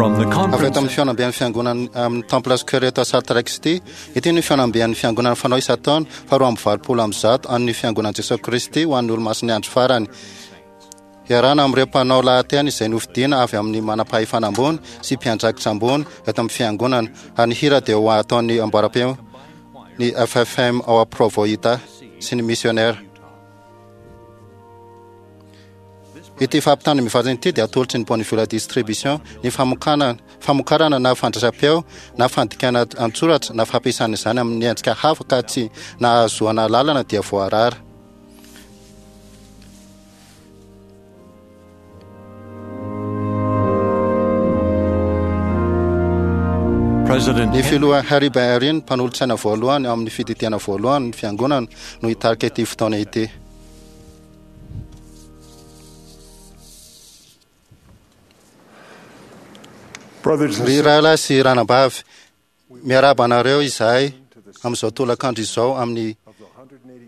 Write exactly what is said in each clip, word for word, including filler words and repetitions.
From the Avy eto conference amin'ny fihaonamben'ny fiangonana amin'ny Temple Square eto Salt Lake City, ity ny fihaonamben'ny fiangonana fanao isan-taona faharoa amby valopolo amby zato an'ny fiangonan'i Jesosy Kristy ho an'ny olomasin'ny andro farany. Iarahana amin'ireo mpanao lahateny izay nofidiana avy amin'ny manam-pahefana ambony sy mpiandraikitra ambony eto amin'ny fiangonana, ary ny hira dia ho ataon'ny amboaram-peo ny F F M ao Provo Utah sy ny missionnaire. Ity fampitana mivantana ity dia atolotry ny Bonavilla Distribution, ny famokana, famokarana na fandraisam-peo na fandikana an-tsoratra na fampiasana izany amin'ny endrika hafa ka tsy nahazoana lalana dia voarara. President Ny filoha Harry Eyring, mpanolotsaina voalohany ao amin'ny fididiana voalohany ny fiangonana, no hitarika ity fotoana ity. Brothers and Ry rahalahy sy ranabavy, miarahaba anareo izahay amin'izao tolakandro izao amin'ny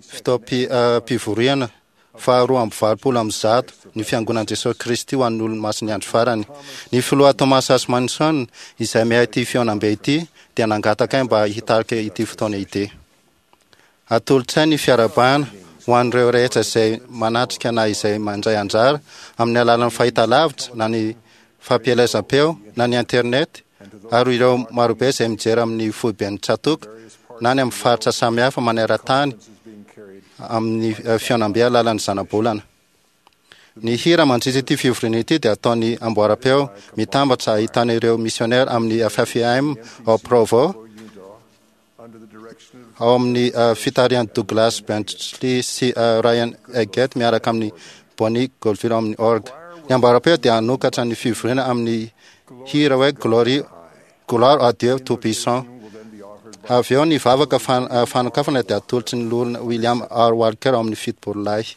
fotoam-pivoriana faharoa amby valopolo amby zato ny fiangonan'i Jesosy Kristy ho an'ny olomasin'ny andro farany. Ny filoha Thomas S. Monson, izay miahy ity fihaonambe ity, dia nangataka ahy mba hitarika ity fotoana ity. Atolotray ny fiarahabana ho an'ireo rehetra izay manatrika na izay mandray anjara amin'ny alalan'ny fahitalavitra na ny fampielezam-peo na ny internet ary ireo marobe izay mijery amin'ny foiben'ny tsatoka na ny amin'ny faritra samihafa maneran-tany amin'ny fihaonambe alalan'ny zanabolana. Ny hira mandritra ity fivoriana ity dia ataon'ny amboaram-peo mitambatra ahitana ireo missionnaire amin'ny F F M ao Provo, ao amin'ny fitarihan'i Douglas Bentley sy Ryan Eggett miaraka amin'ny Bonnie Goldfield amin'ny orgue. Ny amboaram-peo dia hanokatra ny fivoriana amin'ny hira hoe Glory, Gloire à Dieu Tout-Puissant. Avy eo ny vavaka fan-, fanokafana dia atolotry ny loholona William R. Walker ao amin'ny fitopolo lahy.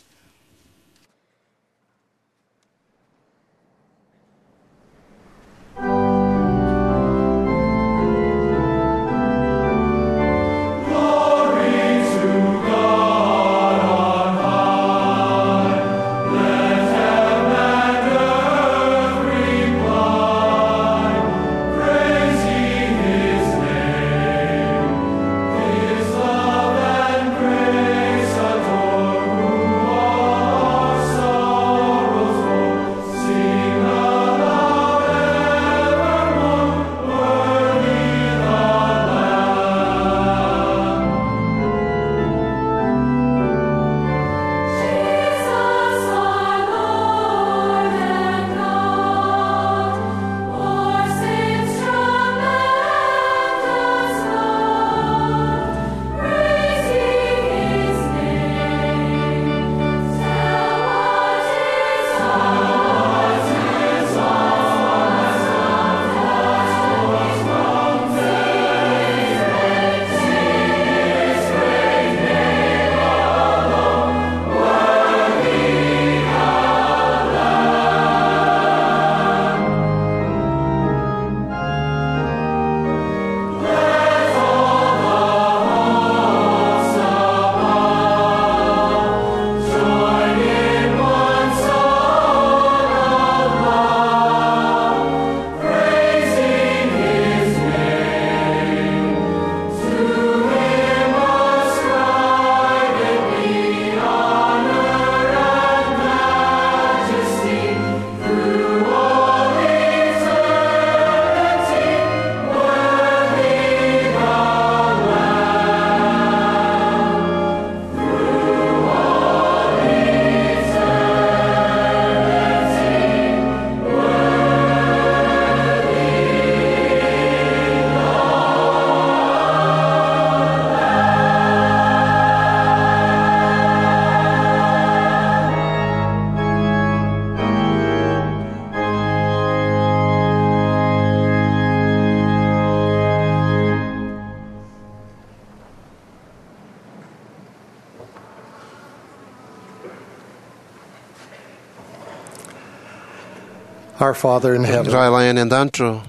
Our Father in heaven, Rahalahy any an-danitra,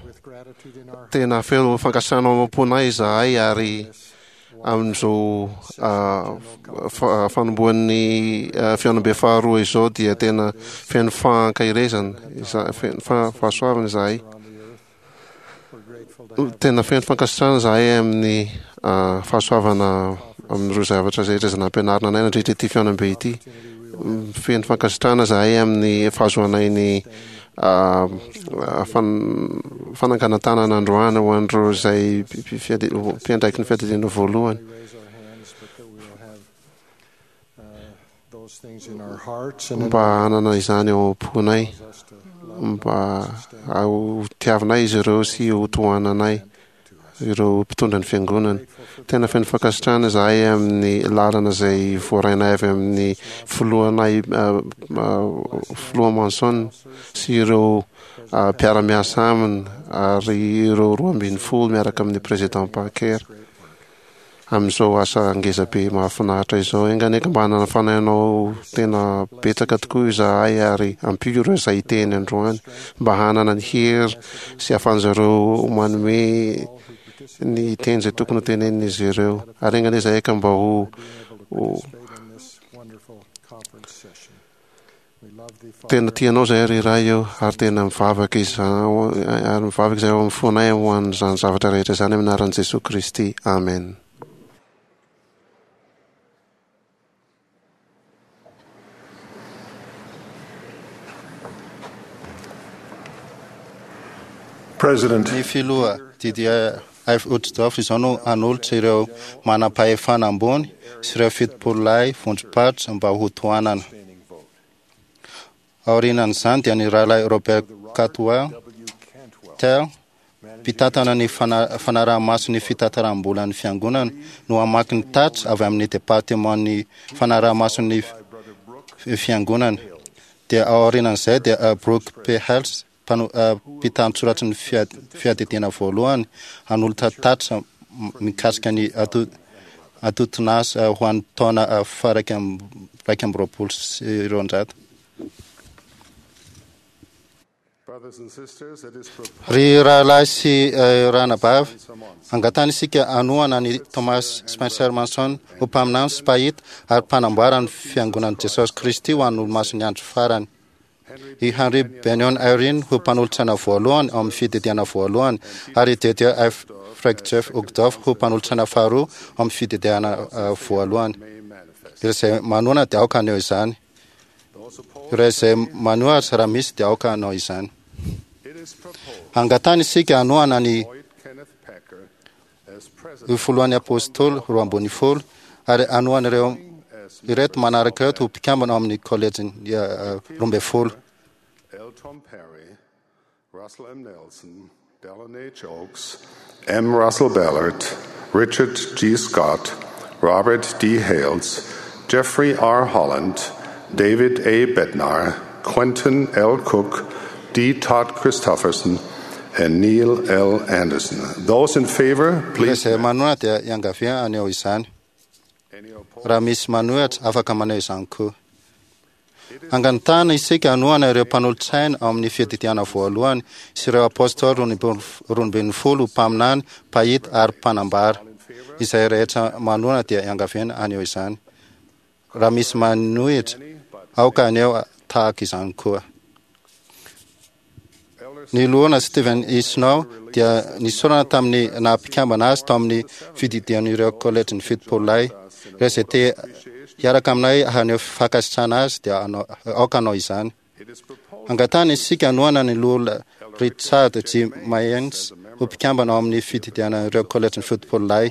tena feno fankasitrahana ao am-ponay izahay ary amin'izao fanombohan'ny fihaonambe faharoa izao dia tena feno fankaherezana, feno fahasoavana izahay. Tena feno fankasitrahana zahay amin'ny fahasoavana amin'ireo zavatra rehetra izay nampianarina anay nandritra ity fihaonambe ity. Feno fankasitrahana zahay amin'ny fahazoanay ny fananganan-tanana androany ho an'ireo izay mpiandraiky ny fiadidiana voalohany. Mba hanana izany ao am-ponay, mba ho tiavinay izy ireo sy ho tohananay ireo mpitondra ny fiangonana. Tena feno fankasitrahana izahay amin'ny lalana izay voarainay avy amin'ny filohanay filoha Manson sy ireo mpiara-miasa aminy ary ireo roa ambin'ny folo miaraka amin'ny président Parker amin'izao asa ngeza be mahafinaritra izao. Enga anie ka mba hanana fanahinao tena betsaka tokoa izahay ary ampio ireo izay hiteny androany mba hanana ny hery sy ahafahan'izareo manome ny teny izay tokony ho tenenin'izy ireo. Ary enga anie izahay ka mba ho tena tianao izahay ry Ray eo, ary tena mivavaka izao ary mivavaka izahay ao amin'ny fonay ho an'izany zavatra rehetra izany amin'ny anaran'i Jesoa Kristy. Amen. President Ny filoha Didier F. Uchtdorf izao no hanolotra ireo manam-pahefana ambony sy ireo fitopololahy vondrom-paritra mba ho tohanana. Aorianan'izany dia ny rahalahy Robert Cantwell Tell, mpitantana ny fanaraha-maso ny fitantaram-bolan'ny fiangonana, no hamaky ny tatitra avy amin'ny departeman'ny fanaraha-maso ny fiangonana. Dia aorianan'izay dia Brooke P. Hales, mpitan-tsoratry ny fiadidiana voalohany, hanolotra tatitra mikasika ny antontan'asa ho an'ny taona faha iraika amby roapolo sy roanjato. Ry rahalahy sy ranabavy, angatahana isika hanohana an'i Thomas Spencer Manson ho mpaminany sy mpahita ary mpanamboara ny fiangonan'i Jesosy Kristy ho an'ny olomasin'ny andro farany. I Henry Benyon Eyring ho mpanolotsaina voalohany ao amin'ny fididiana voalohany ary i Didier F. Frank Jeff Uchtdorf ho mpanolotsaina faharoa ao amin'ny fididiana voalohany. Ireo izay manohana dia aoka haneho izany. Ireo izay manohatra raha misy dia aoka hanao izany. Angatahana isika hanohana ny filohan'ny apôstôly roa ambin'ny folo ary hanohana ireo ireto manaraka ireto ho mpikambana ao amin'ny kôlejin'ny roa ambin'ny folo. L. Tom Perry, Russell M. Nelson, Dallin H. Oaks, M. Russell Ballard, Richard G. Scott, Robert D. Hales, Jeffrey R. Holland, David A. Bednar, Quentin L. Cook, D. Todd Christofferson, and Neil L. Anderson. Those in favor, Ireo please. izay manohana dia iangavia haneho izany. Raha misy manohitra, afaka maneho izany koa. Angatahana isika hanohana ireo mpanolotsaina ao amin'ny fiadidiana voalohany sy ireo apôstôly roa ambin'ny folo, mpaminany, mpahita ary mpanambara. Izay rehetra manohana dia iangaviana haneho izany. Raha misy manohitra, aoka haneho tahaka izany koa. Ny loholona Stephen E. Snow dia nisorana tamin'ny naha-mpikambana azy tao amin'ny fididian'ireo kôlejin'ny fitopololahy. Ireo izay te hiaraka aminay haneho fankasitrahana azy dia aoka hanao izany. Angatahana isika hanohana ny loholona Richard G. Maynes ho mpikambana ao amin'ny fididian'ireo kôlejin'ny fitopololahy.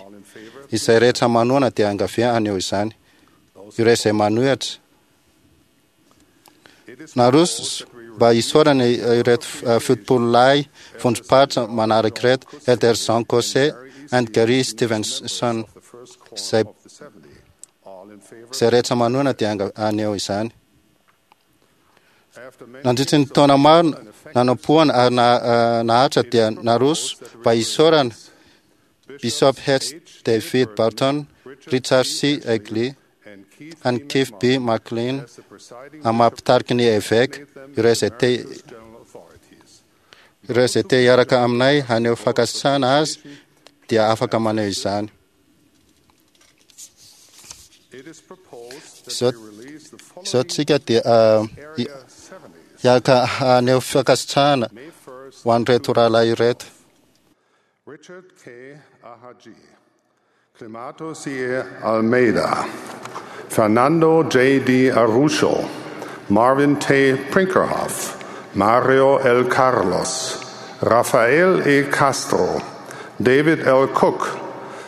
Izay rehetra manohana dia angavia haneho izany. Ireo izay manohitra naroso mba hisorana ireto fitopololahy vondrom-paritra manaraka ireto: Elder Jean Caussé and Gary Stevenson. Izay izay rehetra manohana dia haneho izany. Nandritra ny taona maro nanompoana ary naharitra dia naroso mba hisorana Bishop H. David Barton, Richard C. Egley, and Keith B. McLean, amin'ny ny évêque, ireo izay te ireo izay te hiaraka aminay haneho fankasitrahana azy dia afaka maneho izany. Izao izao tsika dia hiaraka haneho fankasitrahana ho an'ireto rahalahy ireto. Richard K. Ahaji, Clemato C. Almeida, Fernando J. D. Arusho, Marvin T. Prinkerhoff, Mario L. Carlos, Rafael E. Castro, David L. Cook,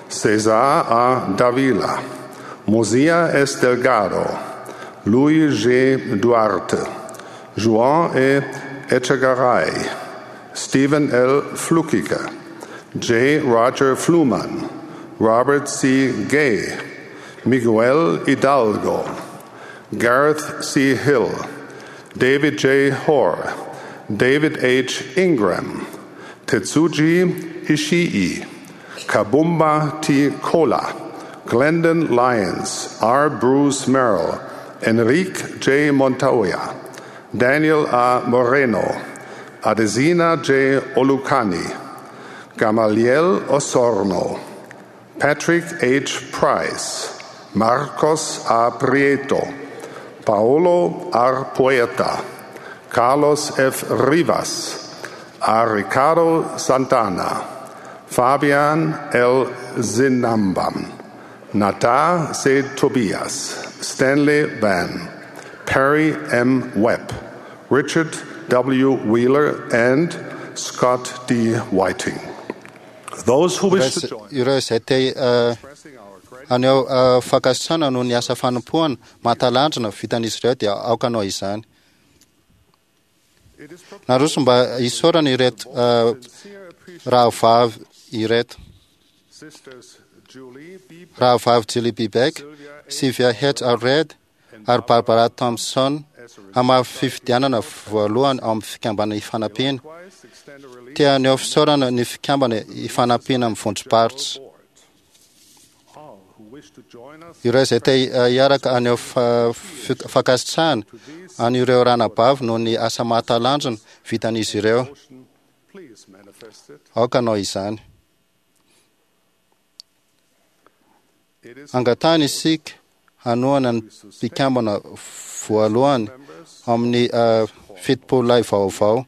Cesar A. Davila, Mosia S. Delgado, Luis G. Duarte, Juan E. Echegaray, Stephen L. Flukiger, J. Roger Fluman, Robert C. Gay, Miguel Hidalgo, Gareth C. Hill, David J. Hoare, David H. Ingram, Tetsuji Ishii, Kabumba T. Kola, Glendon Lyons, R. Bruce Merrill, Enrique J. Montoya, Daniel A. Moreno, Adesina J. Olukani, Gamaliel Osorno, Patrick H. Price, Marcos A. Prieto, Paolo R. Poeta, Carlos F. Rivas, A. Ricardo Santana, Fabian L. Zinambam, Nata C. Tobias, Stanley Van, Perry M. Webb, Richard W. Wheeler, and Scott D. Whiting. Those who wish to join Ireo izay te eh, expressing our gratitude haneho eh, fankasitrahana noho ny asa fanompoana mahatalanjona vitan'izy ireo dia aoka hanao izany. It is proposed Naroso mba hisaorana ireto eh, sincere appreciation rahavavy ireto. Sisters Julie B. Rahavavy Julie B. Beck, Sylvia A. Sylvia H. Allred ary Barbara Thompson as a result, amin'ny fifidianana voalohany ao amin'ny fikambanana Ifanampiana. likewise extend a release Te haneho fisaorana ny fikambanana Ifanampiana amin'ny vondrom-paritra. board. All who wish to join us Ireo izay te hiaraka haneho fa- fi- fankasitrahana an'ireo ranabavy noho ny asa mahatalanjona vitan'izy ireo. motion, please manifest it. Aoka hanao izany. It is Angatahana isika hanohana ny mpikambana voalohany members amin'ny eh, fitopololahy vaovao.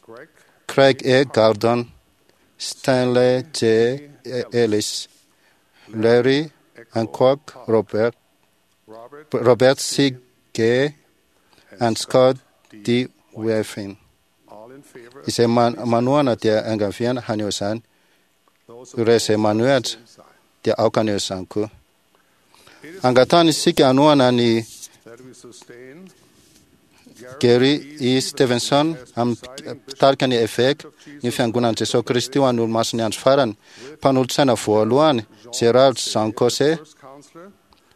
Greg Craig A. Gordon, Stanley J. Ellis, Larry Hancock, Robert, Robert Robert C. Gay, and Scott D. Weffin. all in favor Izay man- manohana dia angaviana haneho izany. those Ireo izay manohitra same sign. dia aoka haneho izany koa. It is Angatahana isika hanohana ny that we sustain Gary E. Stevenson amin'ny mpitarika ny eveka ny fiangonan'i Jesosy Kristy ho an'ny olomasin'ny andro farany. Mpanolotsaina voalohany Gerald Jean Cosé, first counselor,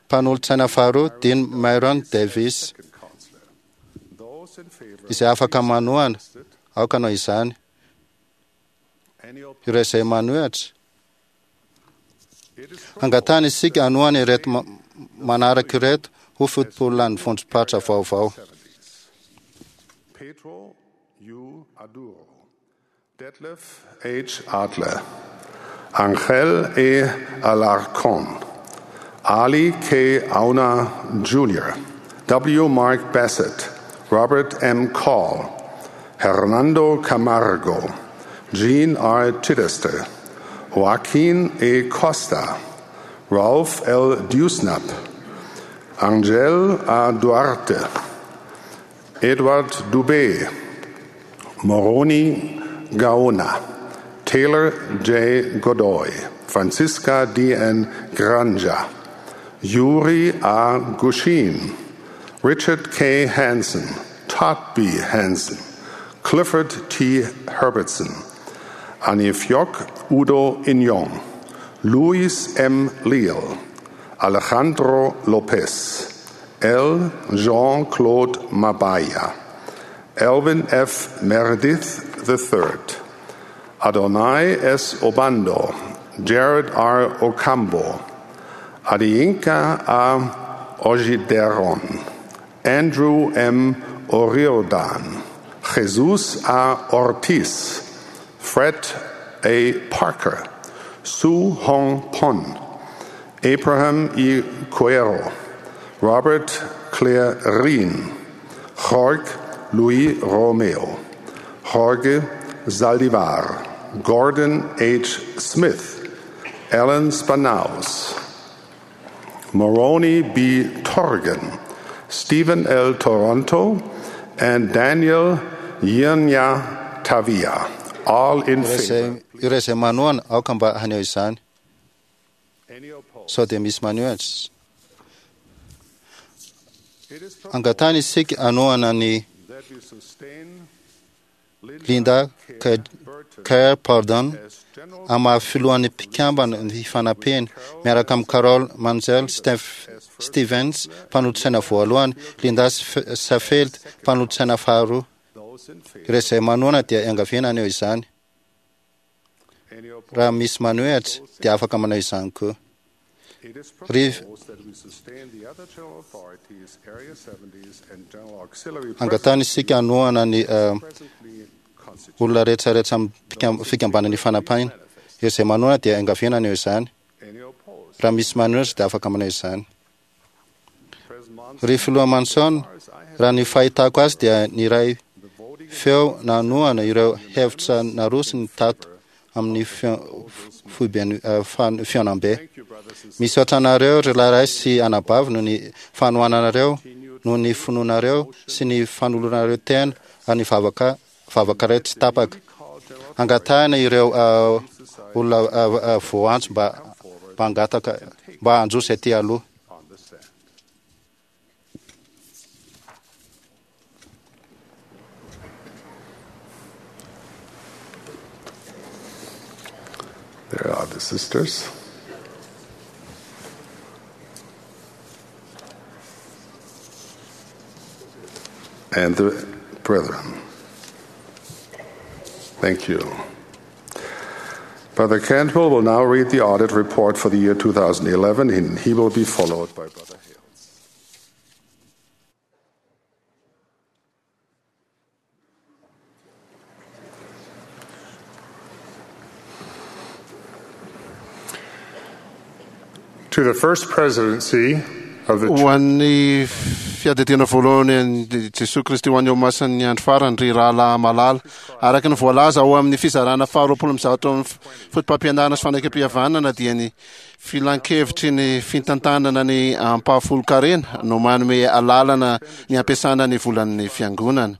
mpanolotsaina faharoa Dean Myron Davis. second counselor. Those in favor Izay afaka manohana it. aoka hanao izany. Any opposed? Ireo izay manohitra It is angatahana isika hanohana ireto ma- manaraka ireto ho fitopololahin'ny vondrom-paritra vaovao. seventies. Pedro U. Aduro, Detlef H. Adler, Angel E. Alarcon, Ali K. Auna Junior, W. Mark Bassett, Robert M. Call, Hernando Camargo, Jean R. Chittister, Joaquin A. Costa, Ralph L. Dewsnap, Angel A. Duarte, Edward Dubé, Moroni Gaona, Taylor J. Godoy, Francisca D. N. Granja, Yuri A. Gushin, Richard K. Hansen, Todd B. Hansen, Clifford T. Herbertson, Anifjok Udo Inyong, Luis M. Leal, Alejandro Lopez, L. Jean-Claude Mabaya, Elvin F. Meredith the Third, Adonai S. Obando, Jared R. Ocambo, Adiyinka A. Ojideron, Andrew M. O'Riordan, Jesus A. Ortiz, Fred A. Parker, Su Hong Pon, Abraham E. Cuero, Robert Clarin, Jorge Luis Romeo, Jorge Zaldivar, Gordon H. Smith, Ellen Spanaus, Moroni B. Torgan, Stephen L. Toronto, and Daniel Yenya Tavia. All in Ireo favor. izay- ireo izay manohana aoka mba haneho izany. Any opposed? Sao dia misy manohitra. It is proposed Angatahana isika hanohana ny that we sustain Linda Kerr Kerr Burton Kerr Pardon as General amin'ny maha filohan'ny mpikambana ny fanampiana miaraka amin'ny Carol Manzel Steph Stevens mpanolotsaina voalohany, Linda Sf- Safeld mpanolotsaina faharoa. Those in favor. Ireo izay manohana dia iangaviana haneho izany. Any opposed? Raha misy manohitra dia afaka manao izany koa. It is Riv- proposed that we sustain the other general authorities, Area seventies, and General Auxiliary Angatahana isika hanohana ny eh, presently constituted. olona rehetrarehetra amin'ny mpikam- fikambanana fanapahana. Ireo izay manohana dia iangaviana haneho izany. Any opposed? Raha misy manohitra dia afaka manao izany. President Monson, Ry filoha Manson, as I have raha ny fahitako azy dia ny iray the voting feo nanohana ireo hevitra narosiny tato amin'ny fio- foiben'ny eh, fan- fihaonambe. Thank you, brothers and Misaotra anareo ry lahy sy anabavy noho ny fanohananareo, noho ny finoanareo sy ny fanoloranareo tena ary ny vavaka vavakareo tsy tapaka. called General Angatahana ireo eh, olona eh, eh, voantso mba mba hangataka mba handroso aty aloha. on the stand. There are the sisters. And the brethren. Thank you. Brother Cantwell will now read the audit report for the year twenty eleven, and he will be followed by Brother Hales. To the First Presidency of the Ho an'ny fiadidiana voalohany an'i Jesosy Kristy ho an'ny Olomasin'ny andro farany, ry rahalahy malala, araka ny voalaza ao amin'ny fizarana faharoapolo amby zato amin'ny fotopampianarana sy fanekempihavanana dia ny filankevitry ny fitantanana ny ampahafolon-karena no manome alalana ny ampiasana ny volan'ny fiangonana.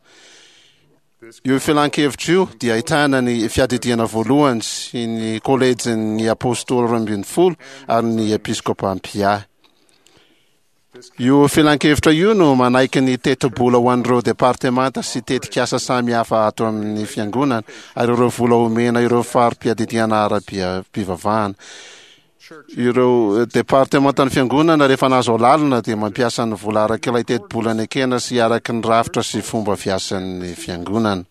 Io filankevitra io dia ahitana ny fiadidiana voalohany sy ny kolejin'ny apôstôly roa ambin'ny folo ary ny episkopa mpiahy. Io filankevitra io no manaiky ny tetibola ho an'ireo departemanta sy tetikasa samihafa ato amin'ny fiangonana ary ireo vola omena ireo fari-piadidiana ara-pivavahana. Ireo departemantan'ny fiangonana rehefa nahazo alalana dia mampiasa ny vola araka ilay tetibola nekena sy araka ny rafitra sy fomba fiasan'ny fiangonana.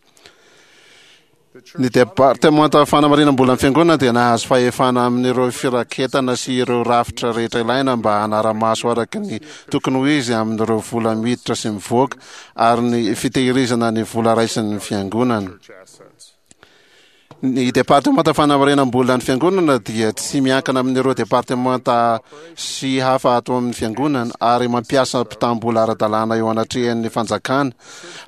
Ny departemanta fanamarinam-bolan'ny fiangonana dia nahazo fahefana amin'ireo firaketana sy ireo rafitra rehetra ilaina mba hanara-maso araka ny tokony ho izy amin'ireo vola miditra sy mivoaka ary ny fitehirizana ny vola raisin'ny fiangonana. assets. Ny departemanta fanamarinam-bolan'ny fiangonana dia tsy miankina amin'ireo departemanta sy hafa ato amin'ny fiangonana ary mampiasa mpitam-bola ara-dalàna eo anatrehan'ny fanjakana,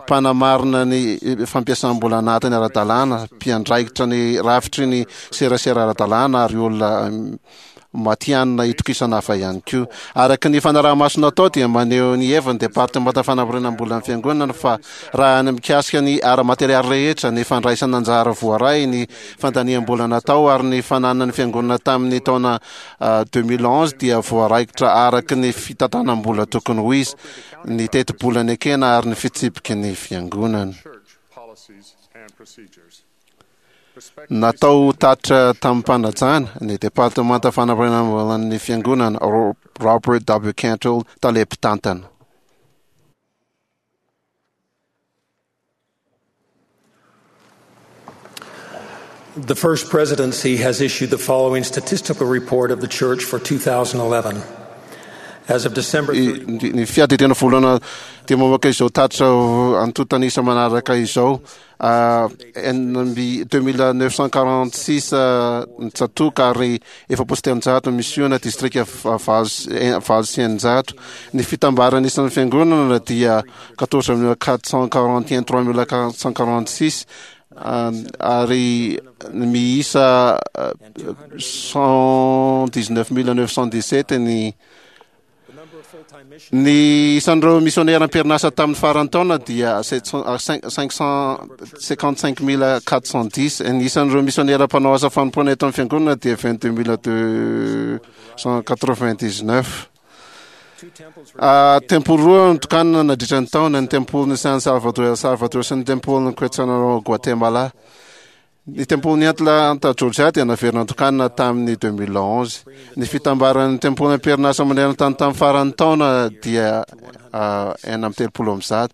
mpanamarina ny fampiasam-bola anatiny ara-dalàna, mpiandraikitra ny rafitry ny serasera ara-dalàna ary olona mm, matihanina itokisana hafa ihany koa. Araka ny fanaraha-maso natao dia maneho ny heviny departemanta fanamarinam-bolan'ny fiangonana fa raha ny mikasika ny ara-materialy rehetra, ny fandraisana anjara voaray, ny fandaniam-bola natao ary ny fananan'ny fiangonana tamin'ny taona ah, deux mille onze dia voaraikitra araka ny fitantanam-bola tokony ho izy, ny tetibola nekena ary ny fitsipiky ny fiangonana. Church policies and procedures. Natao tatitra tamin'ny-panajana ny departemanta fanamarinam-bolan'ny fiangonana, Ro- Robert W. Cantwell, tale mpitantana. The First Presidency has issued the following statistical report of the Church for twenty eleven. As of December I- ny ny fiadidiana voalohany dia mamoaka izao tatitra antontanisa manaraka izao: Ah, enina amby deux mille neuf cent quarante six ny tsatòka ary efapolo sy telonjato misiona, distrika va- valo sy- eh, valo sy eninjato. Ny fitambarana isan'ny fiangonana dia quatorze mille quatre cent quarante et un, trois mille quatre cent quarante six. ary miisa cent dix-neuf mille neuf cent dix-sept ny ny isan'ireo misionera am-perinasa tamin'ny faran'ny taona dia cinq cent cinquante-cinq mille quatre cent dix. Ny isan'ireo misionera mpanao asa fanompoana eto amin'ny fiangonana dia vingt-deux mille deux cent quatre-vingt-dix-neuf. Tempoly roa notokanana nandritra ny taona, ny tempolin'i San Salvador El Salvador sy ny tempolin'i Quetzaltenango Guatemala. Ny tempolin'i Atlanta Georgia dia naverina notokanana tamin'ny deux mille onze. Ny fitambaran'ny tempoly am-perinasa maneran-tany tamin'ny faran'ny taona dia enina amby telopolo amby zato.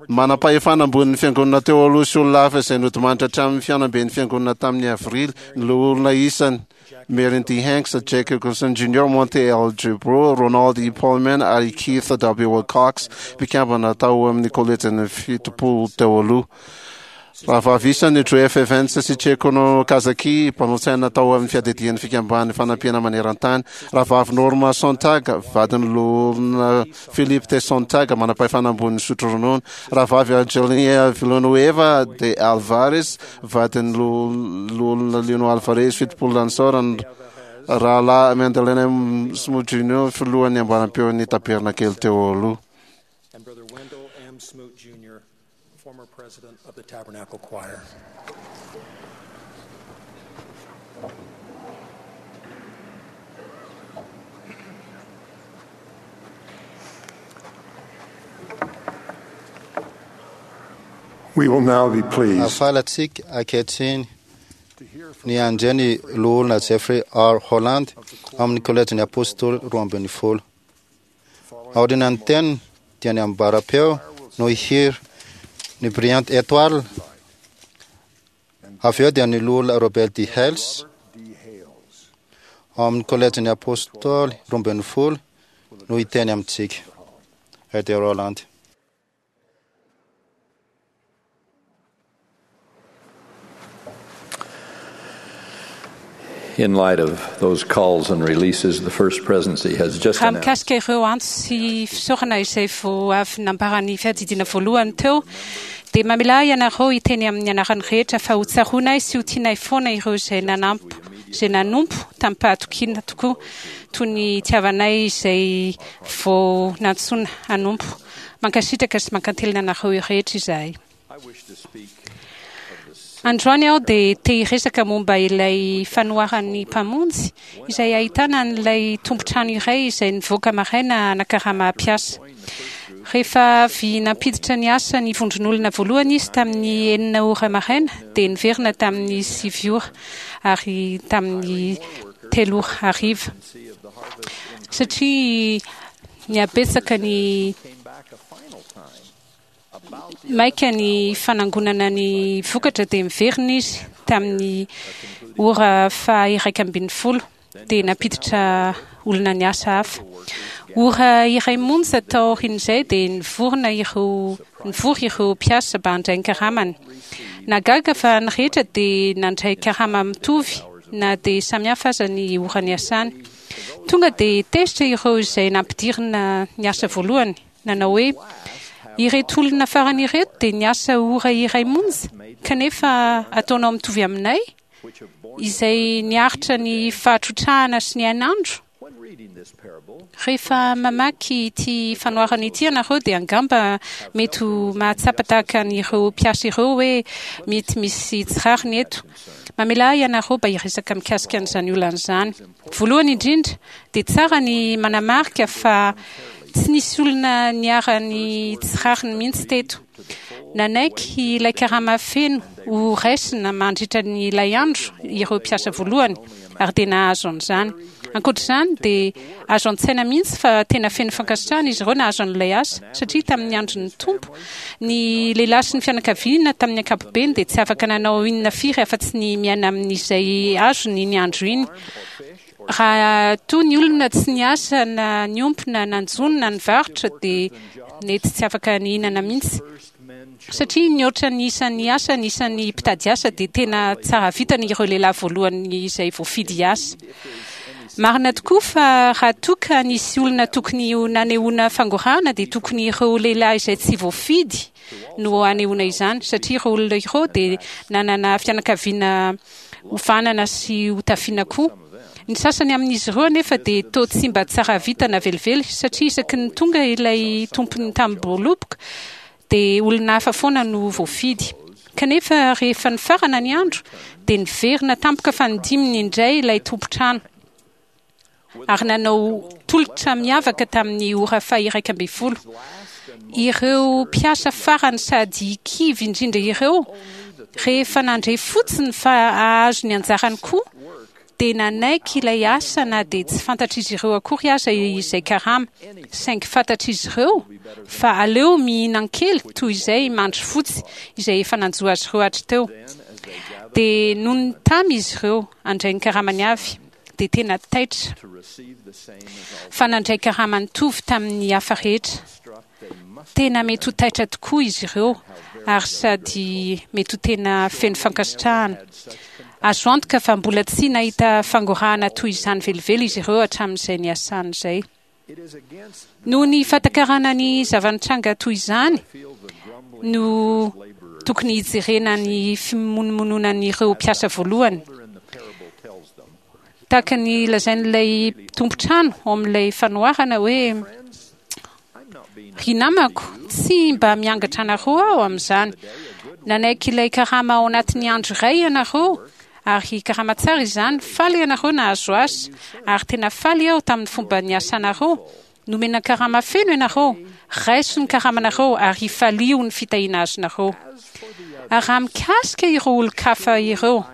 Manam-pahefana ambonin'ny fiangonana teo aloha sy olona hafa izay nodimandry hatramin'ny fihaonamben'ny fiangonana tamin'ny avrily, ny loholona isany Marion D. Hanks, Jack Wilkinson Junior, Monte L. Jubro, Ronald E. Pullman ary Keith W. Cox, mpikambana tao amin'ny kolejin'ny fitopolo teo aloha. Rahavavy isany Joe F. Evans sy Chieko Kazaki, mpanolo-tsaina tao amin'ny fiadidian'ny fikamban'ny fanampiana maneran-tany. Rahavavy Norma Sontag, vadin'ny loholona Philip T. Sontag, manam-pahefana ambonin'ny sotro ronono. Rahavavy Angelina Villanueva de Alvarez, vadin'ny loholona Lino Alvarez, fitopolo Lansorana. Rahalahy Mandalena M. Smoot Junior, filohan'ny ambaram-peon'ny tabernakely teo aloha. And Brother Wendell M. Smoot Junior, former president of the Tabernacle Choir. We will now be pleased Afaly antsika ankehitriny ny handre ny loholona Jeffrey R. Holland amin'ny kolejin'ny apôstôly roa ambin'ny folo. Aorian'ny teniny dia ny ambaram-peo no hihira ny Brilliant Étoile. Avy eo dia ny loholona Robert D. Hales ao amin'ny kolejin'ny apôstôly roa ambin'ny folo no hiteny amintsika. Elder Holland. In light of those calls and releases, the First Presidency has just Raha announced mikasika ireo antso sy fisaorana izay vao avy nambaran'ny fiadidiana voalohany teo, dia mamela ianareo hiteny amin'ny anarany rehetra fa ho tsaroanay sy ho tianay foana ireo izay nanampo, izay nanompo tamin'ny-pahatokiana tokoa, toy ny itiavanay izay vao nantsoina hanompo. Mankasitraka sy mankantelina anareo rehetra izahay. Androany aho dia te hiresaka momba ilay fanoharan'ny mpamonjy izay ahitana an'ilay tompon-trano iray izay nivoaka maraina hanakarama mpiasa. Rehefa avy nampiditra ny asa ny vondron'olona voalohany izy tamin'ny enina ora maraina dia niverina tamin'ny sivy ora ary tamin'ny telo ora hariva. Satria nihabetsaka ny maika ny fanangonana ny vokatra dia miverina izy tamin'ny ora faha iraika ambin'ny folo dia nampiditra olona ny asa hafa. Ora iray monja taorian'izay dia nivorona ireo nivory ireo mpiasa mba handray ny karamany. Nagaga fa ny rehetra dia nandray karama mitovy na dia samihafa aza ny ora niasany. Tonga dia tezitra ireo izay nampidirina ny asa voalohany, nanao hoe ireto olona farany ireto dia niasa ora iray monja kanefa ataonao mitovy aminay izay niaritra ny fahatrotrahana sy ny hainandro. Rehefa mamaky ity fanoharana ity ianareo dia angamba mety ho mahatsapa tahaka an'ireo mpiasa ireo hoe mety misy tsy rariny eto. Mamela ahy ianareo mba hiresaka mikasika an'izany olana izany. Voalohany indrindra dia tsara ny manamarika fa tsy nisy olona niharan'ny tsy rariny mihitsy teto. Nanaiky ilay karama feno ho raisina mandritra ny ilay andro ireo mpiasa voalohany ary dia nahazo an'izany. Ankoatr'izany dia azo an-tsaina mihitsy fa tena feno fankasitrahana izy ireo nahazo an'ilay asa, satria tamin'ny andron'ny Tompo ny lehilahy sy ny fianakaviana tamin'ny ankapobeny dia tsy afaka nanao inona firy afa-tsy ny miaina amin'izay azony iny andro iny. Raha toa ny olona tsy niasa na niompy na nanjono na nivarotra dia nety tsy afaka nihinana mihitsy. Satria nihoatra ny isan'ny asa ny isan'ny mpitady asa dia tena tsara vitana ireo lehilahy voalohany izay voafidy hiasa. Marina tokoa fa raha toa ka nisy olona tokony ho nanehoana fangorahana, dia tokony ireo lehilahy izay tsy voafidy no hanehoana izany, satria ireo olona ireo dia nanana fianakaviana hovanana sy hotafiana koa. Ny sasany amin'izy ireo anefa dia toa tsy mba tsara vintana velively, satria isaky ny tonga ilay tompon'ny tanimboaloboka dia olona hafa foana no voafidy. Kanefa rehefa nifarana ny andro, dia niverina tampoka fanindiminy indray ilay tompon-trano, ary nanao tolotra miavaka tamin'ny ora faha-iraika ambin'ny folo. Ireo mpiasa farany sady kivy indrindra ireo, rehefa nandre fotsiny fa hahazo ny anjarany koa, dia nanaiky ilay asa na dia tsy fantatr'izy ireo akory aza izay karama, saingy fantatr'izy ireo fa aleo mihinan-kely toy izay mandry fotsy izay efa nanjo azy ireo hatriteo. Dia nony tamy izy ireo handray ny karamany avy, dia tena taitra fa nandray karama nitovy tamin'ny hafa rehetra. Tena mety ho taitra tokoa izy ireo, ary sady mety ho tena feno fankasitrahana. Azo antoka fa mbola tsy nahita fangorahana toy izany velively izy ireo hatramin'izay niasany izay. Noho ny fahatakarana ny zava-nitranga toy izany no tokony hijerena ny fimonomononan'ireo mpiasa voalohany. Tahaka ny lazain'ilay tompon-trano ao amin'ilay fanoharana hoe: "Ry namako, tsy mba miangatra anareo aho amin'izany. Nanaiky ilay karama ao anatin'ny andro iray ianareo, ary karama tsara izany. Faly ianareo nahazo asa, ary tena faly aho tamin'ny fomba niasanareo. Nomena karama feno ianareo. Raiso ny karamanareo ary ifalio ny fitahiana azonareo. Ary raha mikasika ireo olon-kafa ireo,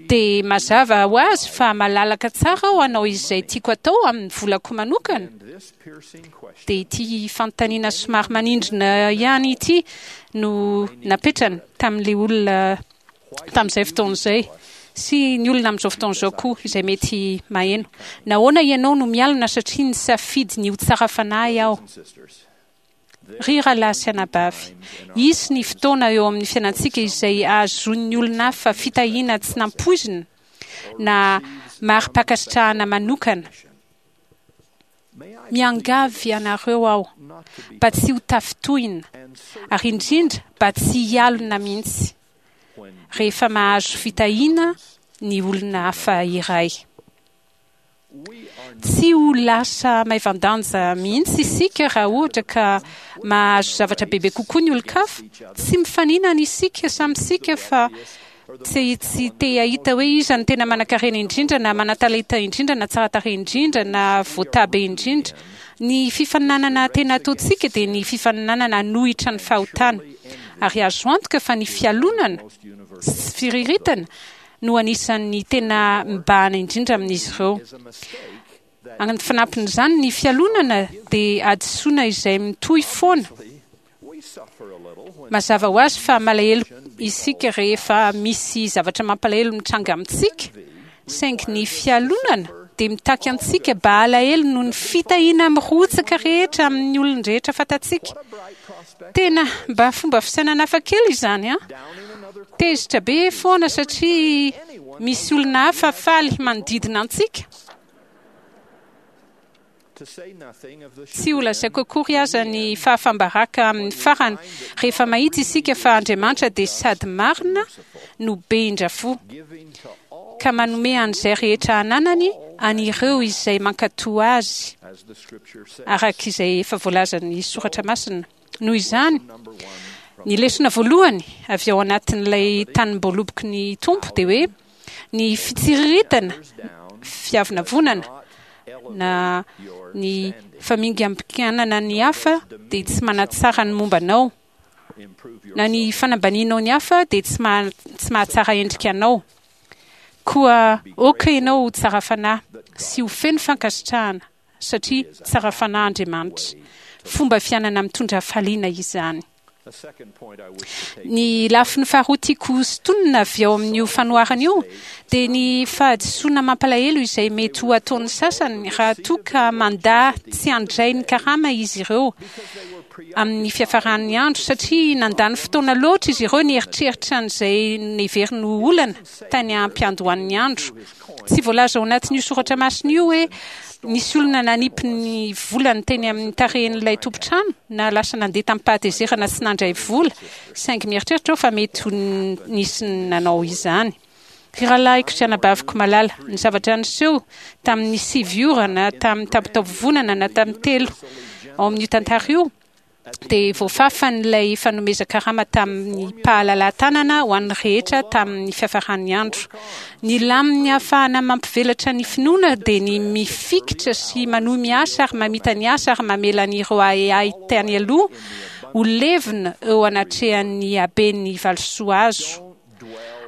dia mazava ho azy fa malalaka tsara aho hanao izay tiako atao amin'ny volako manokana." Dia ity fanontaniana somary manindrona ihany ity no napetrany tamin'ilay olona tamin'izay fotoana izay, sy ny olona amin'izao fotoana izao koa izay mety maheno: "Nahoana ianao no mialona satria nisafidy ny ho tsara fanahy aho?" Ry rahalahy sy anabavy, hisy ny fotoana eo amin'ny fiainantsika izay ahazoan'ny olona hafa fitahiana tsy nampoizina na mari-pankasitrahana manokana. Miangavy anareo aho mba tsy ho tafintohina, ary indrindra mba tsy hialona mihitsy, rehefa mahazo fitahiana ny olona hafa iray. Tsy ho lasa maivan-danja mihitsy isika raha ohatra ka mahazo zavatra bebe kokoa ny olon-kafa. Tsy mifaninana isika samy isika, fa tsy tsy te hahita hoe iza no tena manan-karena indrindra, na manan-talenta indrindra, na tsara tarehy indrindra, na voatabe indrindra. Ny fifaninanana tena ataontsika dia ny fifaninanana hanohitra ny fahotana. Ary azo antoka fa ny fialonana sy firiritana no anisan'ny tena mibahana indrindra amin'izy ireo. Ny fanampin'izany, ny fialonana dia hadisoana izay mitohy foana. Mazava ho azy fa malahelo isika rehefa misy zavatra mampalahelo mitranga amintsika, saingy ny fialonana dia mitaky antsika mba halahelo noho ny fitahiana mirotsaka rehetra amin'ny olon-drehetra fantatsika. Tena mba fomba fisainana hafa kely izany an! Tezitra be foana satria misy olona hafa faly manodidina antsika. Tsy ho lazaiko akory aza ny fahafam-baraka amin'ny farany rehefa mahita isika fa Andriamanitra dia sady marina no be indra-fo, ka manome an'izay rehetra ananany an'ireo izay mankatò azy, araka izay efa voalazan'ny Soratra Masina. Noho izany, ny lesona voalohany avy ao anatin'ilay tanimboaloboky ny Tompo dia hoe ny fitsiriritana, fiavonavonana, na ny famingampikanana ny hafa dia tsy manatsara ny momba anao, na ny fanambanianao ny hafa dia tsy maha, tsy mahatsara endrika anao. Koa aoka ianao ho tsara fanahy sy ho feno fankasitrahana, satria tsara fanahy Andriamanitra. Fomba fiainana mitondra hafaliana izany. Ny lafiny faharoa tiako sintonina avy ao amin'io fanoharana io dia ny fahadisoana mampalahelo izay mety ho ataon'ny sasany raha toa ka mandà tsy handray ny karama izy ireo amin'ny fiafaran'ny andro, satria nandany fotoana loatra izy ireo nieritreritra an'izay neveriny ho olana tany am-piandohan'ny andro. Tsy voalaza ao anatin'io soratra masina io hoe nisy olona nanipy ny volany teny amin'ny tarehin'ilay tompon-trano na lasa nandeha tamin'ny-pahatezerana tsy nandray vola, saingy mieritreritra aho fa mety ho nisy nanao izany. Ry rahalahiko sy anabaviko malala, ny zavatra niseho tamin'ny sivy ora na tamin'ny tampitaovonana na tamin'ny telo ao amin'io tantara io dia voafafan'ilay fanomezan-karama tamin'ny mpahalala-tanana ho an'ny rehetra tamin'ny fiafaran'ny andro. Ny laminy ahafahana mampivelatra ny finoana dia ny mifikitra sy manohy miasa ary mamita ny asa ary mamela an'ireo ahiahy tany aloha ho levona eo anatrehan'ny haben'ny valisoa azo.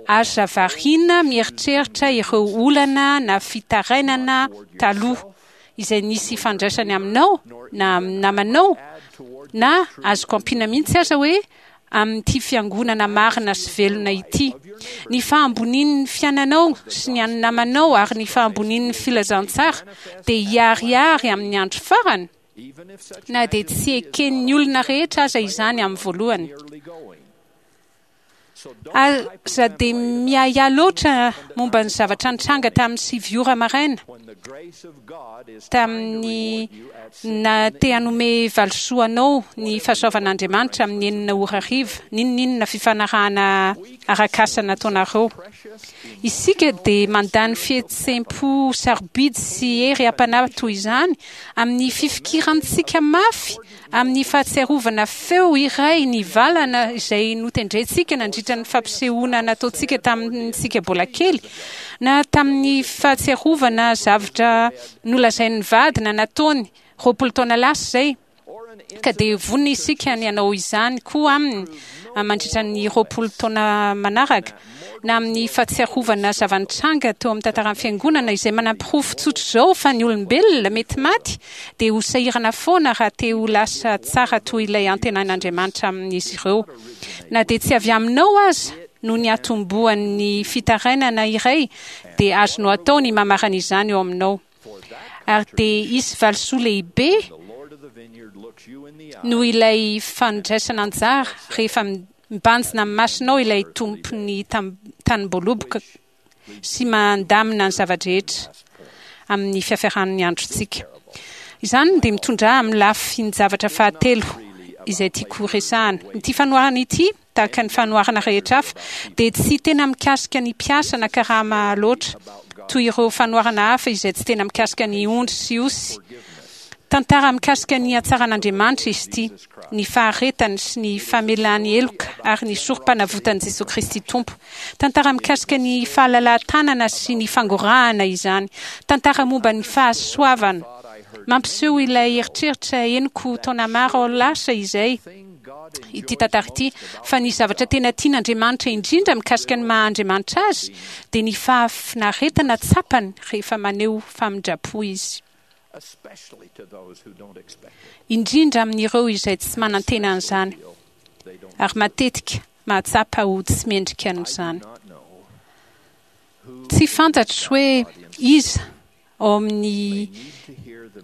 Aza variana mieritreritra ireo olana na fitarainana taloha izay nisy ifandraisany aminao na amin'ny namanao, na azoko ampiana mihitsy aza hoe amin'ity fiangonana marina sy velona ity. Ny fahambonian'ny fiainanao sy ny an'ny namanao ary ny fahambonian'ny filazantsara dia hiharihary amin'ny andro farany, na dia tsy eken'ny olona rehetra aza izany amin'ny voalohany. Aza dia miahiahy loatra momba ny zavatra nitranga tamin'ny sivy ora maraina, tamin'ny na te hanome valisoa anao ny fahasoavan'Andriamanitra amin'ny enina ora hariva, n'inon'inona fifanarahana arak'asa nataonareo. Isika dia mandany fihetseham-po sarobidy sy hery am-panahy toy izany amin'ny fifikirantsika mafy amin'ny fahatsiarovana feo iray nivalana izay notendrentsika nandritra ny fampisehoana nataontsika tamintsika mbola kely, na tamin'ny fahatsiarovana zavatra nolazain'ny vady na nataony roapolo taona lasa izay, ka dia vonona isika ny hanao izany koa aminy mandritra ny roapolo taona manaraka, na amin'ny fahatsiarovana zava-nitranga teo amin'ny tantaran'ny fiangonana izay manamporofo tsotra izao fa ny olombelona mety maty dia ho sahirana foana raha te ho lasa tsara toy ilay antenain'Andriamanitra amin'izy ireo. Na dia tsy avy aminao aza no niatombohan'ny fitarainana iray, dia azonao atao ny mamarana izany eo aminao. Ary dia hisy valisoa lehibe noho ilay fandraisana anjara rehefa mibanjina amin'ny masonao ilay tompon'ny tanim-boaloboka sy mandamina ny zava-drehetra amin'ny fiafaran'ny androntsika. Izany dia mitondra amin'ny lafin-javatra fahatelo izay tiako resahana. Ity fanoharana ity, tahaka ny fanoharana rehetra hafa, dia tsy tena mikasika ny mpiasa na karama loatra, toy ireo fanoharana hafa izay tsy tena mikasika ny ondry sy osy. Tantara mikasika ny hatsaran'Andriamanitra izy ity, ny faharetany sy ny famelany heloka ary ny sorom-panavotan'i Jesoa Kristy Tompo. Tantara mikasika ny fahalalahan-tanana sy ny fangorahana izany. Tantara momba ny fahasoavana. Mampiseho ilay eritreritra henoko taona maro lasa izay ity tantara ity, fa ny zavatra tena tian'Andriamanitra indrindra mikasika ny maha Andriamanitra azy dia ny fahafinaretana tsapany rehefa maneho famindram-po izy, indrindra amin'ireo izay tsy manantena an'izany ary matetika mahatsapa ho tsy mendrika an'izany. Tsy fantatro hoe iza ao amin'ny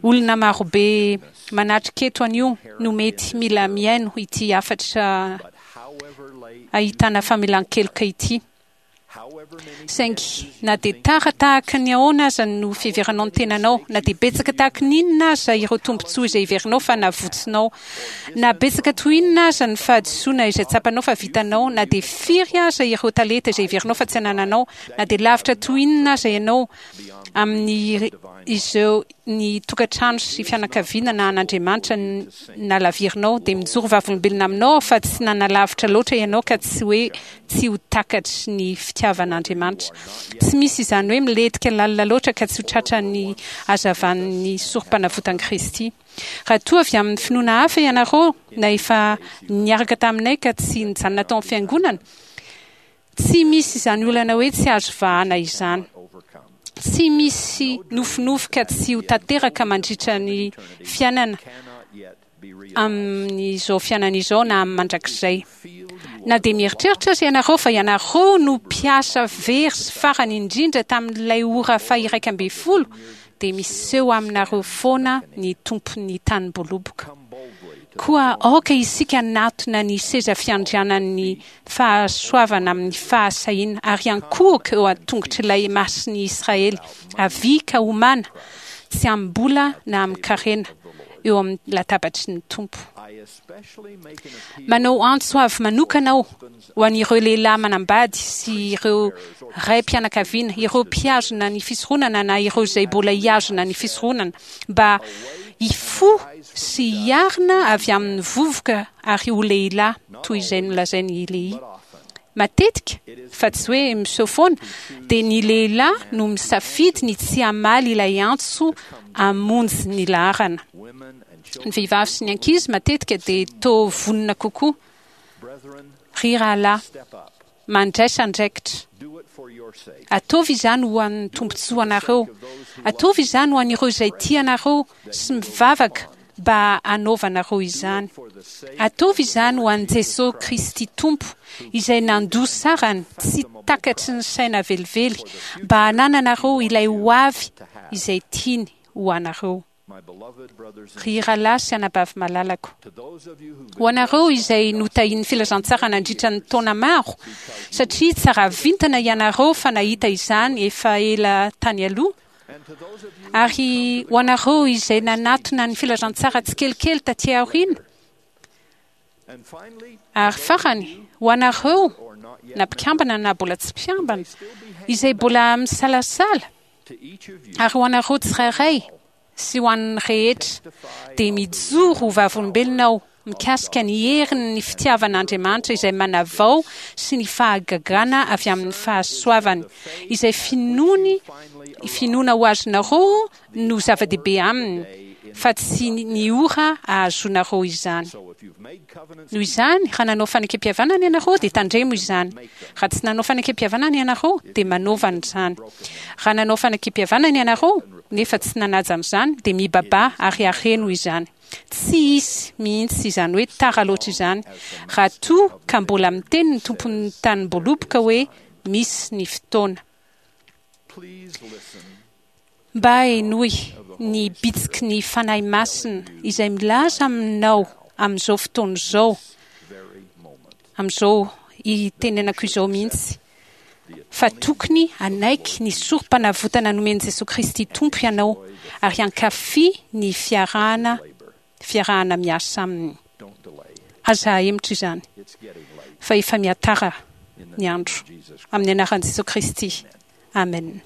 olona marobe manatrika eto anio no mety mila mihaino ity hafatra ahitana famelan-keloka ity. Saingy na dia tara tahaka ny ahoana aza no fiheveranao ny tenanao, na dia betsaka tahaka ny inona aza ireo tombontsoa izay heverinao fa navotsinao, na betsaka toy inona aza ny fahadisoana izay tsapanao fa vitanao, na dia firy aza ireo talenta izay heverinao fa tsy anananao, na dia lavitra toy inona aza ianao amin'ny izao ny tokantrano sy fianakaviana na an'Andriamanitra nalavirinao, dia mijoro vavolombelona aminao fa tsy nanalavitra loatra ianao ka tsy hoe tsy ho takatry ny fitiavan'Andriamanitra. Tsy misy izany hoe milentika lalina loatra ka tsy ho tratra ny hazavan'ny sorom-panavotan'i Kristy. Raha toa avy amin'ny finoana hafa ianareo na efa niaraka taminay ka tsy nijanona tao amin'ny fiangonana, tsy misy izany olana hoe tsy azo vahana izany. Tsy misy nofinofy ka tsy ho tanteraka mandritra ny fiainana Amin'izao fiainana izao na amin'ny mandrakizay. Na dia mieritreritra aza ianareo fa ianareo no mpiasa very sy farany indrindra tamin'ilay ora faha-iraika ambin'ny folo, dia miseho aminareo foana ny Tompon'ny tanim-boaloboka. Koa aoka isika hanatona ny seza fiandrianan'ny fahasoavana amin'ny fahasahiana, ary hiankohoka eo an-tongotr'ilay Masin'i Israely. Avia ka homana, tsy amim-bola na amin-karena, eo amin'ny latabatry ny Tompo. Manao antso avo manokana aho ho an'ireo lehilahy manambady sy ireo raim-pianakaviana, ireo mpihazona ny fisoronana na ireo izay mbola hihazona ny fisoronana, mba hifoha sy hiarina avy amin'ny vovoka ary ho lehilahy, toy izay nolazain'i Lehia. Matetika, fa tsy hoe miseho foana, dia ny lehilahy no misafidy ny tsy hamaly ilay antso hamonjy ny laharana. Ny vehivavy sy ny ankizy matetika dia toa vonona kokoa. Ry rahalahy, mandraisa andraikitra. Ataovy izany ho an'ny tombontsoanareo. Ataovy izany ho an'ireo izay tia anareo sy mivavaka mba hanaovanareo izany. Ataovy izany ho an'i Jesosy Kristy Tompo, izay nandoa sarany tsy takatry ny saina velively mba hanananareo ilay hoavy izay tiany ho anareo. Ry rahalahy sy anabavy malalako, ho anareo izay notahian'ny filazantsara nandritra ny taona maro, satria tsara vintana ianareo fa nahita izany efa ela tany aloha, ary ho anareo izay nanatona ny filazantsara tsikelikely taty aoriana, ary farany, ho anareo na mpikambana na mbola tsy mpikambana, izay mbola misalasala, ary ho anareo tsirairay sy ho an'ny rehetra, dia mijoro ho vavolombelona aho mikasika ny herin'ny fitiavan'Andriamanitra izay manavao sy ny fahagagana avy amin'ny fahasoavany, izay finoany, finoana ho azonareo no zava-dehibe aminy, fa tsy ny ora ahazoanareo izany. Noho izany, raha nanao fanekempihavanana ianareo, dia tandremo izany. Raha tsy nanao fanekempihavanana ianareo, dia manaova an'izany. Raha nanao fanekempihavanana ianareo, nefa tsy nanaja an'izany, dia mibabaha ary areno izany. Tsy hisy mihitsy izany hoe tara loatra izany, raha toa ka mbola miteny ny tompon'ny tanim-boaloboka hoe misy ny fotoana. Mba henoy ny bitsiky ny Fanahy Masina izay milaza aminao amin'izao fotoana izao, amin'izao itenenako izao mihitsy, fa tokony hanaiky ny sorom-panavotana nomen'i Jesoa Kristy Tompo ianao ary hankafy ny fiarahana fiarahana miasa Aminy. Aza ahemotra izany, fa efa mihatara ny andro. Amin'ny anaran'i Jesoa Kristy. Amen.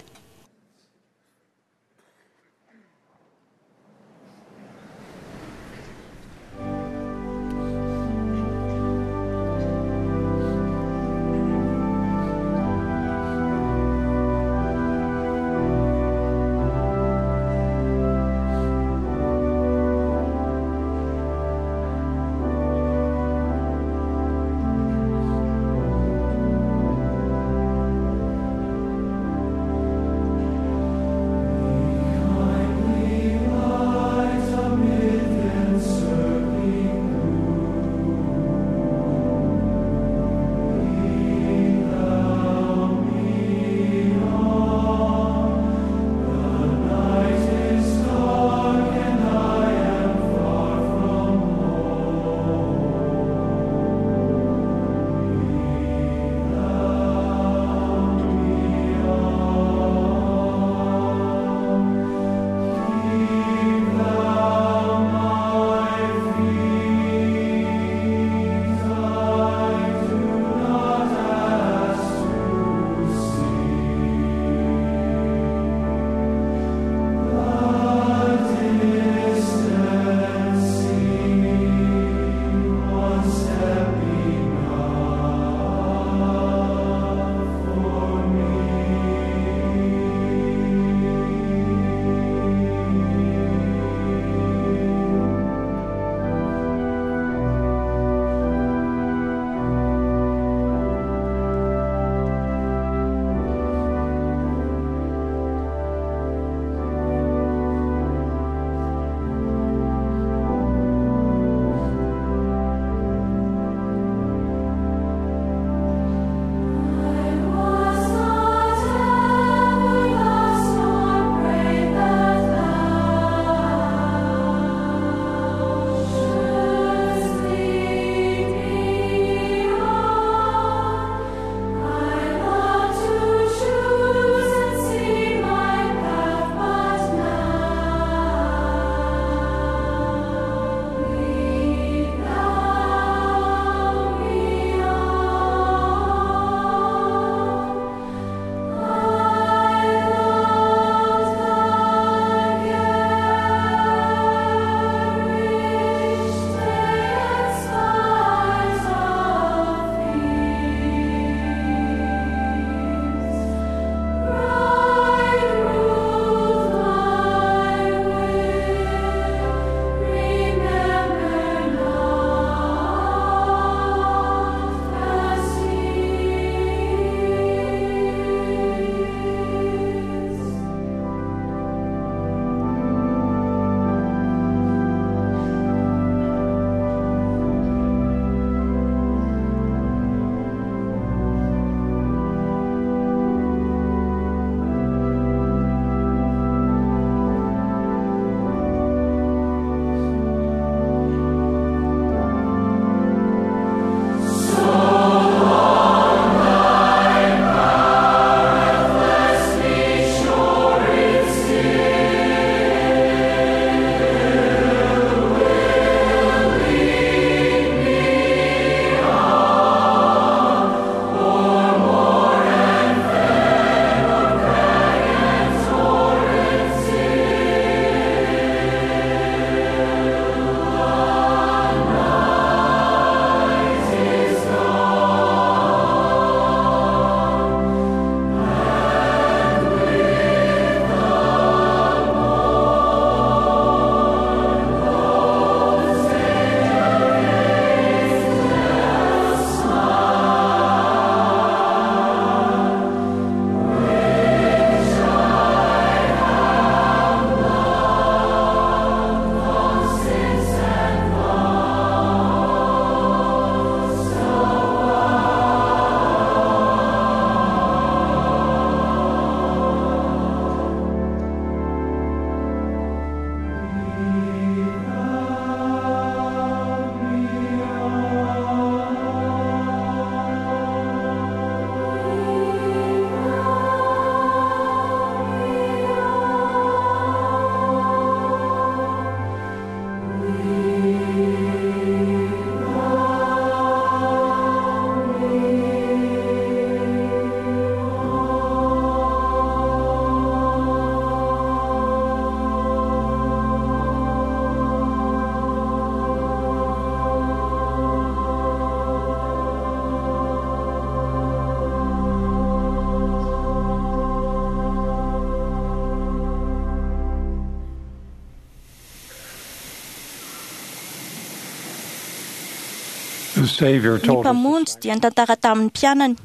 Ny Mpamonjy dia nitantara tamin'ny mpianany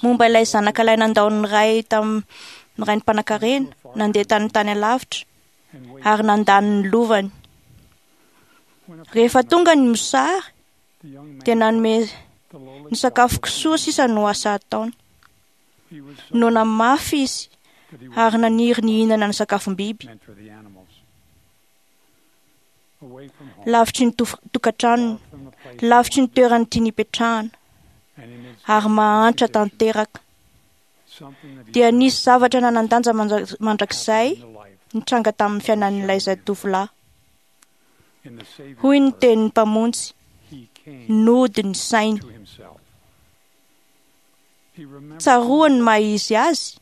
momba ilay zanaka ilay nandao ny ray tamin'ny rainy mpanankarena, nandeha tany tany alavitra ary nandany ny lovany. Rehefa tonga ny mosary dia nanome ny sakafo kisoa sisa no asa ataony. Noana mafy izy ary naniry ny hihinana ny sakafom-biby. Lavitry ny tokantranony, lavitry ny toerany tiany hipetrahana, ary mahantra tanteraka. Dia nisy zavatra nanan-danja mandrakizay nitranga tamin'ny fiainan'ilay zatovolahy. Hoy ny tenin'ny Mpamonjy, nody ny sainy. Tsaroany ny maha izy azy,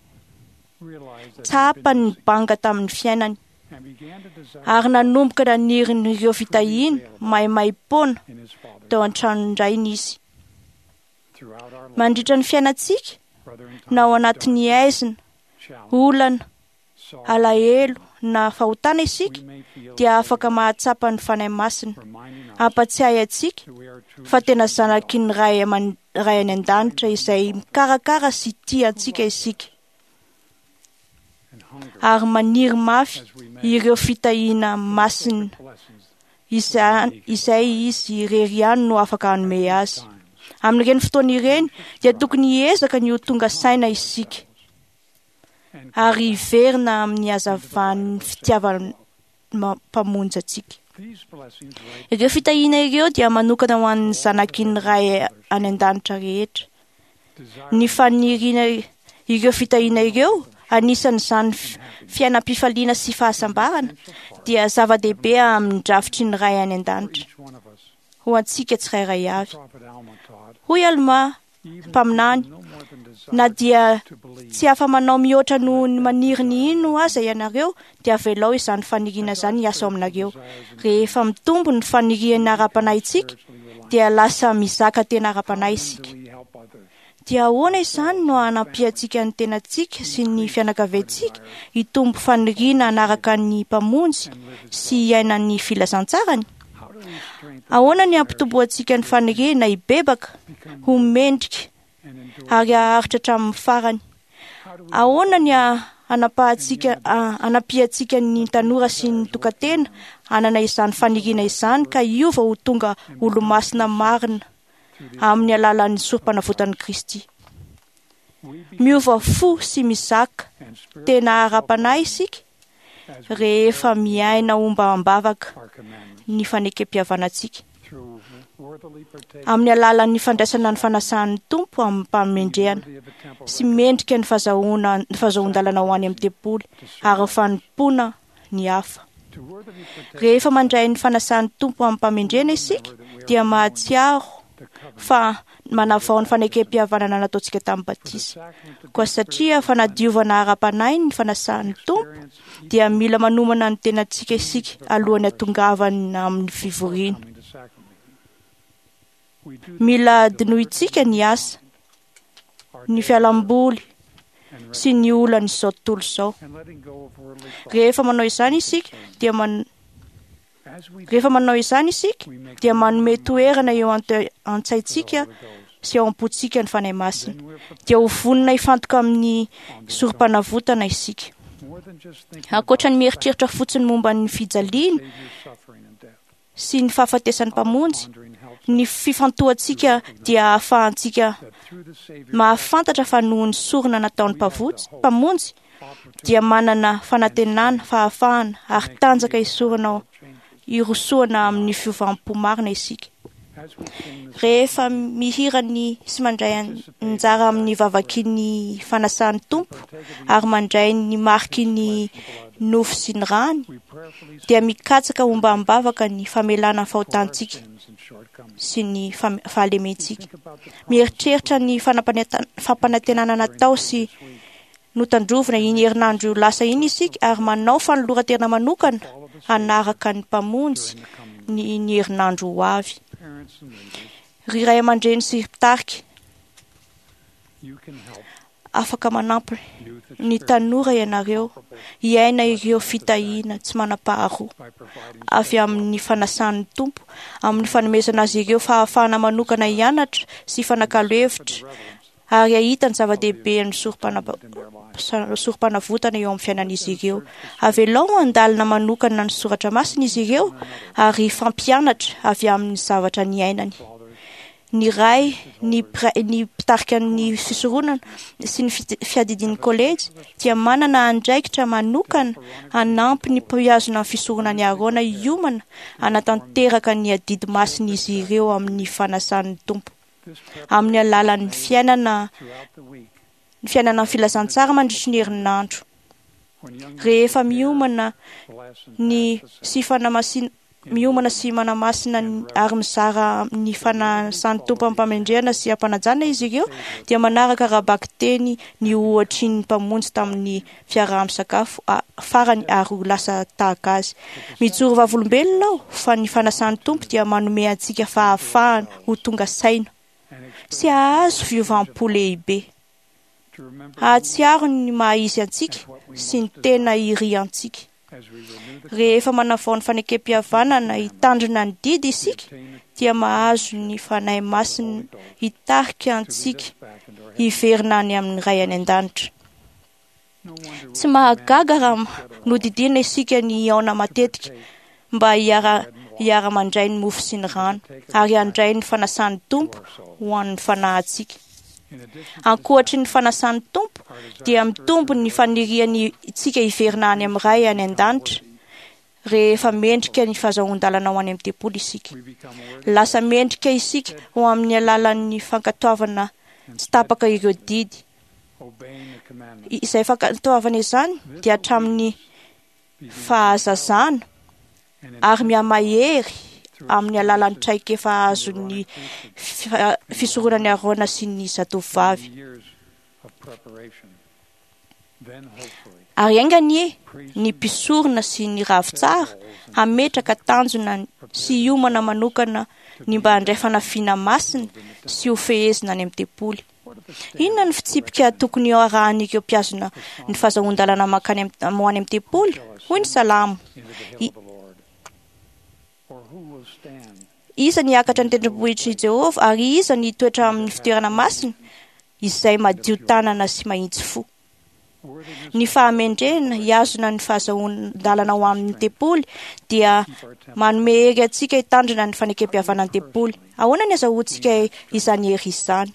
tsapany ny banga tamin'ny fiainany, ary nanomboka naniry ireo fitahiana maimaimpoana tao an-tranon-drainy izy. Mandritra ny fiainantsika, na ao anatin'ny aizina, olana, alahelo na fahotana isika, dia afaka mahatsapa ny Fanahy Masina hampatsiahy antsika fa tena zanaky ny Ray aman- Ray any an-danitra izay mikarakara sy tia antsika isika, ary maniry mafy ireo fitahiana masina izay, izay izy irery ihany no afaka hanome azy. Amin'ireny fotoana ireny dia tokony hiezaka ny ho tonga saina isika ary hiverina amin'ny hazavan'ny fitiavan'ny Mpamonjy antsika. Ireo fitahiana ireo dia manokana ho an'ny zanaky ny Ray any an-danitra rehetra. Ny faniriana ireo fitahiana ireo, anisan'izany fiainam-pifaliana sy fahasambarana, dia zava-dehibe amin'ny drafitry ny Ray any an-danitra ho antsika tsirairay avy. Hoy Alma mpaminany, na dia tsy afa-manao mihoatra noho ny maniry ny hino aza ianareo, dia avelao izany faniriana izany hiasa ao aminareo. Rehefa mitombo ny faniriana ara-panahintsika, dia lasa mizaka tena ara-panahy isika. Dia ahoana izany no hanampiantsika ny tenantsika sy ny fianakaviantsika hitombo faniriana hanaraka ny Mpamonjy sy hiaina ny filazantsarany? Ahoana ny hampitomboantsika ny faniriana hibebaka, ho mendrika ary haharitra hatramin'ny farany? Ahoana ny hanapahantsika hanampiantsika ny tanora sy ny tokantena hanana izany faniriana izany ka hiova ho tonga olo-masina marina amin'ny alalan'ny sorom-panavotan'i Kristy? Miova fo sy mizaka tena ara-panahy isika rehefa miaina ombam-bavaka ny fanekem-pihavanantsika amin'ny alalan'ny fandraisana ny fanasan'ny Tompo amin'ny mpamendrehana sy mendrika ny fahazahoana ny fahazoan-dalana ho any amin'ny tempoly ary ny fanompoana ny hafa. Rehefa mandray ny fanasan'ny Tompo amin'ny mpamendrehana isika dia mahatsiaro fa manavao ny fanekem-pihavanana nataontsika tamin'ny batisa. Koa satria fanadiovana ara-panahy ny fanasan'ny Tompo, dia mila manomana ny tenantsika isika alohan'ny hatongavana amin'ny fivoriana. Mila adinointsika ny asa, ny fialamboly sy ny olan'izao tontolo izao. Rehefa manao izany isika dia man Rehefa manao izany isika dia manome toerana eo an-tsaintsika sy ao am-pontsika ny Fanahy Masina. Dia ho vonona hifantoka amin'ny sorom-panavotana isika. Ankoatra ny mieritreritra fotsiny momba ny fijaliana sy ny fahafatesan'ny Mpamonjy, ny fifantohantsika dia ahafahantsika mahafantatra fa noho ny sorona nataon'ny Mpamonjy dia manana fanantenana, fahafahana ary tanjaka hisorona hirosoana amin'ny fiovam-po marina isika. Rehefa mihira ny sy mandray anjara amin'ny vavaky ny fanasan'ny Tompo ary mandray ny mariky ny nofo sy ny rany, dia mikatsaka ombam-bavaka ny famelana ny fahotantsika sy ny fahalementsika. Mieritreritra ny fampanantenana natao sy notandrovina iny herinandro lasa iny isika ary manao fanoloran-tena manokana hanaraka ny Mpamonjy ny ny herinandro ho avy. Ry ray aman-dreny sy mpitarika, Afaka manampy ny tanora ianareo hiaina ireo fitahiana tsy manam-paharoa avy amin'ny fanasan'ny Tompo, amin'ny fanomezana azy ireo fahafahana manokana hianatra sy hifanakalo hevitra ary hahita ny zava-dehibe ny sorom-panavotana eo amin'ny fiainan'izy ireo. Avelao handalina manokana ny soratra masina izy ireo ary hifampianatra avy amin'ny zavatra niainany. Ny ray, ny ny mpitarika ny fisoronana sy ny fiadidian'ny kolejy dia manana andraikitra manokana hanampy ny mpihazona ny fisoronan'i Aarona hiomana hanatanteraka ny adidy masin'izy ireo amin'ny fanasan'ny Tompo. Amin'ny alalan'ny fiainana ny fiainana ny filazantsara mandritry ny herinandro. Rehefa miomana ny sy fanamasinana miomana sy manamasina ary mizara ny fanasan'ny Tompo am-pamendrehana sy am-panajana izy ireo dia manaraka ara-bakiteny ny ohatry ny Mpamonjy tamin'ny fiaraha-misakafo farany ary ho lasa tahaka azy. Mijoro vavolombelona aho fa ny fanasan'ny Tompo dia manome antsika fahafahana ho tonga saina sy hahazo fiovam-po lehibe. Hahatsiaro ny maha izy antsika sy ny tena iriantsika. Rehefa manavao ny fanekem-pihavanana hitandrina ny didy isika dia mahazo ny Fanahy Masina hitarika antsika hiverina any amin'ny Ray any an-danitra. Tsy mahagaga raha nodidiana isika ny hihaona matetika mba hiara hiara-mandray ny mofo sy ny rano ary handray ny fanasan'ny Tompo ho an'ny fanahintsika. Ankoatry ny fanasan'ny Tompo dia mitombo ny faniriantsika hiverina any amin'ny Ray any an-danitra rehefa mendrika ny fahazoan-dalana ho any amin'ny tempoly isika. Lasa mendrika isika ho amin'ny alalan'ny fankatoavana tsy tapaka ireo didy. Izay fankatoavana izany dia hatramin'ny fahazazana ary mihamahery amin'ny alalan'ny traikefa azon'ny fisoronan'i Aarona sy ny zatovovavy. Ary enga anie ny mpisorona sy ny ravitsara hametraka tanjona sy hiomana manokana ny mba handray fanafiana masina sy ho fehezina any amin'ny tempoly. Inona ny fitsipika tokony harahan'ireo mpihazona ny fahazoan-dalana mankany ho any amin'ny tempoly? Hoy ny Salamo. Iza ny hiakatra ny tendrombohitr'i Jehovah ary iza ny hitoetra amin'ny fitoerana masina izay madio tanana sy mahitsy fo? Ny fahamendrehana hihazona ny fahazoan-dalana ho amin'ny tempoly dia manome hery antsika hitandrina ny fanekem-pihavanana ny tempoly. Ahoana ny azahoantsika izany hery izany?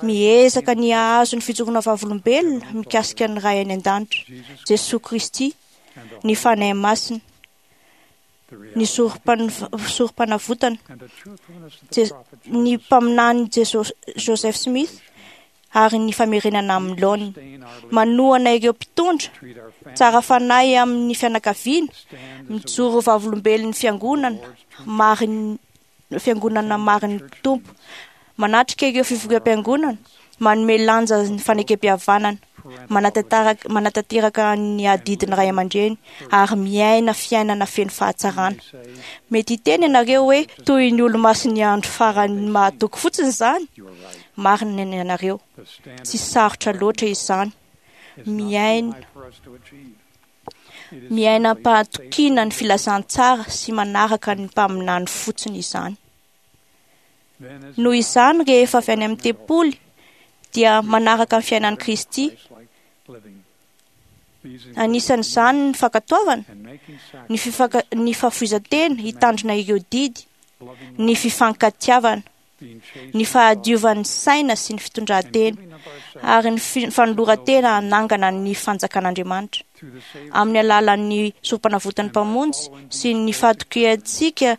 Miezaka ny hahazo ny fijoroana vavolombelona mikasika ny Ray any an-danitra, Jesoa Kristy, ny Fanahy Masina, ny sorom-panavotana, ny mpaminany Joseph Smith ary ny famerenana amin'ny laoniny. Manohana ireo mpitondra tsara fanahy amin'ny fianakaviana, mijoro vavolombelon'ny fiangonana marin'ny fiangonana marin'ny Tompo, manatrika ireo fivoriam-piangonana, manome lanja ny fanekem-pihavanana, manatanteraka manatanteraka ny adidin'ny ray aman-dreny ary miaina fiainana feno fahatsarana. Mety hiteny ianareo hoe toy ny olo-masin'ny andro farany mahatoky fotsiny izany. Marina ny ianareo, tsy sarotra loatra izany. Miaina miaina am-pahatokiana ny filazantsara sy manaraka ny mpaminany fotsiny izany. Noho izany, rehefa avy any amin'ny tempoly dia manaraka ny fiainan'i Kristy. Anisan'izany ny fankatoavana, ny fifaka ny fahafoizan-tena hitandrina ireo didy, ny fifankatiavana, ny fahadiovan'ny saina sy ny fitondran-tena ary ny fanoloran-tena hanangana ny fanjakan'Andriamanitra. Amin'ny alalan'ny sorom-panavotan'ny Mpamonjy sy ny fahatokiantsika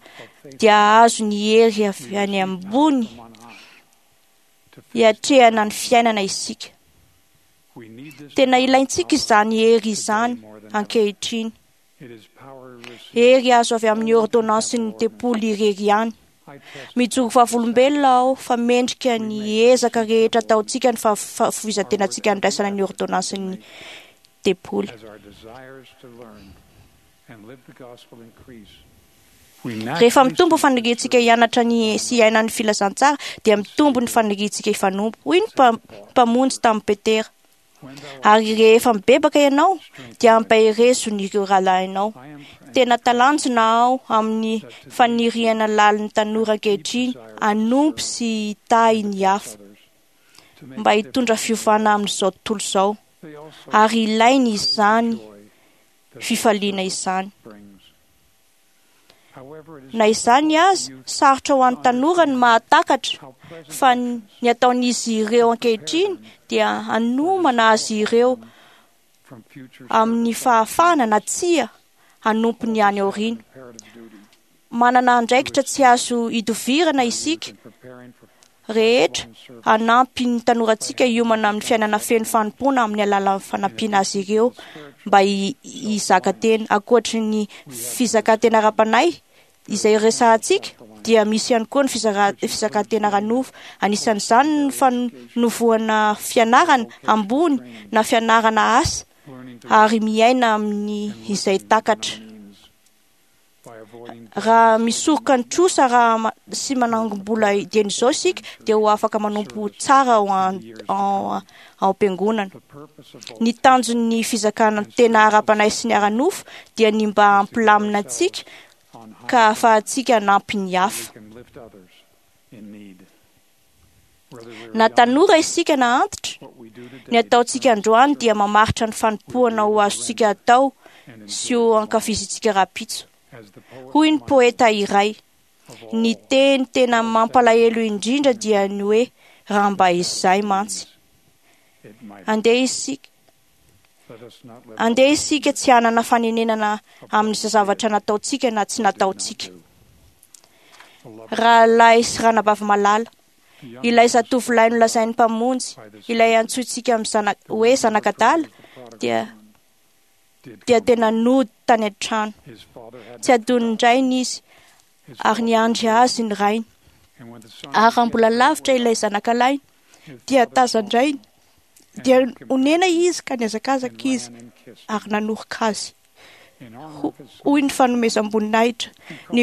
dia hahazo ny hery avy any ambony hiatrehana ny fiainana isika. Tena ilaintsika izany hery izany ankehitriny. Hery azo avy amin'ny ordonnansin'ny tempoly irery ihany. Mijoro vavolombelona aho fa mendrika ny ezaka rehetra ataontsika ny fahafoizan-tenantsika handraisana ny ordonnansin'ny tempoly. Rehefa mitombo faniriantsika hianatra ny sy hiaina ny filazantsara dia mitombo ny faniriantsika hifanompo, hoy ny Mpamonjy tamin'i Petera. Ary rehefa mibebaka ianao dia ampaherezo ny ireo rahalahinao. Tena talanjona aho amin'ny faniriana lalin'ny tanora ankehitriny hanompo sy hitahy ny hafa mba hitondra fiovana amin'izao tontolo izao, ary ilainy izany fifaliana izany. Na izany aza, sarotra ho an'ny tanora ny mahatakatra fa ny ataon'izy ireo ankehitriny dia hanomana azy ireo amin'ny fahafahana na tsia hanompo ny any aoriana. Manana andraikitra tsy azo idovirana isika rehetra hanampy ny tanorantsika hiomana amin'ny fiainana feno fanompoana amin'ny alalan'ny fanampiana azy ireo mba hizaka tena. Ankoatry ny fizakan-tena ara-panahy izay resahantsika dia misy ihany koa ny fizakan-tena ara-nofo. Anisan'izany ny fanovoana fianarana ambony na fianarana asa ary miaina amin'ny izay takatra. Raha misoroka ny trosa raha sy manangom-bola dieny izao isika dia ho afaka manompo tsara ao ao am-piangonana. Ny tanjon'ny fizakana tena ara-panahy sy ny ara-nofo dia ny mba hampilamina antsika ka ahafahantsika hanampy ny hafa. Na tanora isika na antitra, ny ataontsika androany dia mamaritra ny fanompoana ho azontsika atao sy ho ankafizintsika rahampitso. Hoy ny poeta iray, ny teny tena mampalahelo indrindra dia ny hoe raha mba izay mantsy. Andeha isika andeha isika tsy hanana fanenenana amin'ny zavatra nataontsika na tsy nataontsika. Rahalahy sy ranabavy malala, ilay zatovolahy nolazain'ny Mpamonjy, ilay antsointsika amin'ny zana- hoe zanak'adala dia dia tena nody tany an-trano. Tsy adonondrainy izy ary niandry azy ny rainy. Ary raha mbola lavitra ilay zanakalahy dia tazan-drainy, dia onena izy ka nihazakazaka izy ary nanoroka azy. Hoy ny fanomezam-boninahitra ny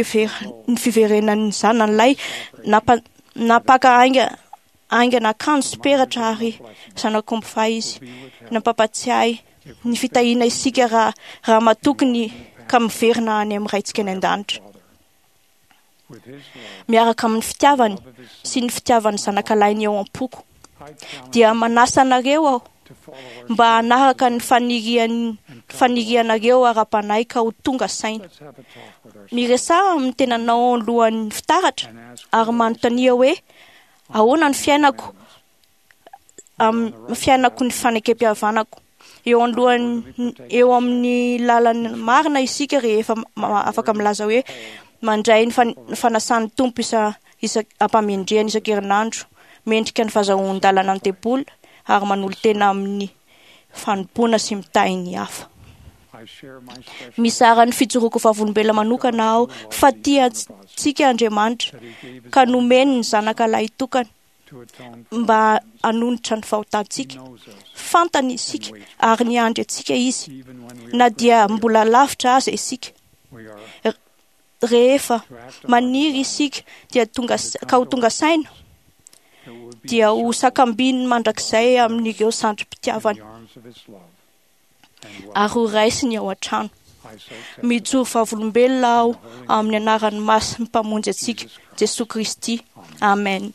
ny fiverenan'ny zanany lahy nampa- nampaka ainga aingana akanjo sy peratra ary zanak'omby fahy izy. Nampampatsiahy ny fitahiana isika raha raha matoky ny ka miverina any amin'ny Raintsika any an-danitra. Miaraka amin'ny fitiavany sy ny fitiavan'ny zanakalahiny eo am-poko dia manasa anareo aho mba hanaraka ny fanirian fanirianareo ara-panahy ka ho tonga saina. Miresaha amin'ny tenanao alohan'ny fitaratra ary manontania hoe ahoana ny fiainako amin'ny fiainako ny fanekem-pihavanako. Eo anoloan'ny eo amin'ny lalana marina isika rehefa afaka milaza hoe mandray ny fanasan'ny Tompo isa isa ampamendrehana isan-kerinandro, mendrika ny fahazoan-dalana ny tempoly ary manolo-tena amin'ny fanompoana sy mitahy ny hafa. Mizara ny fijoroako vavolombelona manokana aho fa tia antsika Andriamanitra ka nomeny ny zanaka lahitokana mba hanonitra ny fahotantsika. Fantany isika ary niandry antsika izy na dia mbola lavitra aza isika. Rehefa maniry isika dia tonga ka ho tonga saina dia ho sakambininy mandrakizay amin'ireo sandrim-pitiavana ary ho raisiny ao an-trano. Mijoro vavolombelona aho amin'ny anaran'ny masin'ny Mpamonjy antsika Jesoa Kristy. Amen.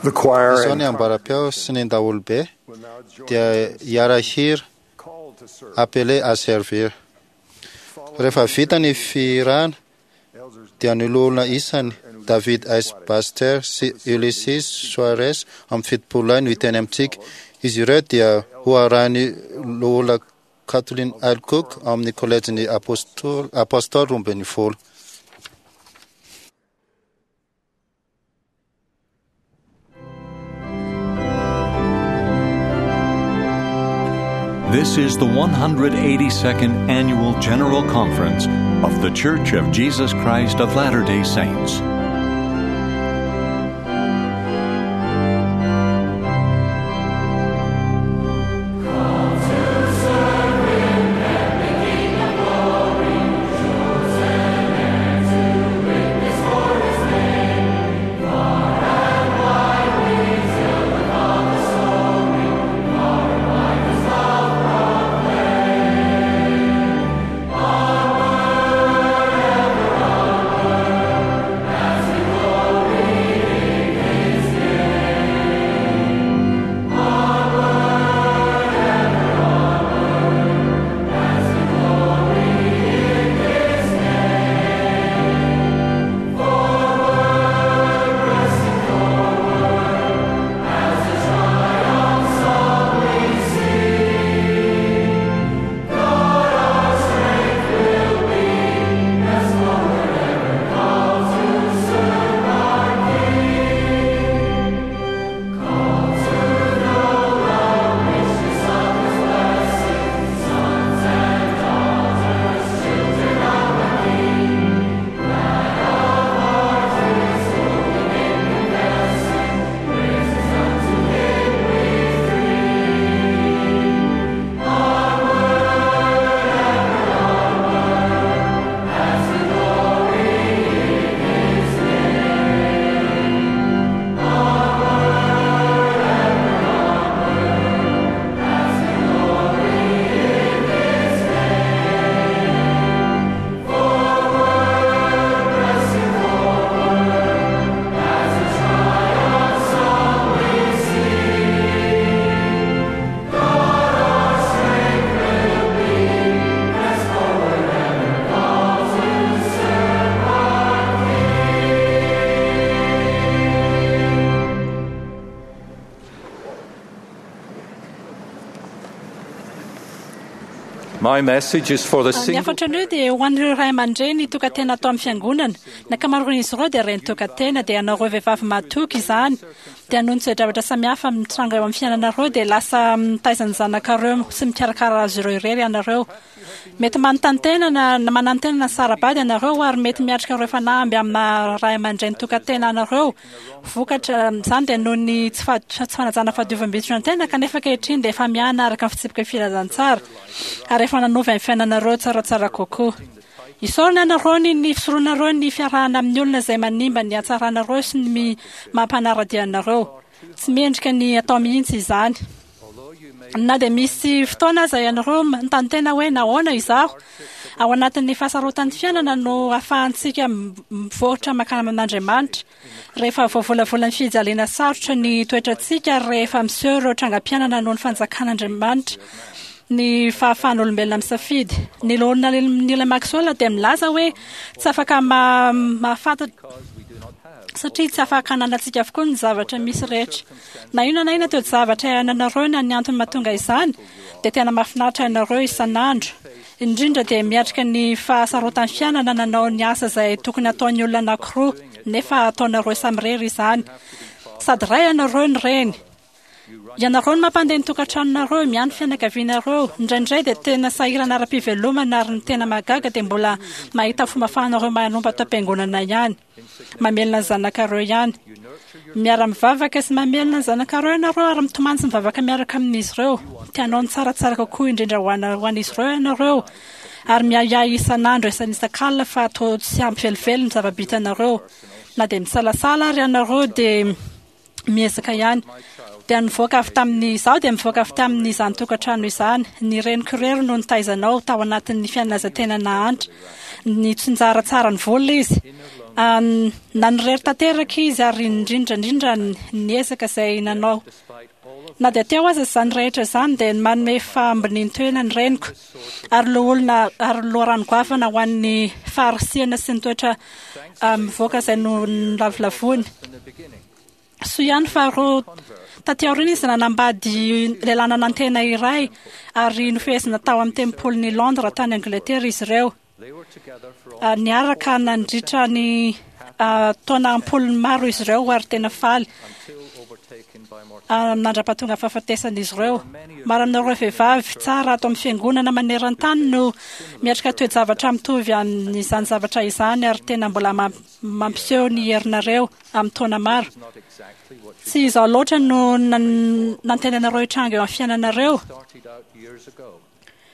The choir Izao and ny ambaram-peo sy ny daholobe dia hiara-hira appelé à servir. Rehefa vita ny fihirana dia ny loholona isany David S. Baxter sy Ulysses Soares amin'ny fitopolo lahy no hiteny amintsika. Izy ireo dia ho arahin'ny loholona Kathleen L. Cook amin'ny kolejin'ny apôstôly apôstôly roa ambin'ny folo. This is the one hundred eighty-second Annual General Conference of The Church of Jesus Christ of Latter-day Saints. My message is for the Ny single hafatra anio dia ho an'ireo ray aman-dreny tokantena atao amin'ny fiangonana. Ny ankamaroan'izy ireo dia reny tokantena, dia ianareo vehivavy mahatoky izany. Dia noho ny toe-javatra samihafa mitranga eo amin'ny fiainanareo dia lasa mitaiza ny zanakareo sy mikarakara azy ireo irery ianareo. Mety manontany tena na na manantena na sarabady ianareo ary mety miatrika ireo fanamby amina ray aman-dreny tokantena anareo. Vokatra izany dia noho ny tsy fa- tsy fanajana fahadiovam-bitron-tena kanefa ankehitriny dia efa miana araka ny fitsipika filazantsara ary efa nanova ny fiainanareo tsaratsara kokoa. Isaorana ianareo ny ny fisoronareo ny fiarahana amin'ny olona izay manimba ny hatsaranareo sy ny mi- mampanara-dia anareo. Tsy mendrika ny atao mihitsy izany. Na dia misy fotoana aza ianareo manontany tena hoe nahoana izaho ao anatin'ny fahasarotan'ny fiainana no ahafahantsika m- mivoatra mankany amin'Andriamanitra. Rehefa voavolavolan'ny fijaliana sarotra ny toetrantsika ary rehefa miseho ireo trangam-piainana noho ny fanjakan'Andriamanitra ny fahafahan'olombelona misafidy. Ny loholona Neil Maxwell dia milaza hoe tsy afaka ma- mahafantatra satria tsy afaka ananantsika avokoa ny zavatra misy rehetra. Na inona na inona toe-javatra iainanareo na ny antony mahatonga izany dia tena mahafinaritra ianareo isan'andro. Indrindra dia miatrika ny fahasarotan'ny fiainana nanao ny asa izay tokony ataon'ny olona anankiroa nefa ataonareo samirery izany. Sady ray ianareo ny reny. Ianareo no mampandeha ny tokantranonareo, miahy ny fianakavianareo. Indraindray dia tena sahirana ara-pivelomana ary ny tena mahagaga dia mbola mahita fomba ahafahanareo manompo ato am-piangonana ihany. Mamelona ny zanakareo ihany. Miara-mivavaka sy mamelona ny zanakareo ianareo ary mitomany sy mivavaka miaraka amin'izy ireo. Tianao ny tsaratsara kokoa indrindra ho ana- ho an'izy ireo ianareo. Ary miahiahy isan'andro isan'isakalina fa toa tsy ampy velively ny zava-bitanareo. Na dia misalasala ary ianareo dia miezaka ihany. Dia nivoaka avy tamin'ny izaho dia mivoaka avy tamin'izany tokantrano izany. Ny reniko irery no nitaizanao tao anatin'ny fiainana izay tena nahantra. Nitsinjara tsara ny vola izy. Um, nanirery tanteraka izy ary indrindra indrindra niezaka izay nanao. Na dia teo aza izany rehetra izany dia manome fahambonian-toerana ny reniko ary loholona ary loharano goavana ho an'ny faharisihana sy ny toetra um, mivoaka izay no nolavolavoiny. Soa ihany fa roa taty aoriana izy nanambady lehilahy nanantena iray ary nofehezina tao amin'ny tempolin'i Londres tany Angleterre izy ireo. Ah, Niaraka nandritra ny ah, taona am-polony maro izy ireo ary tena faly ah, nandra-pahatonga fahafatesan'izy ireo. Maro aminareo vehivavy tsara ato amin'ny fiangonana maneran-tany no miatrika toe-javatra mitovy amin'izany zavatra izany ary tena mbola mam- mampiseho ny herinareo amin'ny taona maro. Tsy izao loatra no nan- nantenanareo hitranga eo amin'ny fiainanareo.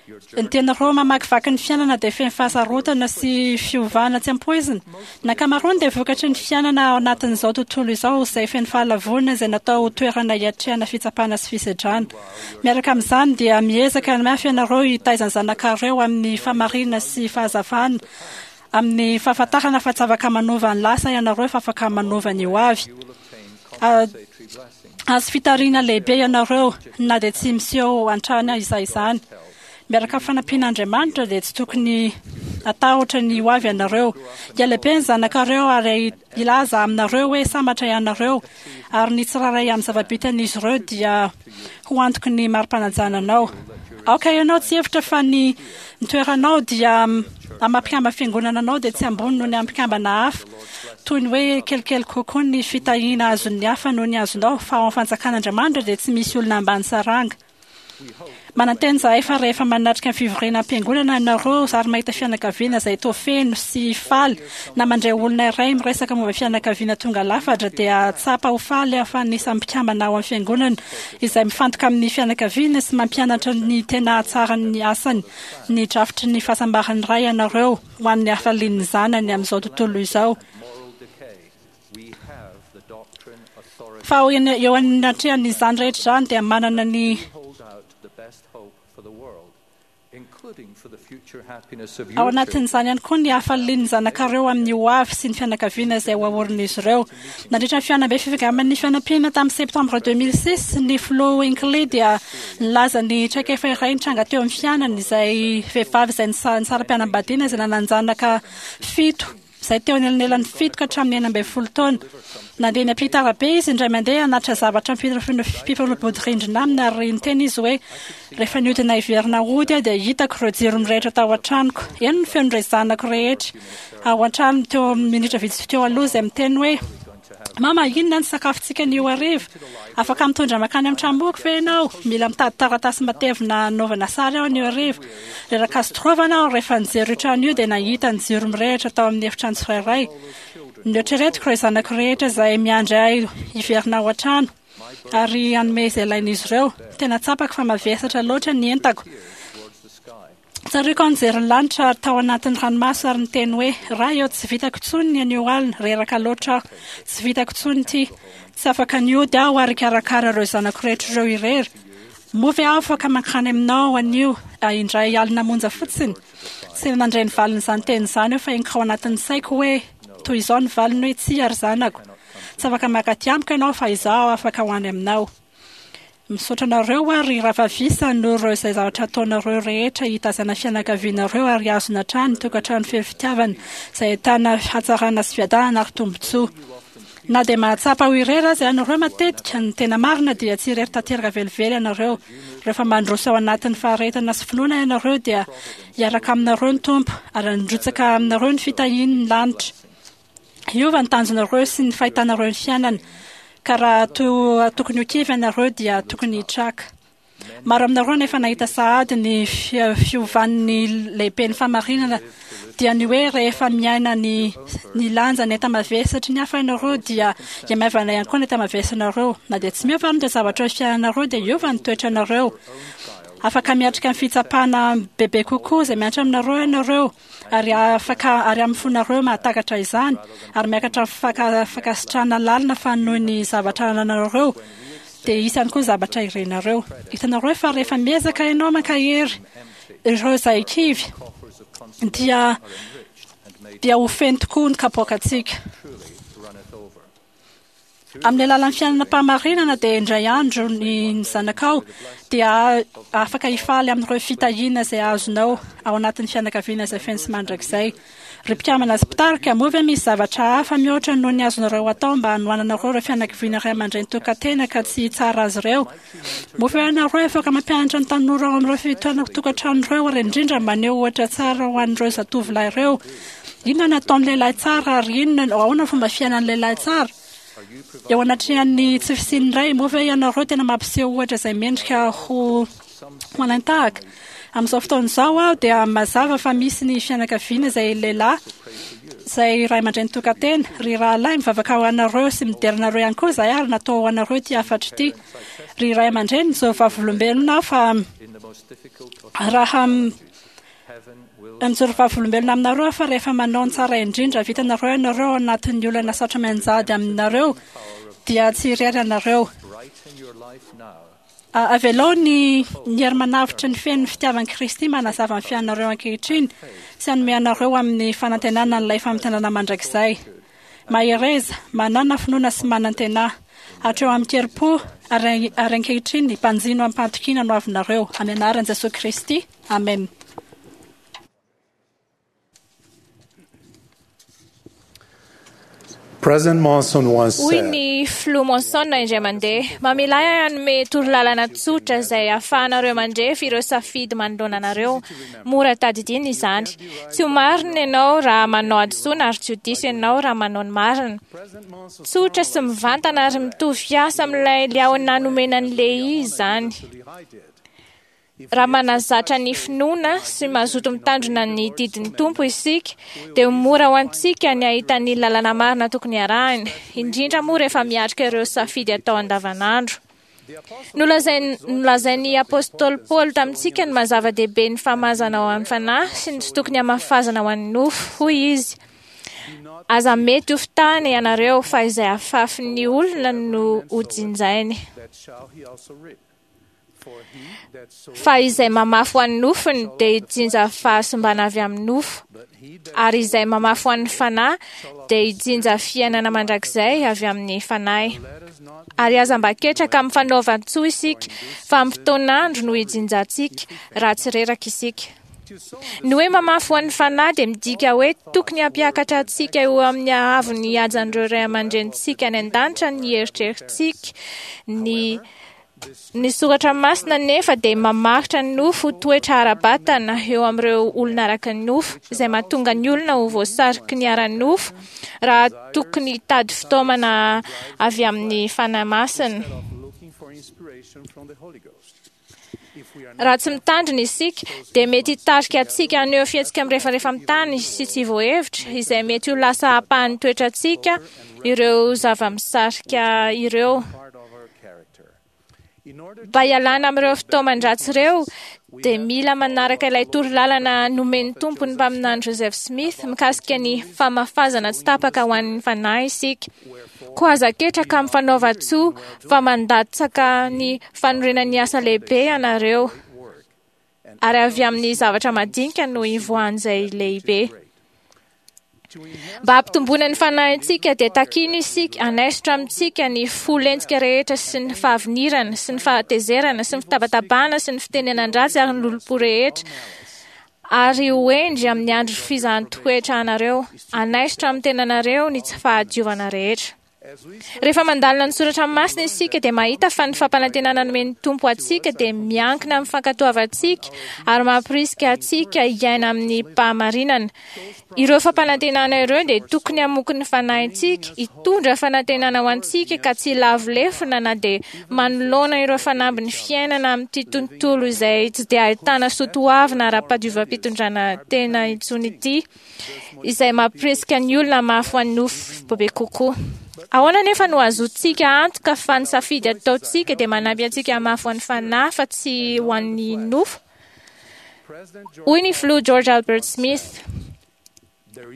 Ny tenareo mamakivaky ny fiainana dia feno fahasarotana sy fiovana tsy ampoizina. Ny ankamaroany dia vokatry ny fiainana ao anatin'izao tontolo izao izay feno fahalavoana izay natao ho toerana hiatrehana fitsapana sy fisedrana. Miaraka amin'izany dia miezaka mafy ianareo hitaiza ny zanakareo amin'ny fahamarinana sy fahazavana amin'ny fahafantarana fa tsy afaka manova ny lasa ianareo fa afaka manova ny ho avy. Ah, Azo fitariana lehibe ianareo na dia tsy miseho an-trano izay izany. Miaraka amin'ny fanampian'Andriamanitra dia tsy tokony atahotra ny ho avy ianareo. Hialehibe ny zanakareo ary hilaza aminareo hoe sambatra ianareo ary ny tsirairay amin'ny zava-bitan'izy ireo dia ho antoky ny mari-panajana anao. Aoka ianao tsy hevitra fa ny ny toeranao dia amin'ny fiangonana anao dia tsy ambony noho ny amin'ny mpikambana hafa. Toy ny hoe kelikely kokoa ny fitahiana azon'ny hafa noho ny azonao fa ao amin'ny fanjakan'Andriamanitra dia tsy misy olona ambany saranga. Manantena izahay fa rehefa manatrika ny fivoriana am-piangonana ianareo ary mahita fianakaviana izay toa feno sy faly na mandray olona iray miresaka momba fianakaviana tonga lafatra dia tsapa ho faly fa anisan'ny mpikambana ao amin'ny fiangonana izay mifantoka amin'ny fianakaviana sy mampianatra ny tena hatsaran'ny asany ny drafitry ny fahasambaran'ny ray ianareo ho an'ny hafalian'ny zanany amin'izao tontolo izao. Fa eo eo anatrehan'izany rehetra izany dia manana ny Ao anatin'izany ihany koa ny hafalian'ny zanakareo amin'ny ho avy sy ny fianakaviana izay ho aorin'izy ireo. Nandritra ny fihaonambe fifidianana ny fanampiana tamin'ny septembre deux mille six, ny filoha Hinckley dia nilaza ny traikefa iray nitranga teo amin'ny fiainany izay vehivavy izay nisa- nisara-pianambadiana izay nanan-janaka fito izay teo anelanelan'ny fito ka hatramin'ny enina ambin'ny folo taona. Nandeha niampita arabe izy indray mandeha hanatitra zavatra mpifanolo-bodirindrina aminy, ary niteny izy hoe rehefa nihodina hiverina hody aho dia hitako ireo jiro mirehitra tao an-tranoko. Heno ny feon'ireo zanako rehetra ao an-trano teo amin'ny minitra vitsy teo aloha izay miteny hoe: "Mama, inona ny sakafontsika anio hariva? Afaka mitondra mankany amin'ny tranomboky ve ianao? Mila mitady taratasy matevina hanaovana sary aho anio hariva." Reraka azo torovana aho rehefa nijery io trano io dia nahita ny jiro mirehitra tao amin'ny efitrano tsirairay. Noeritreretiko ireo zanako rehetra izay miandry ahy hiverina ao an-trano ary hanome izay ilain'izy ireo. Tena tsapako fa mavesatra loatra ny entako. Tsaroako aho nijery ny lanitra ary tao anatin'ny ranomaso ary niteny hoe: "Ray eo, tsy vitako intsony ny anio alina, reraka loatra aho. Tsy vitako intsony ity. Tsy afaka nihody aho ary hikarakara ireo zanako rehetra ireo irery. Moa ve aho afaka mankany aminao anio indray alina monja fotsiny?" Tsy nandre ny valin'izany teny izany aho fa henoko ao anatin'ny saiko hoe toy izao ny valiny hoe: "Tsia ry zanako. Tsy afaka mankaty amiko ianao fa izaho afaka ho any aminao." Misaotra anareo ary rahavavisa noho ireo izay zavatra ataonareo rehetra hitazana fianakavianareo ary azona hatrany tokantrano feno fitiavana izay ahitana hatsarana sy fiadanana ary tombontsoa. Na dia mahatsapa ho irery aza ianareo matetika, ny tena marina dia tsy irery tanteraka velively ianareo. Rehefa mandroso ao anatin'ny faharetana sy finoana ianareo dia hiaraka aminareo ny Tompo ary handrotsaka aminareo ny fitahiany ny lanitra. Hiova ny tanjonareo sy ny fahitanareo ny fiainana, ka raha to tokony ho kivy ianareo dia tokony hitraka. Maro aminareo nefa nahita sahady ny fiovan'ny lehibe ny fahamarinana, dia ny hoe rehefa miaina ny ny lanja ny enta-mavesatry ny hafa ianareo dia hiamaivana ihany koa ny enta-mavesanareo. Na dia tsy miova ary ny zavatra eo fiainanareo dia hiova ny toetranareo. Afaka miatrika ny fitsapana bebe kokoa izay miantra aminareo ianareo, ary afaka ary amin'ny fonareo mahatakatra izany, ary miakatra faka fankasitrahana lalina fa noho ny zavatra ananareo dia hisy ihany koa zavatra irenareo. Hitanareo fa rehefa miezaka ianao mankahery ireo izay kivy dia dia ho feno tokoa ny kapoakantsika. Amin'ny alalan'ny fiainana am-pahamarinana dia indray andro ny zanakao dia afaka hifaly amin'ireo fitahiana izay azonao ao anatin'ny fianakaviana izay feno sy mandrakizay. Ry mpikambana sy mpitarika, moa ve misy zavatra hafa mihoatra noho ny azonareo atao mba hanohananareo ireo fianakaviana ray aman-dreny tokantena ka tsy hitsara azy ireo? Moa ve ianareo afaka mampianatra ny tanora ao amin'ireo fitoerana tokantrano ireo ary indrindra maneho ohatra tsara ho an'ireo zatovolahy ireo? Inona no ataon'ny lehilahy tsara ary inona ahoana ny fomba fiainan'ny lehilahy tsara? Eo anatrehan'ny tsy fisian'ny ray, moa ve ianareo tena mampiseho ohatra izay mendrika ho ho alain-tahaka? Amin'izao fotoana izao aho dia mazava fa misy ny fianakaviana izay lehilahy izay ray aman-dreny tokantena. Ry rahalahy, mivavaka ho anareo sy midera anareo ihany koa izahay ary natao ho anareo ity hafatra ity. Ry ray aman-dreny, izao vavolombelona aho fa raha mijoro vavolombelona aminareo aho fa rehefa manao ny tsara indrindra vitanareo ianareo ao anatin'ny olana sarotra mianjady aminareo dia tsy irery ianareo. Avelao ny ny hery manavotra ny feno ny fitiavan'i Kristy manazava ny fiainanareo ankehitriny sy hanome anareo amin'ny fanantenana an'ilay famintinana mandrakizay. Mahereza, manàna finoana sy manantena. Hatreo amin-kerim-po ary ary ankehitriny mpanjino amim-pahatokiana no avinareo. Amin'ny anaran'i Jesoa Kristy. Amen. President Monson once Hoy said, ny filoha Monson indray mandeha: "Mamela ahy hanome torolalana tsotra izay ahafahanareo mandrefy ireo safidy manoloana anareo. Mora tadidiana izany. Tsy ho marina ianao raha manao hadisoana ary tsy ho diso ianao raha manao ny marina." Tsotra sy mivantana ary mitovy fiasa amin'ilay liahona nomena an'i Lehi izany. Raha manazatra ny finoana sy mazoto mitandrina ny didin'ny Tompo isika, dia ho mora ho antsika ny hahita ny lalana marina tokony harahina, indrindra moa rehefa miatrika ireo safidy atao andavanandro. Nolazain- Nolazain'ny apostoly Paoly tamintsika ny maha-zava-dehibe ny famazana ho an'ny fanahy sy ny tsy tokony hamafazana ho an'ny nofo. Hoy izy: "Aza mety ho fitahana ianareo, fa izay afafin'ny olona no hojinjainy. Fa izay mamafy ho an'ny nofony dia hijinja fahasimbana avy amin'ny nofo, ary izay mamafy ho an'ny fanahy dia hijinja fiainana mandrakizay avy amin'ny fanahy. Ary aza mba ketraka amin'ny fanaovan-tsoa isika, fa amin'ny fotoan'andro no hijinjantsika, raha tsy reraka isika." Ny hoe mamafy ho an'ny fanahy dia midika hoe tokony hampiakatra antsika eo amin'ny haavon'ny hajan'ireo ray aman-drenintsika any an-danitra ny eritreritsika. Ny ny soratra masina nefa dia mamaritra ny nofo ho toetra ara-batana eo amin'ireo olona araka ny nofo, izay mahatonga ny olona ho voasariky ny ara-nofo raha tokony hitady fitaomana avy amin'ny Fanahy Masina. Raha tsy mitandrina isika, dia mety hitarika antsika haneho fihetsika mirefarefa amin'ny tany sy tsy voahevitra, izay mety ho lasa ampahan'ny toetrantsika ireo zava-misarika ireo. Mba hialana amin'ireo fitaoman-dratsy ireo, dia mila manaraka ilay torolalana nomen'ny Tompo ny mpaminany Joseph Smith mikasika ny famafazana tsy tapaka ho an'ny fanahy isika. Koa aza ketraka amin'ny fanaovan-tsoa fa mandatsaka ny fanorenan'ny asa lehibe ianareo, ary avy amin'ny zavatra madinika no ivoahan'izay lehibe. Mba hampitomboana ny fanahintsika dia takiana isika hanaisotra amintsika ny fo lentika rehetra sy ny fahavinirana sy ny fahatezerana sy ny fitabatabana sy ny fitenenan-dratsy ary ny lolompo rehetra, ary ho hendry amin'ny andro fizahan-toetra anareo, hanaisotra amin'ny tenanareo ny tsy fahadiovana rehetra. Rehefa mandalina ny soratra masina isika dia mahita fa ny fampanantenana nomen'ny Tompo antsika dia miankina amin'ny fankatoavantsika ary mampirisika antsika hiaina amin'ny fahamarinana. Ireo fampanantenana ireo dia tokony hamoky ny fanahintsika, hitondra fanantenana ho antsika ka tsy hilavo lefona na dia manoloana ireo fanambin'ny fiainana amin'ity tontolo izay tsy dia ahitana soatoavina ara-padiovam-pitondrana tena intsony ity, izay mampirisika ny olona mafy ho an'ny nofo bebe kokoa. Ahoana nefa no azontsika antoka fa ny safidy ataontsika dia manampy antsika hamafy ho an'ny fanahy fa tsy ho an'ny nofo? Hoy ny filoha George Albert Smith: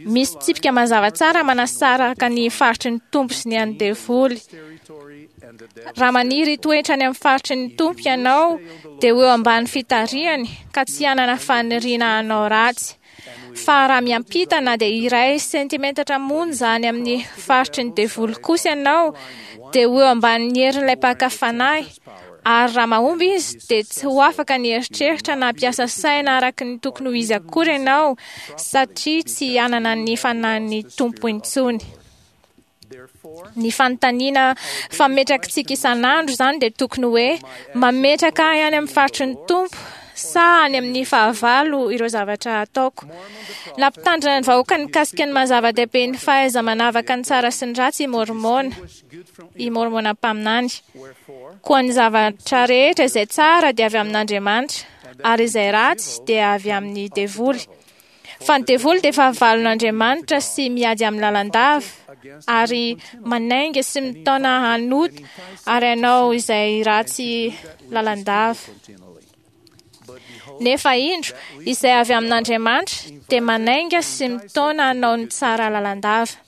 misy tsipika mazava tsara manasaraka ny faritry ny Tompo sy ny an'ny devoly. Raha maniry hitoetra any amin'ny faritry ny Tompo ianao, dia ho eo ambany fitarihany ka tsy hanana faniriana hanao ratsy. Fa raha miampita na dia iray sentimetatra monja any amin'ny faritry ny devoly kosa ianao, dia ho eo ambanin'ny herin'ilay mpaka fanahy. Ary raha mahomby izy, dia tsy ho afaka ny eritreritra na hampiasa saina araka ny tokony ho izy akory ianao, satria tsy hanana ny fanahin'ny Tompo intsony. Ny fanontaniana fametrakitsika isan'andro izany dia tokony hoe: mametraka ahy any amin'ny faritry ny Tompo sa any amin'ny fahavalo ireo zavatra ataoko? Nampitandrina ny vahoaka mikasika ny maha-zava-dehibe ny fahaiza-manavaka ny tsara sy ny ratsy i Môrmôna, i Môrmôna mpaminany. Koa ny zavatra rehetra izay tsara dia avy amin'Andriamanitra, ary izay ratsy dia avy amin'ny devoly. Fa ny devoly dia fahavalon'Andriamanitra sy miady amin'ny lalandava, ary manainga sy mitaona hanota ary hanao izay ratsy lalandava. Nefa indro, izay avy amin'Andriamanitra dia manainga sy mitaona hanao ny tsara lalandava.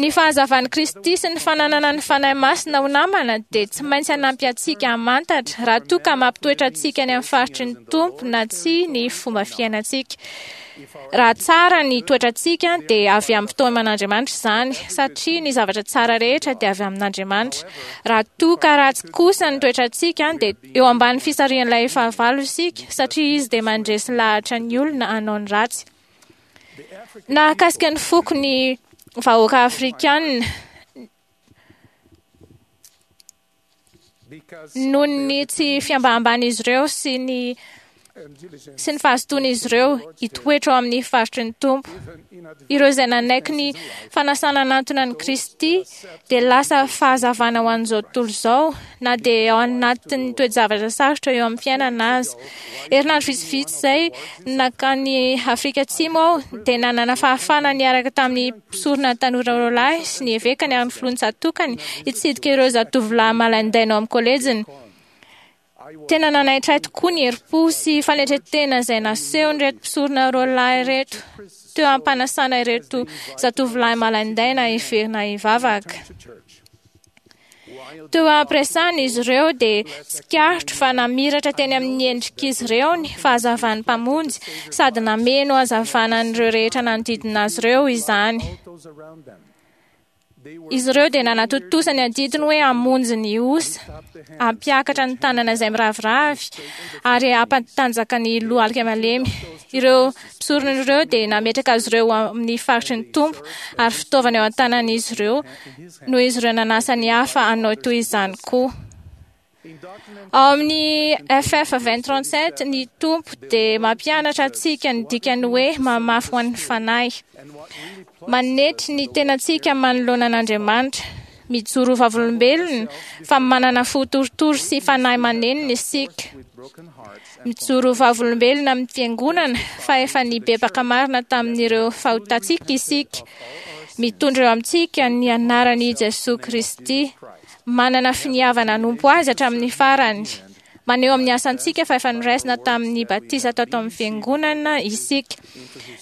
Ny fahazavan'i Kristy sy ny fananana ny Fanahy Masina ho namana dia tsy maintsy hanampy antsika hamantatra raha toa ka mampitoetra antsika any amin'ny faritry ny Tompo na tsia ny fomba fiainantsika. Raha tsara ny toetrantsika dia avy amin'ny fitaoman'Andriamanitra izany, satria ny zavatra tsara rehetra dia avy amin'Andriamanitra. Raha toa ka ratsy kosa ny toetrantsika dia eo ambany fisarihan'ilay fahavalo isika, satria izy dia mandresy lahatra ny olona hanao ny ratsy. Nahakasika ny foko ny vahoaka afrikanina noho ny tsy fiambahambana-izy ireo sy ny sy ny fahazotoan'izy ireo hitoetra ao amin'ny faritry ny Tompo. Ireo izay nanaiky ny fanasana hanantona an'i Kristy dia lasa fahazavana ho an'izao tontolo izao, na dia ao anatin'ny toe-javatra sarotra eo amin'ny fiainana aza. Herinandro vitsivitsy izay nankany Afrika Atsimo aho dia nanana fahafahana niaraka tamin'ny mpisorona tanora roa lahy sy ny evekany ary ny filoha nitsatokany hitsidika ireo zatovolahy malaindaina ao amin'ny kolejiny. Tena nanaitra ahy tokoa ny herim-po sy fanetren-tena izay nasehon'ireto mpisorona roa lahy ireto teo am-panasana ireto zatovolahy malaindaina hiverina hivavaka. Teo am-piresahana izy ireo dia tsikaritro fa namiratra teny amin'ny endrik'izy ireo ny fahazavan'ny Mpamonjy sady nameno hazavana an'ireo rehetra nanodidina azy ireo izany. Izy ireo dia nanatontosa ny adidiny hoe hamonjy ny osa, hampiakatra ny tanana izay miraviravy ary hampatanjaka ny lohalika malemy. Ireo mpisorona ireo dia nametraka azy ireo amin'ny faritry ny Tompo ary fitaovana eo an-tanan'izy ireo noho izy ireo nanasa ny hafa hanao toy izany koa. Ao amin'ny F F vingt trente-sept, ny Tompo dia mampianatra antsika ny dikany hoe mamafy ho an'ny fanahy. Manetry ny tenantsika manoloana an'Andriamanitra, mijoro vavolombelona fa manana fo torotoro sy fanahy manenina isika. Mijoro vavolombelona amin'ny fiangonana fa efa nibebaka marina tamin'ireo fahotantsika isika. Mitondra eo amintsika ny anaran'i Jesoa Kristy. Manana finiavana hanompo azy hatramin'ny farany. Maneho amin'ny asantsika fa efa noraisina tamin'ny batisa tato amin'ny fiangonana isika.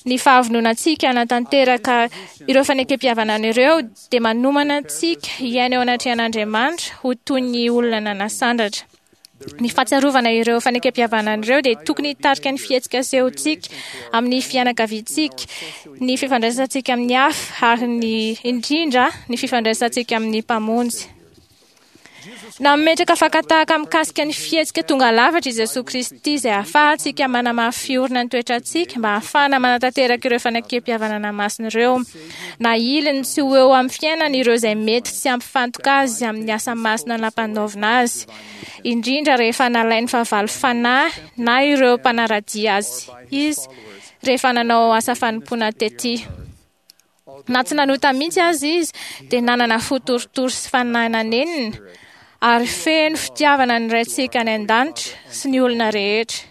Ny fahavononantsika hanatanteraka ireo fanekempihavanana ireo dia manomana antsika hiaina eo anatrehan'Andriamanitra ho toy ny olona nanasandratra. Ny fahatsiarovana ireo fanekempihavanana ireo dia tokony hitarika ny fihetsika asehontsika amin'ny fianakaviantsika, ny fifandraisantsika amin'ny hafa ary ny indrindra ny fifandraisantsika amin'ny Mpamonjy. Nametraka fakan-tahaka mikasika ny fihetsika tonga lafatra i Jesoa Kristy izay ahafahantsika manamafy orina ny toetrantsika mba ahafahana manatanteraka ireo fanekempihavanana masina ireo. Na iliny tsy ho eo amin'ny fiainany ireo izay mety tsy hampifantoka azy amin'ny asa masina nampanaovina azy, indrindra rehefa nalain'ny fahavalo fanahy na ireo mpanara-dia azy izy rehefa nanao asa fanompoana tety. Na tsy nanota mihitsy azy izy dia nanana fo torotoro sy fanahy nanenina ary feno fitiavana ny Raintsika any an-danitra sy ny olona rehetra.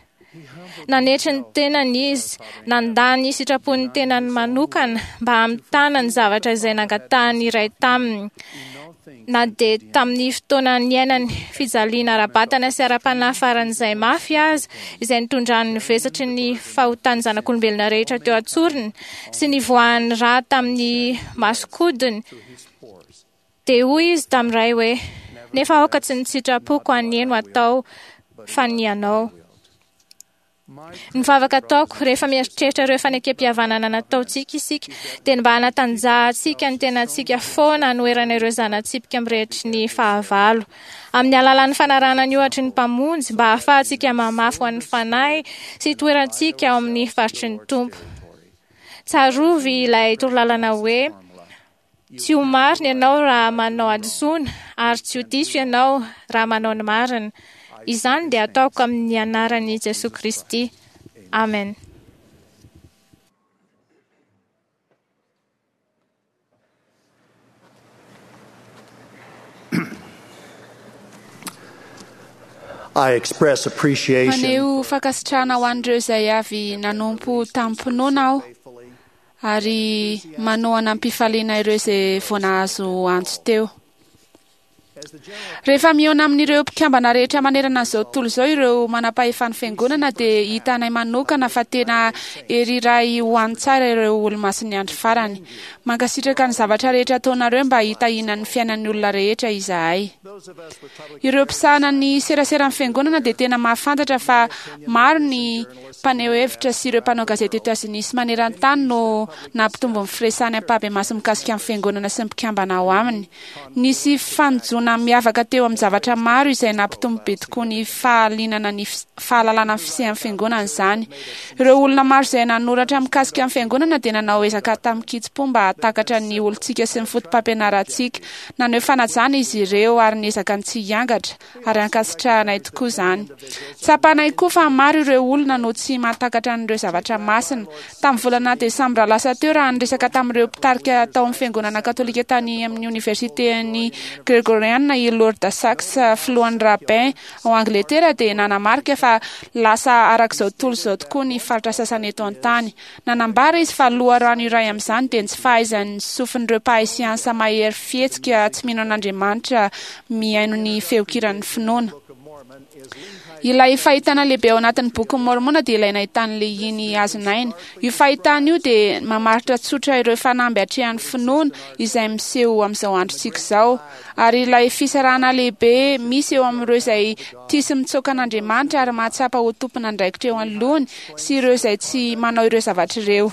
Nanetry ny tenany izy, nandà ny sitrapon'ny tenany manokana mba hamitana ny zavatra izay nangatahany iray taminy. Na dia tamin'ny fotoana niainany fijaliana ara-batana sy ara-panahy faran'izay mafy aza, izay nitondrany ny vesatry ny fahotan'ny zanak'olombelona rehetra teo an-tsorony sy nivoahan'ny rà tamin'ny masokodiny, dia hoy izy tamin'ny Ray hoe: nefa aoka tsy ny sitrapoko anie no atao fa ny anao. Ny vavaka ataoko rehefa mieritreritra ireo fanekempihavanana nataontsika isika dia ny mba hanatanjahantsika ny tenantsika foana hanoherana ireo zana-tsipika mirehetry ny fahavalo. Amin'ny alalan'ny fanarahana ny ohatry ny Mpamonjy mba hahafahantsika mamafy ho an'ny fanahy sy hitoerantsika ao amin'ny faritry ny Tompo. Tsarovy ilay torolalana hoe: tsy ho marina ianao raha manao hadisoana ary tsy ho diso ianao raha manao ny marina. Izany dia ataoko amin'ny anaran'i Jesoa Kristy. Amen. I express appreciation. Maneho fankasitrahana ho an'ireo izay avy nanompo tamin'ny-pinoana aho ary manohana am-pifaliana ireo izay vao nahazo antso teo. Rehefa mihaona amin'ireo mpikambana rehetra manerana an'izao tontolo izao ireo manam-pahefan'ny fiangonana dia hitanay manokana fa tena hery iray ho an'ny tsara ireo olomasin'ny andro farany. Mankasitraka ny zavatra rehetra ataonareo mba hitahiana ny fiainan'ny olona rehetra izahay. Ireo mpisahana ny seraseran'ny fiangonana dia tena mahafantatra fa maro ny mpaneho hevitra sy ireo mpanao gazety Etazonia sy maneran-tany no nampitombo ny firesahany ampahibemaso mikasika ny fiangonana sy ny mpikambana ao aminy. Nisy fanojoana miavaka teo amin'ny zavatra maro izay nampitombo be tokoa ny fahalinana ny fahalalana ny fisian'ny fiangonana izany. Ireo olona maro izay nanoratra mikasika ny fiangonana dia nanao ezaka tamin-kitsim-po mba hahatakatra ny olontsika sy ny fotopampianarantsika. Naneho fanajana izy ireo ary niezaka ny tsy hiangatra ary ankasitrahanay tokoa izany. Tsapanay koa fa maro ireo olona no tsy mahatakatra an'ireo zavatra masina. Tamin'ny volana desambra lasa teo raha niresaka tamin'ireo mpitarika tao amin'ny fiangonana katolika tany amin'ny oniversiten'ny Gregoriana i Lord Sachs, filohan'ny rabbin ao Angletera, dia nanamarika fa lasa arak'izao tontolo izao tokoa ny faritra sasany eto an-tany. Nanambara izy fa loharano iray amin'izany dia ny tsy fahaizan'ny sofin'ireo mpahay siansa mahery fihetsika tsy mino an'Andriamanitra mihaino ny feon-kiran'ny finoana. Ilay fahitana lehibe ao anatin'ny bokin'i Môrmôna dia ilay nahitan'i Lehia ny hazon'aina. Io fahitana io dia mamaritra tsotra ireo fanamby atrehan'ny finoana izay miseho amin'izao androntsika izao. Ary ilay fisarahana lehibe misy eo amin'ireo izay tia sy mitsoaka an'Andriamanitra ary mahatsapa ho tompon'andraikitra eo anoloany sy ireo izay tsy manao ireo zavatra ireo.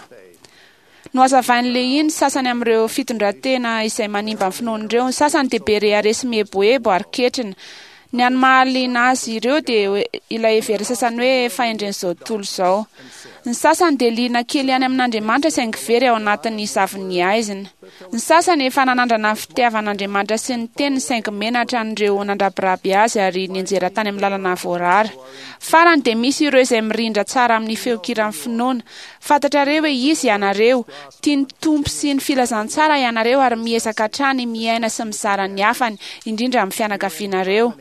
Nohazavain'i Lehia ny sasany amin'ireo fitondran-tena izay manimba ny finoan'ireo. Ny sasany dia be rehareha sy mieboebo ary ketrina. Ny an'ny mahaliana azy ireo dia ilay heverin'ny sasany hoe fahendren'izao tontolo izao. Ny sasany dia liana kely ihany amin'Andriamanitra saingy very ao anatin'ny zavon'ny haizina. Ny sasany efa nanandrana ny fitiavan'Andriamanitra sy ny teniny saingy menatra an'ireo nandrabiraby azy ary nianjera tany amin'ny lalana voarara. Farany dia misy ireo izay mirindra tsara amin'ny feon-kiran'ny finoana. Fantatrareo hoe iza ianareo. Tia ny Tompo sy ny filazantsara ianareo ary miezaka hatrany miaina sy mizara ny hafany, indrindra amin'ny fianakavianareo.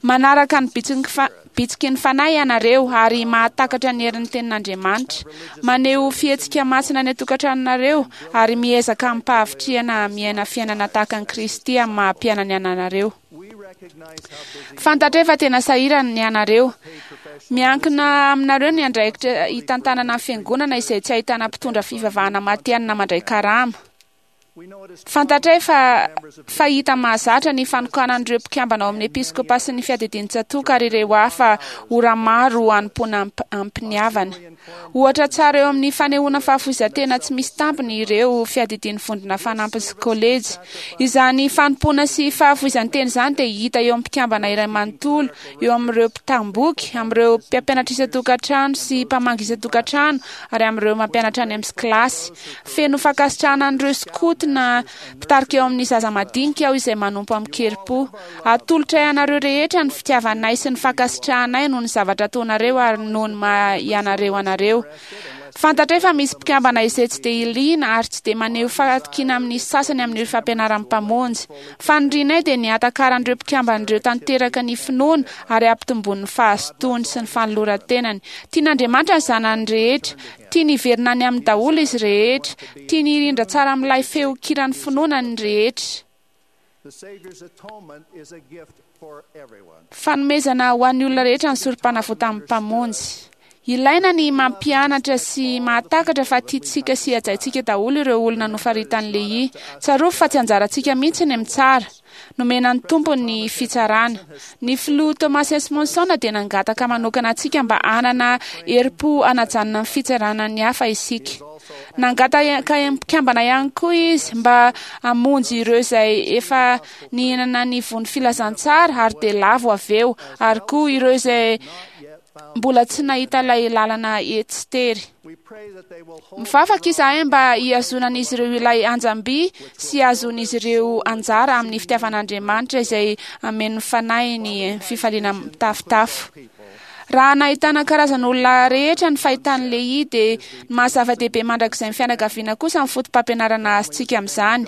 Manaraka ny bitsiky ny Fanahy ianareo ary mahatakatra ny herin'ny Tenin'Andriamanitra. Maneho fihetsika masina any an-tokantranonareo ary miezaka amim-pahavitrihana miaina fiainana tahaka an'i Kristy amin'ny maha-mpianany anareo. Fantatray fa tena sahirana ny anareo. Miankina aminareo ny andraikitra hitantanana ny fiangonana izay tsy ahitana mpitondra fivavahana matihanina mandray karama. Fantatray fa fahita mahazatra ny fanokanan'ireo mpikambana ao amin'ny episkopa sy ny fiadidian'ny tsatòka ary ireo hafa ora maro hanompoana amim-piniavana. Ohatra tsara eo amin'ny fanehoana fahafoizan-tena tsy misy tambiny ireo fiadidian'ny vondrona fanampiny sy kolejy. Izany fanompoana sy fahafoizan-tena izany dia hita eo amin'ny mpikambana iray manontolo, eo amin'ireo mpitam-boky, amin'ireo mpampianatra isan-tokantrano sy mpamangy isan-tokantrano ary amin'ireo mampianatra any amin'ny kilasy. Feno fankasitrahana an'ireo skoto na mpitarika eo amin'ny zaza madinika aho izay manompo amin-kerim-po. Atolotray anareo rehetra ny fitiavanay sy ny fankasitrahanay noho ny zavatra ataonareo ary noho ny maha ianareo anareo. Fantatray fa misy mpikambana izay tsy dia liana ary tsy dia maneho fahatokiana amin'ny sasany amin'ireo fampianaran'ny Mpamonjy. Fanirianay dia ny hahatakaran'ireo mpikambana ireo tanteraka ny finoana ary hampitomboany ny fahazotoany sy ny fanoloran-tenany. Tian'Andriamanitra ny zanany rehetra. Tiany hiverina any aminy daholo izy rehetra. Tiany hirindra tsara amin'ilay feon-kiran'ny finoana ny rehetra. Fanomezana ho an'ny olona rehetra ny sorom-panavotan'ny Mpamonjy. Ilaina ny mampianatra sy mahatakatra fa tiantsika sy hajaintsika daholo ireo olona nofaritan'i Lehia. Tsarovy fa tsy anjarantsika mihitsy ny mitsara. Nomena ny Tompo ny fitsarana. Ny filoha Thomas S. Monson dia nangataka manokana antsika mba hanana herim-po hanajanona ny fitsarana ny hafa isika. Nangataka mpikambana ihany koa izy mba hamonjy ireo izay efa nihinana ny voan'ny filazantsara ary dia lavo avy eo, ary koa ireo izay mbola tsy nahita ilay lalana etsy tery. Mivavaka izahay mba hihazonan'izy ireo ilay anjam-by sy hahazoan'izy ireo anjara amin'ny fitiavan'Andriamanitra izay hameno ny fanahiny fifaliana mitafotafo. Raha nahitana karazan'olona rehetra ny fahitan'i Lehia dia ny maha-zava-dehibe mandrakizay ny fianakaviana kosa ny fotopampianarana azontsika amin'izany.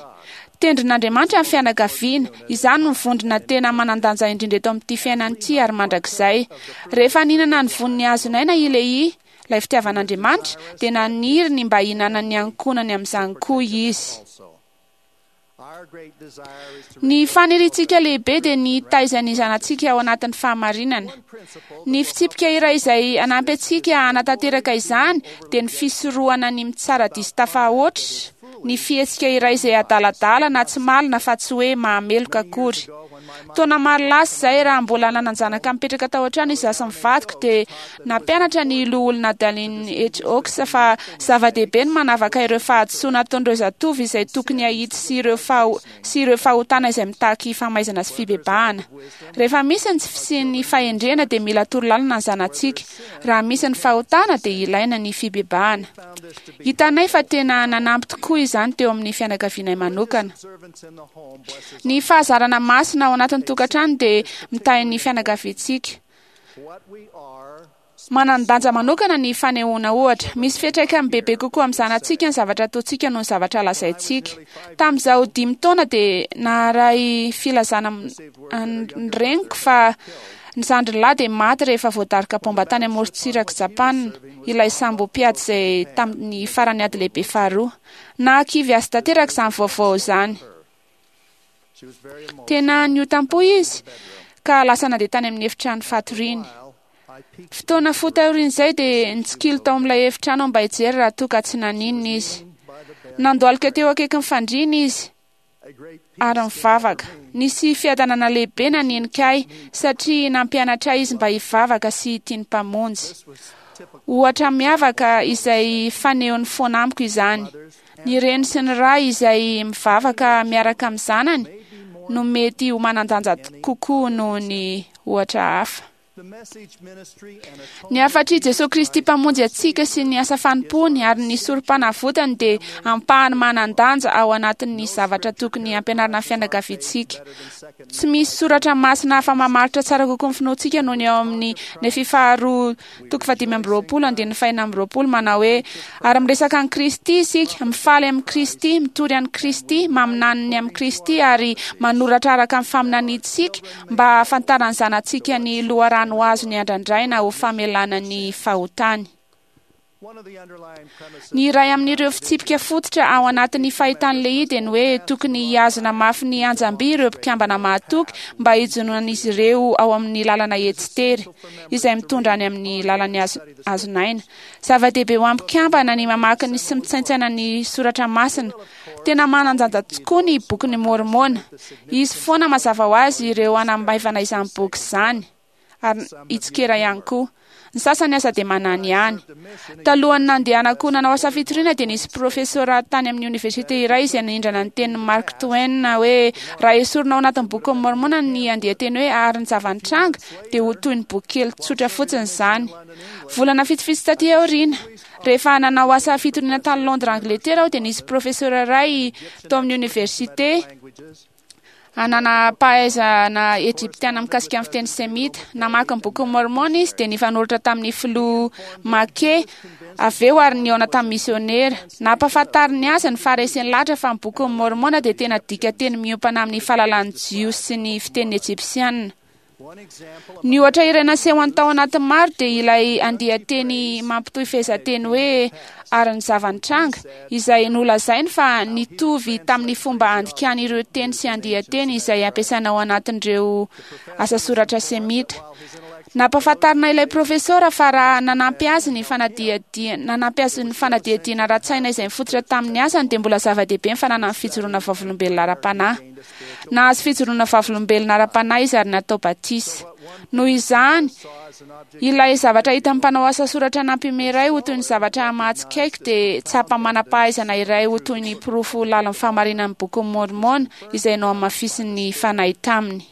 Tendrin'Andriamanitra ny fianakaviana. Izany no vondrona tena manan-danja indrindra eto amin'ity fiainana ity ary mandrakizay. Rehefa nihinana ny vonin'ny hazon'aina i Lehia, ilay fitiavan'Andriamanitra, dia naniry ny mba hihinanan'ny ankohonany amin'izany koa izy. Ny faniriantsika lehibe dia ny hitaiza ny zanatsika ao anatin'ny fahamarinana. Ny fitsipika iray izay hanampy antsika hanatanteraka izany dia ny fisorohana ny mitsara diso tafahoatra, ny fihetsika iray izay adaladala na tsy malina fa tsy hoe mahameloka akory. Taona maro lasa izay, raha mbola nanan-janaka mipetraka tao an-trano izaho sy ny vadiko, dia nampianatra ny Loholona Dallin H. Oaks fa zava-dehibe ny manavaka ireo fahadisoana ataon'ireo zatovo izay tokony hahitsy sy ireo sy ireo fahotana izay mitaky famaizana sy fibebahana. Rehefa misy ny tsy fisian'ny fahendrena dia mila torolalana ny zanatsika. Raha misy ny fahotana dia ilaina ny fibebahana. Hitanay fa tena nanampy tokoa izany teo amin'ny fianakavianay manokana. Ny fahazarana masina ao anatin'ny tokantrano dia mitahy ny fianakaviantsika. Manan-danja manokana ny fanehoana ohatra. Misy fiantraikany bebe kokoa amin'ny zanatsika ny zavatra ataontsika noho ny zavatra lazaintsika. Tamin'izaho dimy taona dia naharay filazana ny reniko fa ny zandriny lahy dia maty rehefa voadaroka baomba tany amorontsirak'i Japana, ilay sambo mpiady izay tamin'ny faran'ny ady lehibe faharoa. Nahakivy azy tanteraka izany vaovao izany. Tena niotam-po izy ka lasa nandeha tany amin'ny efitrano fatoriany. Fotoana fohy taorian'izay dia nitsikilo tao amin'ilay efitrano aho mba hijery raha toa ka tsy naninona izy. Nandohalika teo akaikin'ny fandriana izy ary nivavaka. Nisy fiadanana lehibe nanenika ahy satria nampianatra ahy izy mba hivavaka sy hitia ny Mpamonjy. Ohatra miavaka izay fanehony foana amiko izany. Ny reny sy ny ray izay mivavaka miaraka amin'ny zanany no mety ho manan-danja kokoa noho ny ohatra hafa. Ny hafatr'i Jesosy Kristy Mpamonjy antsika sy ny asa fanompoany ary ny sorom-panavotany dia ampahany manan-danja ao anatin'ny zavatra tokony hampianarina ny fianakaviantsika. Tsy misy soratra masina hafa mamaritra tsara kokoa ny finoantsika noho ny ao amin'ny Nefy faharoa toko fahadimy amby roapolo andininy fahenina amby roapolo manao hoe: ary miresaka an'i Kristy isika, mifaly amin'i Kristy, mitory an'i Kristy, maminany ny amin'i Kristy ary manoratra araka ny faminaniantsika mba hahafantaran'ny zanatsika ny loharano azo ny andrandraina ho famelana ny fahotany. Ny iray amin'ireo fitsipika fototra ao anatin'ny fahitan'i Lehi dia ny hoe tokony hihazona mafy ny anjam-by ireo mpikambana mahatoky mba hijononan'izy ireo ao amin'ny lalana etsitery izay mitondra any amin'ny lalany azonaina. Zava-dehibe ho an'ny mpikambana ny mamaky ny sy mitsaintsaina ny soratra masina. Tena manan-danja tokoa ny bokin'i Môrmôna. Izy foana mazava ho azy ireo hanamaivana izany boky izany ary hitsikera ihany koa. Ny sasany aza dia manany ihany. Talohan'ny nandehanako nanao asa fitoriana dia nisy profesora tany amin'ny oniversite iray izay nanindrana ny tenin'i Mark Twain hoe raha esorina ao anatin'ny bokin'i Môrmôna ny andian-teny hoe ary ny zava-nitranga dia ho toy ny boky kely tsotra fotsiny izany. Volana vitsivitsy taty aoriana, rehefa nanao asa fitoriana tany Londres, Angletera aho dia nisy profesora iray tao amin'ny oniversite nanam-pahaizana ejiptiana mikasika ny fiteny semita. Namaky ny bokin'i Môrmôna izy dia nifanoratra tamin'ny filoha Make avy eo ary nihaona tamin'ny misionera. Nampahafantariny azy ny fahareseny lahatra fa ny bokin'i Môrmôna dia tena dikanteny miompana amin'ny fahalalan'ny Jiosy sy ny fiteny ejipsiana. Ny ohatra iray nasehony tao anatin'ny maro dia ilay andian-teny mampitohy fehezanteny hoe ary ny zava-nitranga, izay nolazainy fa nitovy tamin'ny fomba andikany ireo teny sy andian-teny izay ampiasaina ao anatin'ireo asa soratra semita. Nampahafantarina ilay profesora fa raha nanampy azy ny fanadihadiana nanampy azy ny fanadihadiana ara-tsaina izay nifototra tamin'ny asany dia mbola zava-dehibe ny fananany fijoroana vavolombelona ara-panahy. Nahazo fijoroana vavolombelona ara-panahy izy ary natao batisa. Noho izany, ilay zavatra hitan'ny mpanao asa soratra nampime iray ho toy ny zavatra mahatsikaiky dia tsapa manam-pahaizana iray ho toy ny porofo lalin'ny fahamarinan'ny bokin'i Môrmôna izay nohamafisin'ny fanahy taminy.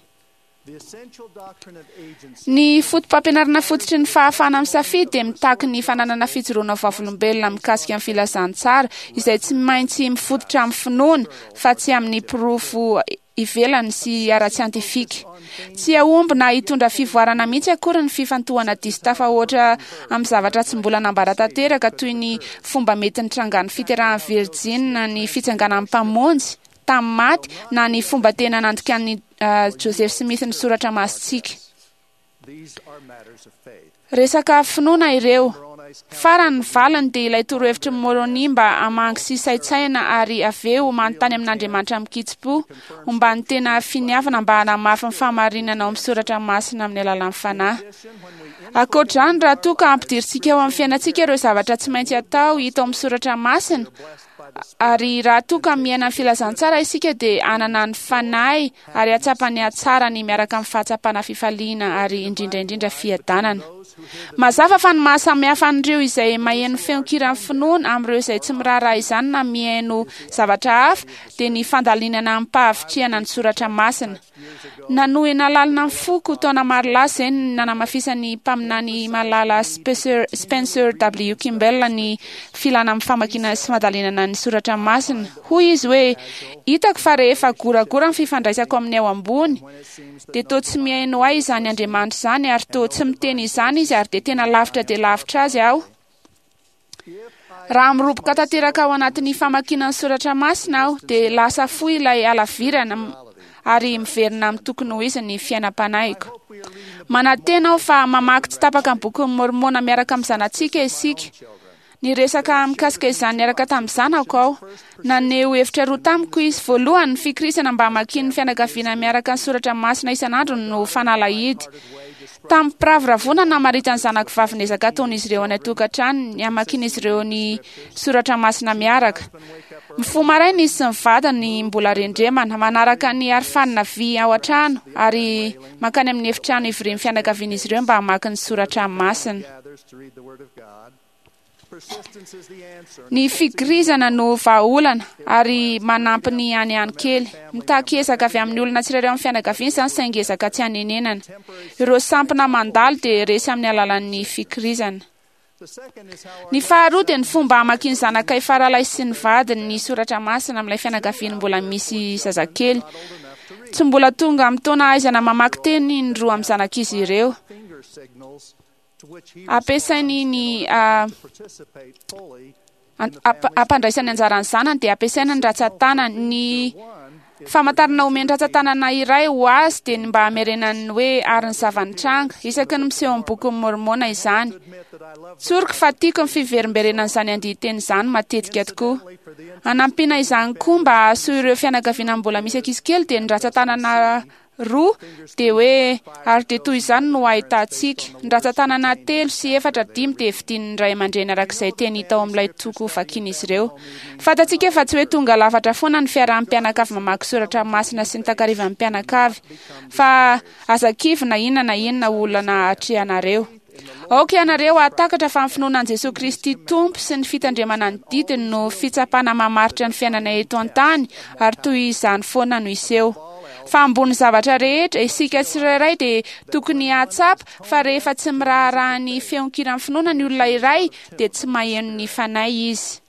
Ny foto-pampianarana fototry ny fahafahana misafidy dia mitaky ny fananana fijoroana vavolombelona mikasika ny filazantsara izay tsy maintsy mifototra amin'ny finoana fa tsy amin'ny porofo ivelany sy ara-tsiantifika. Tsy hahomby na hitondra fivoarana mihitsy akory ny fifantohana diso tafahoatra amin'ny zavatra tsy mbola nambara tanteraka toy ny fomba mety nitrangan'ny fiterahan'ny Virjina, ny fitsanganan'ny Mpamonjy tamin'ny maty na ny fomba tena nandikan'ny Joseph Smith ny soratra masintsika. Resaka finoana ireo. Farany ny valiny dia ilay torohevitry ny Môrônia mba hamangy sy saintsaina ary avy eo manontany amin'Andriamanitra amin-kitsim-po homba ny tena finiavana mba hanamafy ny fahamarinana ao amin'ny soratra masina amin'ny alalan'ny fanahy. Ankoatr'izany, raha toa ka ampidirintsika ao amin'ny fiainantsika ireo zavatra tsy maintsy atao hita ao amin'ny soratra masina ary raha toa ka miaina ny filazantsara isika dia hanana ny fanahy ary hahatsapa ny hatsarany miaraka amin'ny fahatsapana fifaliana ary indrindra indrindra fiadanana. Mazava fa ny mahasamihafa an'ireo izay maheno feon-kiran'ny finoana amin'ireo izay tsy miraharaha izany na mihaino zavatra hafa dia ny fandalinana amim-pahavitrihana ny soratra masina. Nanohina lalina ny foko taona maro lasa izay ny nanamafisan'ny mpaminany malala Spencer W. Kimball ny filana amin'ny famakiana sy fandalinana ny soratra masina. Hoy izy hoe: hitako fa rehefa goragora ny fifandraisako amin'ny ao ambony dia toa tsy mihaino ahy izany Andriamanitra izany ary toa tsy miteny izany izy ary dia tena lavitra dia lavitra azy aho. Raha miroboka tanteraka ao anatin'ny famakiana ny soratra masina aho dia lasa fohy ilay halavirana ary miverina amin'ny tokony ho izy ny fiainam-panahiko. Manantena aho fa mamaky tsy tapaka ny bokin'i Môrmôna miaraka amin'ny zanatsika isika. Niresaka mikasika izany niaraka tamin'ny zanako aho. Naneho hevitra roa tamiko izy. Voalohany, ny fikirizana mba hamakian'ny fianakaviana miaraka ny soratra masina isan'andro no fanalahidy. Tamin'ny mpiravoravoana namaritan'ny zanako vavy ny ezaka ataon'izy ireo any an-tokantrano ny hamakian'izy ireo ny soratra masina miaraka. Mifoha maraina izy sy ny vadiny mbola rendremana, manaraka ny arofanina vy ao an-trano ary mankany amin'ny efitrano ivorian'ny fianakavian'izy ireo mba hamaky ny soratra masina. Ny fikirizana no vahaolana ary manampy ny any ihany kely. Mitaky ezaka avy amin'ny olona tsirairay amin'ny fianakaviana izany, saingy ezaka tsy anenenana. Ireo sampona mandalo dia resy amin'ny alalan'ny fikirizana. Ny faharoa dia ny fomba hamakian'ny zanakay faralahy sy ny vadiny ny soratra masina amin'ilay fianakaviany mbola misy zazakely. Tsy mbola tonga amin'ny taona ahaizana mamaky teny ny roa amin'ny zanak'izy ireo. Ampiasainy ny ampandraisany anjaran'ny zanany dia ampiasaina ny ratsan-tanany. Ny famantarana omen'ny ratsan-tanana iray ho azy dia ny mba hamerenany hoe ary ny zava-nitranga isaky ny miseho amin'ny bokin'ny Môrmôna izany. Tsoriko fa tiako ny fiverimberenan'izany andian-teny izany matetika tokoa. Anampiana izany koa mba hahasoa ireo fianakaviana mbola misy ankizy kely dia ny ratsan-tanana roa dia hoe ary dia toy izany no ahitantsika. Ny ratsan-tanana telo sy efatra dimy dia vidian'ny ray aman-dreny arak'izay teny hita ao amin'ilay toko vakian'izy ireo. Fantatsika fa tsy hoe tonga lafatra foana ny fiarahan'ny mpianakavy mamaky soratra masina sy ny takarivan'ny mpianakavy, fa aza kivy na inona na inona olana atrehanareo. Aoka ianareo hahatakatra fa ny finoana an'i Jesoa Kristy Tompo sy ny fitandremana ny didiny no fitsapana mamaritra ny fiainana eto an-tany, ary toy izany foana no hiseho. Fa ambony zavatra rehetra, isika tsirairay dia tokony hahatsapa fa rehefa tsy miraharaha ny feon-kiran'ny finoana ny olona iray dia tsy maheno ny fanahy izy.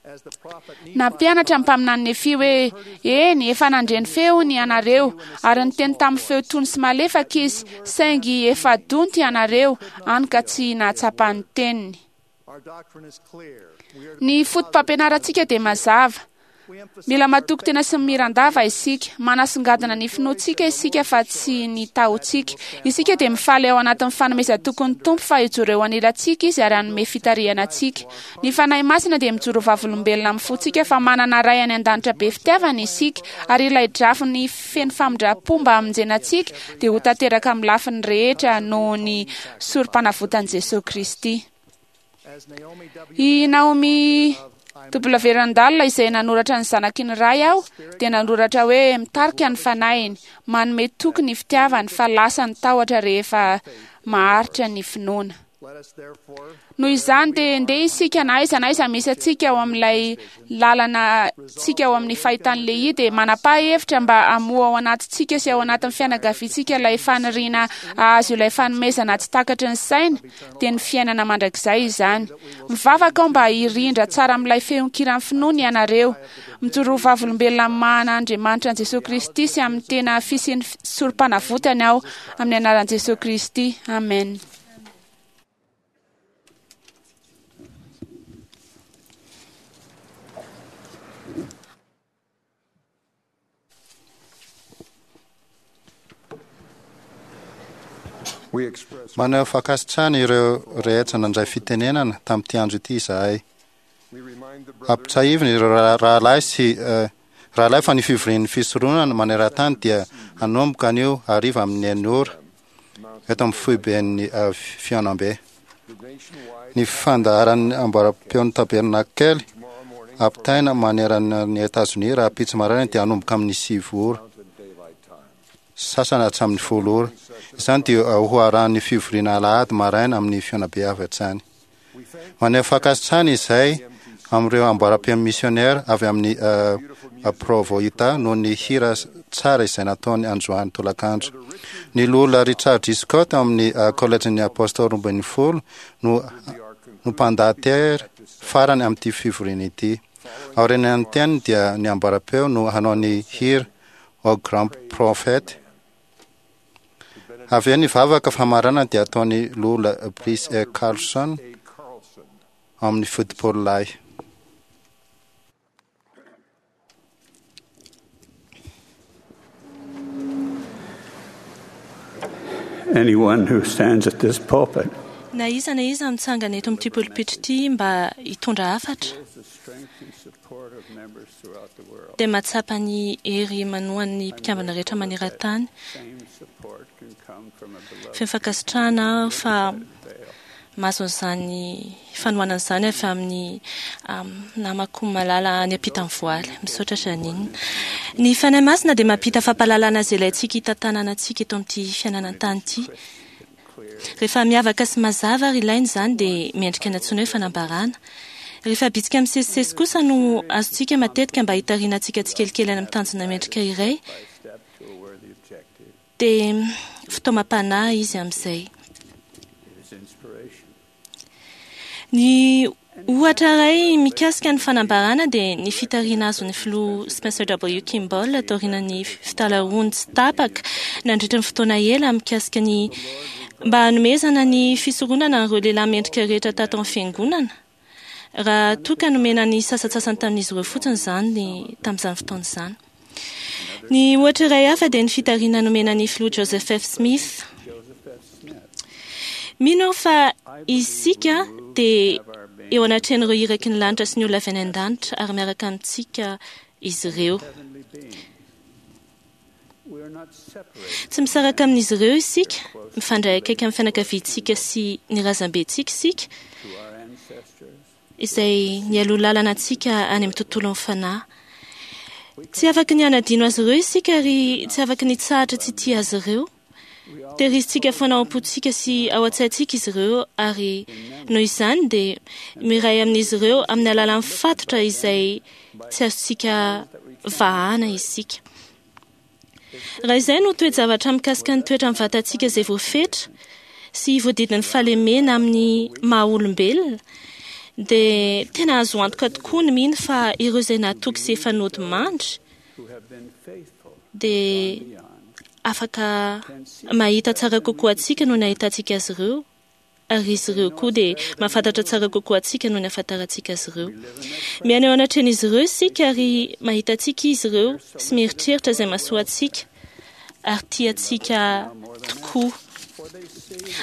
Nampianatra ny mpaminany Nefia hoe eny, efa nandre ny feony ianareo, ary niteny tamin'ny feo tony sy malefaka izy, saingy efa donto ianareo, hany ka tsy nahatsapa ny teniny. Ny foto-pampianarantsika dia mazava. Mila matoky tena sy mirandava isika. Manasongadina ny finoantsika isika fa tsy ny tahotsika. Isika dia mifaly ao anatin'ny fanomezan-tokin'ny Tompo fa hijoro eo anilantsika izy ary hanome fitarihana antsika. Ny Fanahy Masina dia mijoro vavolombelona amin'ny fontsika fa manana Ray any an-danitra be fitiavana isika, ary ilay drafiny feno famindram-po mba hamonjena antsika dia ho tanteraka amin'ny lafiny rehetra noho ny sorom-panavotan'i Jesoa Kristy. I Naomi W. Randall izay nanoratra ny zanaky ny ray aho dia nanoratra hoe mitarika ny fanahiny, manome toky ny fitiavany fa lasa ny tahotra rehefa maharitra ny finoana. Noho izany dia ndeha isika na aiza na aiza misy antsika ao amin'ilay lalana tsika ao amin'ny fahitan'ny lehihy dia manapa-hevitra mba hamoha ao anatintsika sy ao anatin'ny fianakaviantsika ilay faniriana hahazo ilay fanomezana tsy takatry ny saina, dia ny fiainana mandrakizay izany. Mivavaka aho mba hirindra tsara amin'ilay feon-kiran'ny finoana ianareo. Mijoro vavolombelona amin'ny maha an'Andriamanitra an'i Jesoa Kristy sy amin'ny tena fisian'ny sorom-panavotany aho amin'ny anaran'i Jesoa Kristy. Amen. Maneho fankasitrahana ireo rehetra nandray fitenenana tamin'ity andro ity izahay. Ampitsahivina ireo rahalahy sy rahalahy fa ny fivorian'ny fisoronana maneran-tany dia hanomboka anio hariva amin'ny enina ora eto amin'ny foiben'ny fihaonambe. Ny fandaharan'ny amboaram-peon'ny tabernakely ampitaina manerana ny Etazonia rahampitso maraina dia hanomboka amin'ny sivy ora sasany hatramin'ny folo ora. Izany dia ho arahan'ny fivoriana alahady maraina amin'ny fihaonambe avy hatrany. Maneho fankasitrahana izay amin'ireo amboaram-peon'ny missionnaire avy amin'ny Provo Utah noho ny hira tsara izay nataony androany tolakandro. Ny loholona Richard G. Scott ao amin'ny Kolejin'ny Apôstôly roa ambin'ny folo no no mpandahatera farany amin'ity fivoriana ity. Aorian'ny teniny dia ny amboaram-peo no hanao ny hira Au Grand Prophète. Avy eo ny vavaka famaranana dia ataon'ny loholona Brice E. Carlson ao amin'ny fotopolo lahy. Anyone who stands at this pulpit Na iza na iza mitsangana eto amin'ity polipitra ity mba hitondra hafatra dia mahatsapa ny hery manohan'ny mpikambana rehetra maneran-tany. Feno fankasitrahana aho fa mahazo an'izany fanohanana izany avy amin'ny namako malala any ampitan'ny voaly. Misaotra Janine. Ny Fanahy Masina dia mampita fampahalalana izay ilaintsika hitantanana antsika eto amin'ity fiainana an-tany ity. Rehefa miavaka sy mazava ary ilaina izany dia mendrika ny antsoina hoe fanambarana. Rehefa bitsika misesisesy kosa no azontsika matetika mba hitariana antsika tsikelikely any amin'ny tanjona mendrika iray, dia fitaomam-panahy izy amin'izay. Ny ohatra iray mikasika ny fanambarana dia ny fitariana azon'ny filoha Spencer W. Kimball taorian'ny fitalahoany tsy tapaka nandritra ny fotoana ela mikasika ny mba hanomezana ny fisoronana an'ireo lehilahy mendrika rehetra tato amin'ny fiangonana, raha toa ka nomena ny sasantsasany tamin'izy ireo fotsiny izany tamin'izany fotoana izany. Ny ohatra iray hafa dia ny fitariana nomena ny filoha Joseph F. Smith. Mino aho fa isika dia eo anatrehan'ireo iraky ny lanitra sy ny olona avy any an-danitra ary miaraka amintsika izy ireo. Tsy misaraka amin'izy ireo isika, mifandray akaiky amin'ny fianakaviantsika sy ny razambentsika isika, izay nialoha lalana antsika any amin'ny tontolon'ny fanahy. Tsy afaky ny hanadino azy ireo isika ary tsy afaky ny hitsahatra tsy tia azy ireo. Tehirizitsika foana ao am-pontsika sy ao an-tsaintsika izy ireo ary noho izany dia miray amin'izy ireo amin'ny alalan'ny fatotra izay tsy azontsika vahana isika. Raha izay no toe-javatra mikasika ny toetra amin'ny vatantsika izay voafetra sy voadidin'ny fahalemena amin'ny maha-olombelona, dia tena azo antoka tokoa ny mino fa ireo izay nahatoky sy efa nodimandry dia afaka mahita tsara kokoa antsika noho ny ahitantsika azy ireo, ary izy ireo koa dia mahafantatra tsara kokoa antsika noho ny ahafantarantsika azy ireo. Miaina eo anatrehan'izy ireo isika ary mahita antsika izy ireo sy mieritreritra izay mahasoa antsika ary tia antsika tokoa.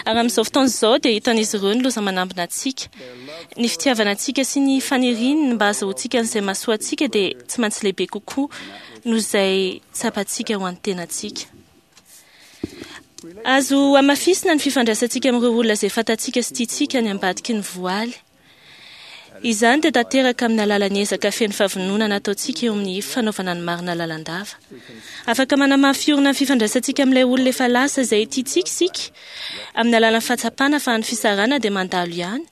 Ary amin'izao fotoana izao dia hitan'izy ireo ny loza manambina antsika. Ny fitiavana antsika sy ny faniriany mba hahazoantsika an'izay mahasoa antsika dia tsy maintsy lehibe kokoa noho izay tsapantsika ho an'ny tenantsika. Azo hamafisina ny fifandraisantsika amin'ireo olona izay fantatsika sy tiantsika any ambadiky ny voaly. Izany dia tanteraka amin'ny alalan'ny ezaka feno fahavononana ataontsika eo amin'ny fanaovana ny marina lalandava. Afaka manamafy orina ny fifandraisantsika amin'ilay olona efa lasa izay tiantsika isika amin'ny alalan'ny fahatsapana fa ny fisarahana dia mandalo ihany,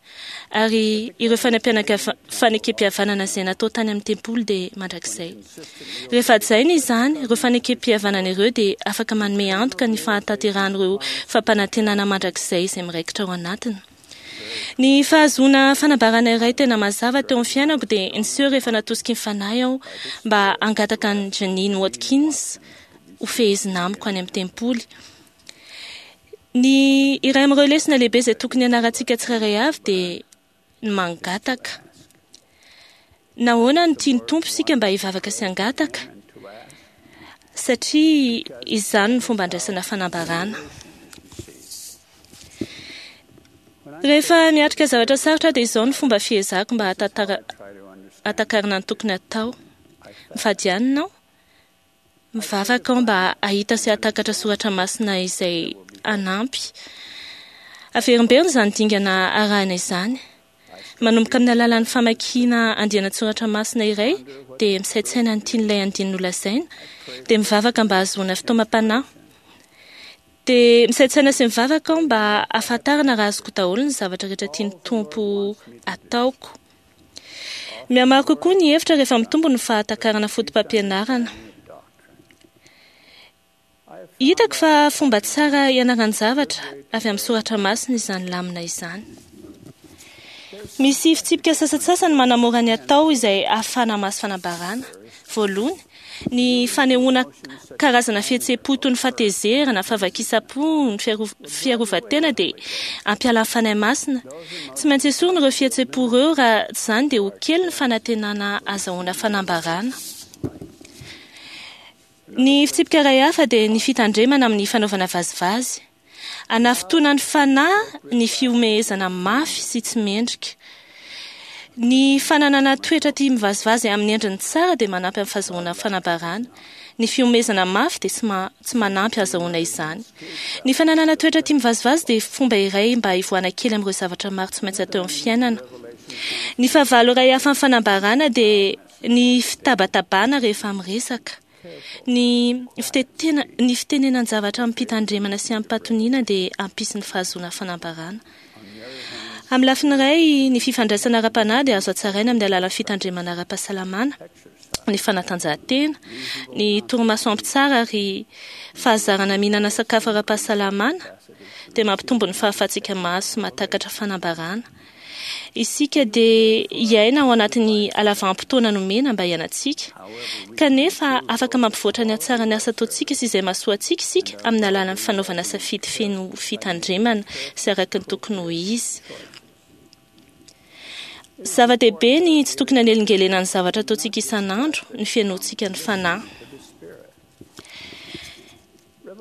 ary ireo fanekem-pihavanana izay natao tany amin'ny tempoly dia mandrakizay. Rehefa hajaina izany, ireo fanekem-pihavanana ireo dia afaka manome antoka ny fahatanterahan'ireo fampanantenana mandrakizay izay miraikitra ao anatiny. Ny fahazoana fanambarana iray tena mazava teo amin'ny fiainako dia niseho rehefa natosiky ny fanahy aho mba hangataka an'i Janine Watkins ho fehezina amiko any amin'ny tempoly. Ny iray amin'ireo lesona lehibe izay tokony hianarantsika tsirairay avy dia ny mangataka. Nahoana no tian'ny Tompo isika mba hivavaka sy hangataka? Satria izany no fomba andraisana fanambarana. Rehefa miatrika zavatra sarotra dia izao no fomba fiezahako mba hahatakarana ny tokony hatao. Mifady hanina aho, mivavaka aho mba hahita sy hahatakatra soratra masina izay hanampy. Averimberina izany dingana arahina izany. Manomboka amin'ny alalan'ny famakiana andiana-tsoratra masina iray dia misaintsaina ny tian'ilay andiany nolazaina, dia mivavaka mba hahazoana fitaomam-panahy. Dia misaintsaina sy mivavaka aho mba hahafantarana raha azoko daholo ny zavatra rehetra tian'ny Tompo ataoko. Mihamaro kokoa ny hevitra rehefa mitombo ny fahatakarana foto-pampianarana. Hitako fa fomba tsara hianaran-javatra avy amin'ny soratra masina izany lamina izany. Misy fitsipika sasantsasany manamora ny atao izay ahafahana mahazo fanambarana. Voalohany, ny fanehoana karazana fihetseham-po toy ny fahatezerana, fahavakisam-po, ny fiarovan-tena dia hampiala ny Fanahy Masina. Tsy maintsy esorina ireo fihetseham-po ireo, raha tsy izany dia ho kely ny fanantenana hahazahoana fanambarana. Ny fitsipika iray hafa dia ny fitandremana amin'ny fanaovana vazivazy. Hanafintohina ny fanahy ny fihomehezana mafy sy tsy mendrika. Ny fananana toetra tia mivazivazy amin'ny endriny tsara dia manampy amin'ny fahazoana fanambarana. Ny fihomehezana mafy dia tsy tsy manampy hahazahoana izany. Ny fananana toetra tia mivazivazy dia fomba iray mba hivoahana kely amin'ireo zavatra maro tsy maintsy atao eo amin'ny fiainana. Ny fahavalo iray hafa amin'ny fanambarana dia ny fitabatabana rehefa miresaka. Ny fitetena ny fitenenan-javatra amim-pitandremana sy amim-pahatoniana dia hampisy ny fahazoana fanambarana. Amin'ny lafiny iray, ny fifandraisana ara-panahy dia azo hatsaraina amin'ny alalan'ny fitandremana ara-pahasalamana, ny fanatanjahantena, ny torimaso ampy tsara ary fahazarana mihinana sakafo ara-pahasalamana dia mampitombo ny fahafahantsika mahazo sy mahatakatra fanambarana. Isika dia hiaina ao anatin'ny halavam-potoana nomena mba hiainantsika. Kanefa afaka mampivoatra ny hatsaran'ny asa ataontsika sy izay mahasoa antsika isika amin'ny alalan'ny fanaovana safidy feno fitandremana sy araka ny tokony ho izy. Zava-dehibe ny tsy tokony hanelingelenan'ny zavatra ataontsika isan'andro ny fihainoantsika ny Fanahy.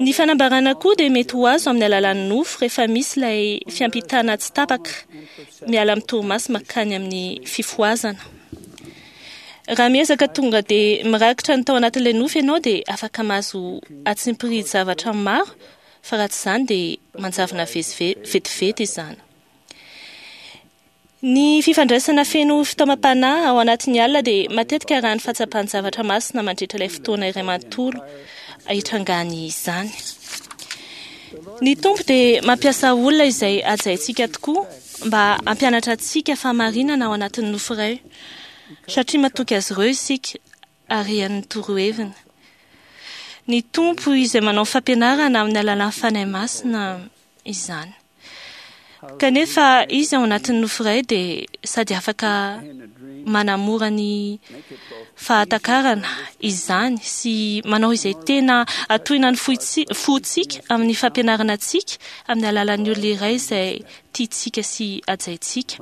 Ny fanambarana koa dia mety ho azo amin'ny alalan'ny nofo rehefa misy ilay fiampitana tsy tapaka miala amin'ny torimaso mankany amin'ny fifohazana. Raha miezaka tonga dia mirakitra ny tao anatin'ilay nofo ianao dia afaka mahazo atsimpirihy-javatra maro, fa raha tsy izany dia manjavona vetivety izany. Ny fifandraisana feno fitaomam-panahy ao anatin'ny alina dia matetika arahan'ny fahatsapan-javatra masina mandritra ilay fotoana iray manontolo hitrangany izany. Ny Tompo dia mampiasa olona izay hajaintsika tokoa mba hampianatra antsika fahamarinana ao anatin'ny nofo iray, satria matoky azy ireo isika ary hain'ny toroheviny. Ny Tompo izay manao fampianarana amin'ny alalan'ny Fanahy Masina izany. Kanefa izy ao anatin'ny nofo iray dia sady afaka manamora ny fahatakarana izany sy manao izay tena atohina ny fontsika amin'ny fampianarana antsika amin'ny alalan'ny olona iray izay tiantsika sy hajaintsika.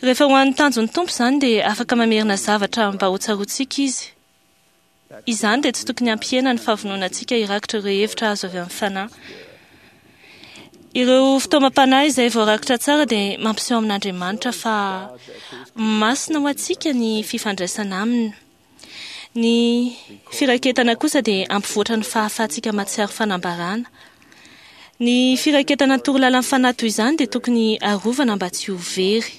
Rehefa ho an'ny tanjon'ny Tompo izany dia afaka mamerina zavatra mba ho tsaroantsika izy. Izany dia tsy tokony hampihena ny fahavononantsika hirakitra ireo hevitra azo avy amin'ny Fanahy. Ireo fitaomam-panahy izay voarakitra tsara dia mampiseho amin'Andriamanitra fa masina ho antsika ny fifandraisana aminy. Ny firaketana kosa dia hampivoatra ny fahafahantsika mahatsiaro fanambarana. Ny firaketana ny torolalan'ny Fanahy toy izany dia tokony harovana mba tsy ho very.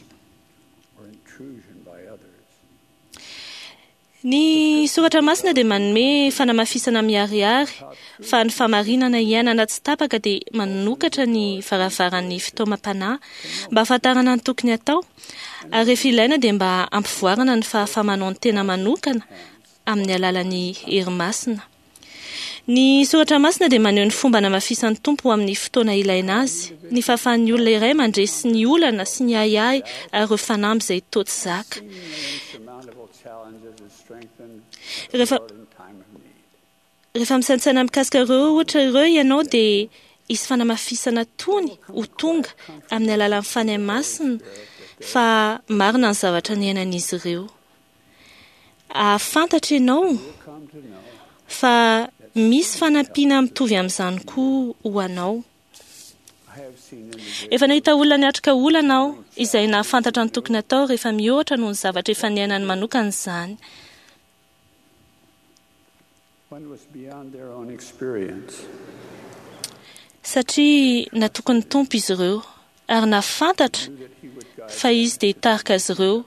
Ny Soratra Masina dia manome fanamafisana miharihary fa ny fahamarinana iainana tsy tapaka dia manokatra ny varavaran'ny fitaomam-panahy mba hahafantarana ny tokony hatao, ary rehefa ilaina dia mba hampivoarana ny fahafaha-manao ny tena manokana amin'ny alalan'ny hery masina. Ny Soratra Masina dia maneho ny fomba namafisan'ny Tompo ho amin'ny fotoana ilaina azy, ny fahafahan'ny olona iray mandresy ny olana sy ny ahiahy ary ireo fanamby izay toa tsy zaka. Rehefa, rehefa misaintsaina mikasika ireo ohatra ireo ianao dia hisy fanamafisana tony ho tonga amin'ny alalan'ny Fanahy Masina fa marina ny zavatra niainan'izy ireo. Hahafantatra ianao fa misy fanampiana mitovy amin'izany koa ho anao. Efa nahita olona niatrika olana aho izay nahafantatra ny tokony hatao rehefa mihoatra noho ny zavatra efa niainany manokana izany. Satria natoky ny Tompo izy ireo ary nahafantatra fa Izy dia hitarika azy ireo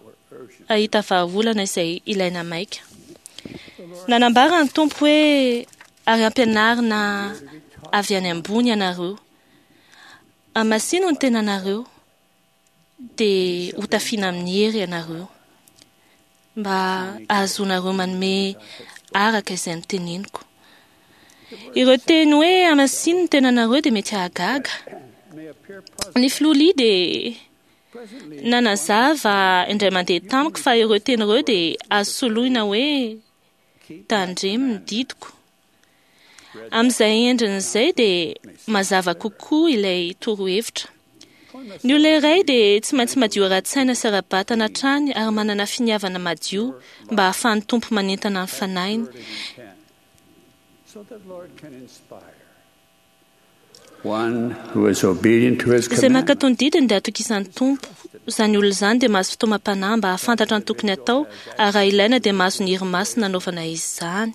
hahita vahaolana izay ilaina maika. Nanambara ny Tompo hoe ary ampianarina avy any ambony ianareo. Hamasino ny tenanareo dia hotafiana amin'ny hery ianareo mba hahazoanareo manome araka izay noteneniko. Ireo teny hoe hamasino ny tenanareo dia mety hahagaga. Ny filoha Lee dia nanazava indray mandeha tamiko fa ireo teny ireo dia azo soloina hoe tandremo ny didiko. Amin'izay endriny izay dia mazava kokoa ilay torohevitra. Ny olona iray dia tsy maintsy madio ara-tsaina sy ara-batana hatrany ary manana finiavana madio mba hahafahan'ny Tompo manentana ny fanahiny. Izay mankatò ny didiny dia atokisan'ny Tompo. Izany olona izany dia mahazo fitaomam-panahy mba hahafantatra ny tokony hatao ary raha ilaina dia mahazo ny hery masina hanaovana izany.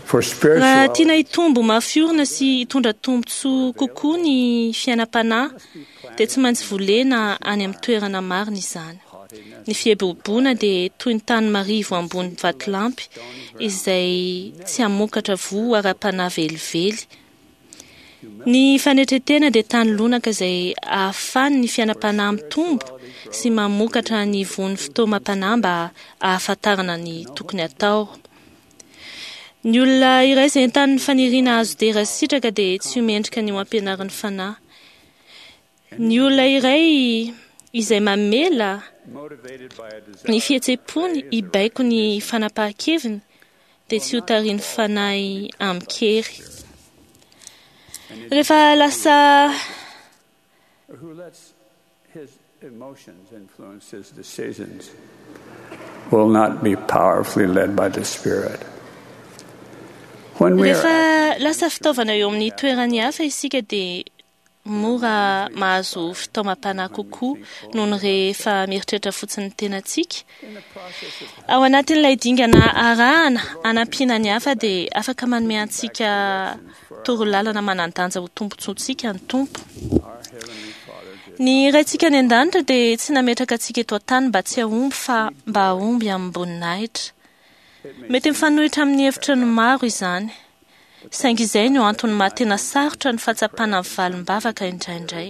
Raha tiana hitombo mafy orina sy hitondra tombontsoa kokoa ny fiainam-panahy dia tsy maintsy volena any amin'ny toerana marina izany. Ny fieboboana dia toy ny tany marivo ambony vatolampy izay tsy hamokatra voa ara-panahy velively. Ny fanetren-tena dia tany lonaka izay ahafahan'ny fiainam-panahy mitombo sy mamokatra ny voan'ny fitaomam-panahy mba hahafantarana ny tokony hatao. Ny olona iray izay entanin'ny faniriana hahazo dera sy sitraka dia tsy ho mendrika ny ho ampianarin'ny fanahy. Ny olona iray izay mamela ny fihetseham-pony hibaiko ny fanapahan-keviny dia tsy ho tarihin'ny fanahy amin-kery. Rehefa lasa Who lets his emotions influence his decisions will not be powerfully led by the Spirit. When we are rehefa lasa fitaovana eo amin'ny toerany hafa isika dia mora mahazo fitaomam-panahy kokoa noho ny rehefa mieritreritra fotsiny ny tenantsika. Ao anatin'ilay dingana arahana hanampiana ny hafa dia afaka manome antsika torolalana manan-danja ho tombontsoantsika ny Tompo. Ny Raintsika any an-danitra dia tsy nametraka antsika eto an-tany mba tsy hahomby fa mba hahomby amim-boninahitra. Mety mifanohitra amin'ny hevitra ny maro izany. Saingy izay no antony maha tena sarotra ny fahatsapana ny valim-bavaka indraindray.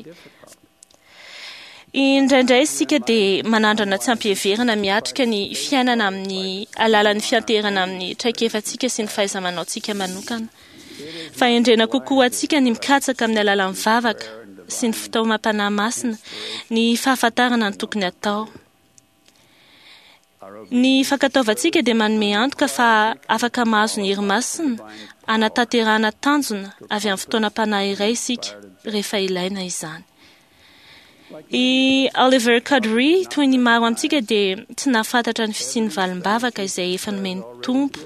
Indraindray isika dia manandrana tsy ampiheverana miatrika ny fiainana amin'ny alalan'ny fianteherana amin'ny traikefantsika sy ny fahaiza-manaontsika manokana. Fahendrena kokoa antsika ny mikatsaka amin'ny alalan'ny vavaka sy ny fitaomam-panahy masina ny fahafantarana ny tokony hatao. Ny fankatoavantsika dia manome antoka fa afaka mahazo ny hery masina hanatanterahana tanjona avy amin'ny fotoanam-panahy iray isika rehefa ilaina izany. I Oliver Cowdery, toy ny maro amintsika, dia tsy nahafantatra ny fisian'ny valim-bavaka izay efa nomen'ny Tompo.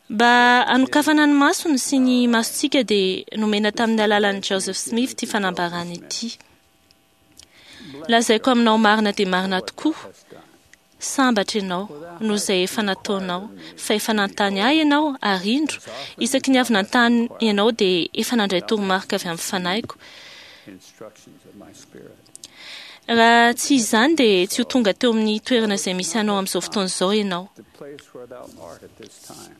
Mba hanokafana ny masony sy ny masontsika dia nomena tamin'ny alalan'i Joseph Smith ity fanambarana ity. Lazaiko aminao marina dia marina tokoa, sambatra ianao noho izay efa nataonao, fa efa nanontany ahy ianao ary indro, isaky ny avy nanontany ianao dia efa nandray toromarika avy amin'ny fanahiko. instructions of my Spirit. Raha tsy izany dia tsy ho tonga teo amin'ny toerana izay misy anao amin'izao fotoana izao ianao. The place where thou art at this time.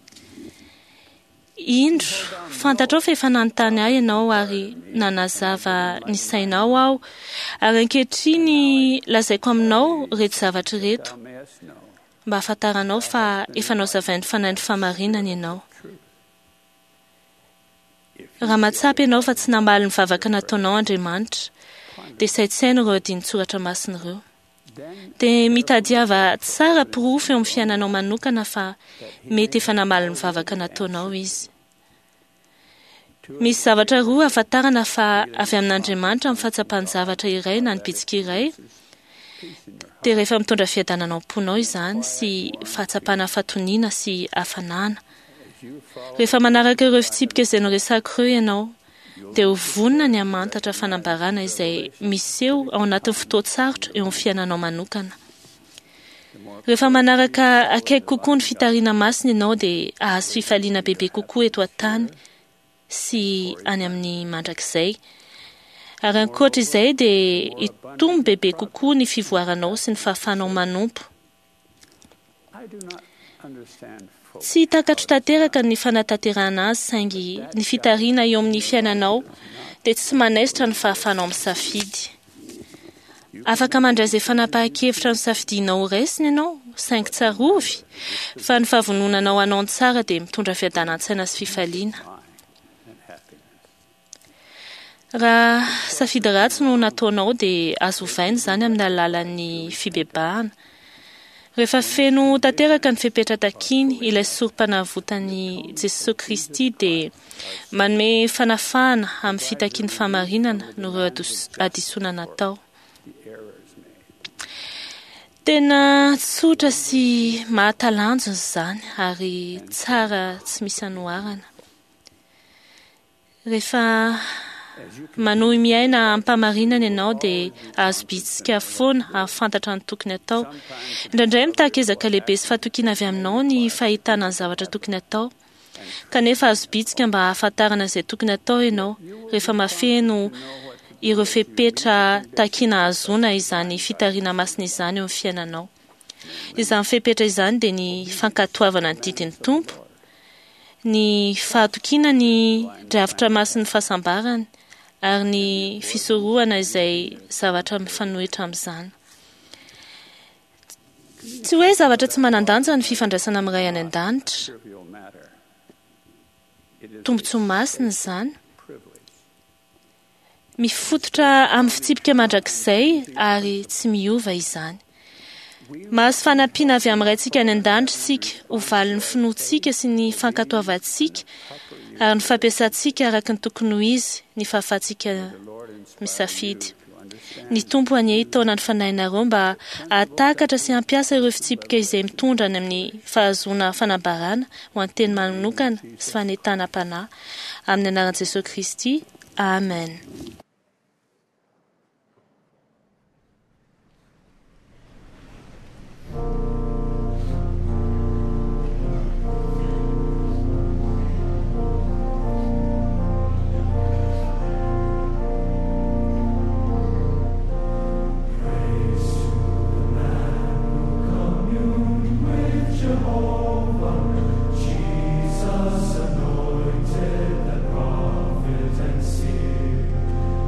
Indro, fantatrao fa efa nanontany ahy ianao ary nanazava ny sainao aho. Ary ankehitriny lazaiko aminao ireto zavatra ireto, Thou mayest know mba hahafantaranao fa efa nozavain'ny fanahin'ny fahamarinana ianao. Raha mahatsapa ianao fa tsy namaly ny vavaka nataonao Andriamanitra, dia saintsaino ireo andinin-tsoratra masina ireo. Dia mitadiava tsara porofo eo amin'ny fiainanao manokana fa mety efa namaly ny vavaka nataonao izy. Misy zavatra roa ahafantarana fa avy amin'Andriamanitra amin'ny fahatsapan-javatra iray na ny bitsika iray, dia rehefa mitondra fiadanana ao am-ponao izany sy fahatsapana fahatoniana sy hafanana. Rehefa manaraka ireo fitsipika izay noresahako ireo ianao, dia ho vonona ny hamantatra fanambarana izay miseho ao anatin'ny fotoan-tsarotra eo amin'ny fiainanao manokana. Rehefa manaraka akaiky kokoa ny fitariana masina ianao dia hahazo fifaliana bebe kokoa eto an-tany sy any amin'ny mandrakizay. Ary ankoatra izay dia hitombo bebe kokoa ny fivoaranao sy ny fahafahanao manompo. I do not understand fully. Tsy takatro tanteraka ny fanatanterahana azy saingy ny fitariana eo amin'ny fiainanao dia tsy manaisotra ny fahafahanao misafidy. Afaka mandray izay fanapahan-kevitra nosafidianao ho raisina ianao, saingy tsarovy fa ny fahavononanao hanao ny tsara dia mitondra fiadanan-tsaina sy fifaliana. And happiness. Raha safidy ratsy no nataonao dia azo ovaina izany amin'ny alalan'ny fibebahana. Rehefa feno tanteraka ny fepetra takiny ilay sorom-panavotan'i Jesosy Kristy dia manome fanafahana amin'ny fitakian'ny fahamarinana noho ireo ados- hadisoana natao. The errors made. Tena tsotra sy mahatalanjona izany ary tsara tsy misy anoharana. Rehefa manohy miaina am-pahamarinana ianao dia azo bitsika foana hahafantatra ny tokony atao. Indraindray mitaky ezaka lehibe sy fahatokiana avy aminao ny fahitana ny zavatra tokony atao. Kanefa azo bitsika mba hahafantarana izay tokony atao ianao rehefa mahafeno ireo fepetra takiana ahazoana izany fitariana masina izany eo amin'ny fiainanao. Izany fepetra izany dia ny fankatoavana ny didin'ny Tompo, ny fahatokiana ny drafitra masin'ny fahasambarany ary ny fisorohana izay zavatra mifanohitra amin'izany. Tsy hoe zavatra tsy manan-danja ny fifandraisana amin'ny Ray any an-danitra. Tombontsoa masina izany. Mifototra amin'ny fitsipika mandrakizay ary tsy miova izany. Mahazo fanampiana avy amin'ny Raintsika any an-danitra isika ho valin'ny finoantsika sy ny fankatoavantsika ary ny fampiasantsika araka ny tokony ho izy ny fahafahantsika misafidy. Ny Tompo anie hitaona ny fanahinareo mba hahatakatra sy hampiasa ireo fitsipika izay mitondra any amin'ny fahazoana fanambarana ho an'ny teny manokana sy fanentanam-panahy. Amin'ny anaran'i Jesosy Kristy. Amen. Jesus anointed the prophet and seer.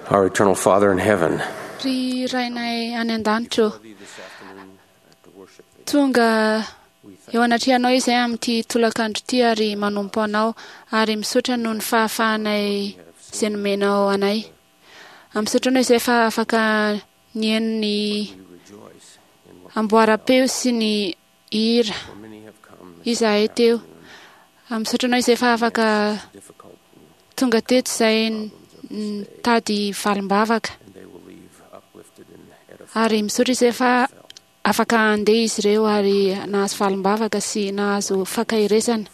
Our eternal Father in heaven, Ry Rainay any an-danitra ô, tonga eo anatrehanao izay amin'ity tolakandro ity ary manompo anao ary misaotra noho ny fahafahanay izay nomenao anay. Misaotra anao izay fa afaka nihaino ny amboaram-peo sy ny hira izahay teo. Misaotra anao izay fa afaka tonga teto izay nitady valim-bavaka. Ary misaotra izay fa afaka handeha izy ireo ary nahazo valim-bavaka sy nahazo fankaherezana.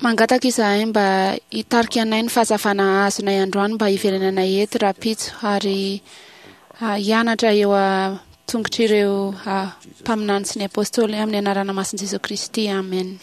Mangataka izahay mba hitarika anay ny fahazavana azonay androany mba hiverenanay eto rahampitso ary hianatra eo an-tongotr'ireo mpaminany sy ny apôstôly amin'ny anarana masin'i Jesoa Kristy. Amen.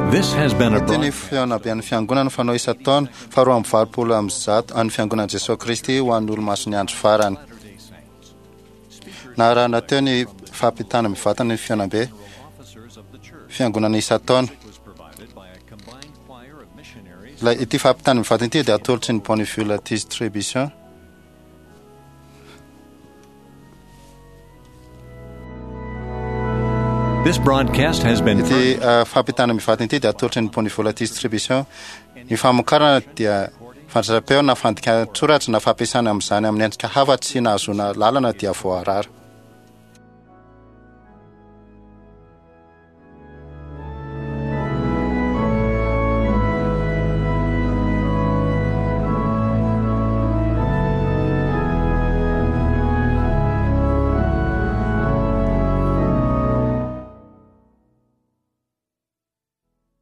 This has been a Ity ny fihaonamben'ny fiangonana fanao isan-taona faharoa amby valopolo amby zato an'ny fiangonan'i Jesoa Kristy ho an'ny olomasin'ny andro farany. Narahana teo ny fampitana mivantana ny fihaonambe fiangonana isan-taona. Ilay ity fampitana mivantana ity dia atolotry ny Bonneville Distribution. This broadcast has been Ity uh, fampitana mivantana ity dia atolotry ny Bonneville Distribution. Ny famokarana dia fandraisam-peo na fandikan-tsoratra na fampiasana amin'izany amin'ny endrika hafa tsy nahazoana lalana dia voarara.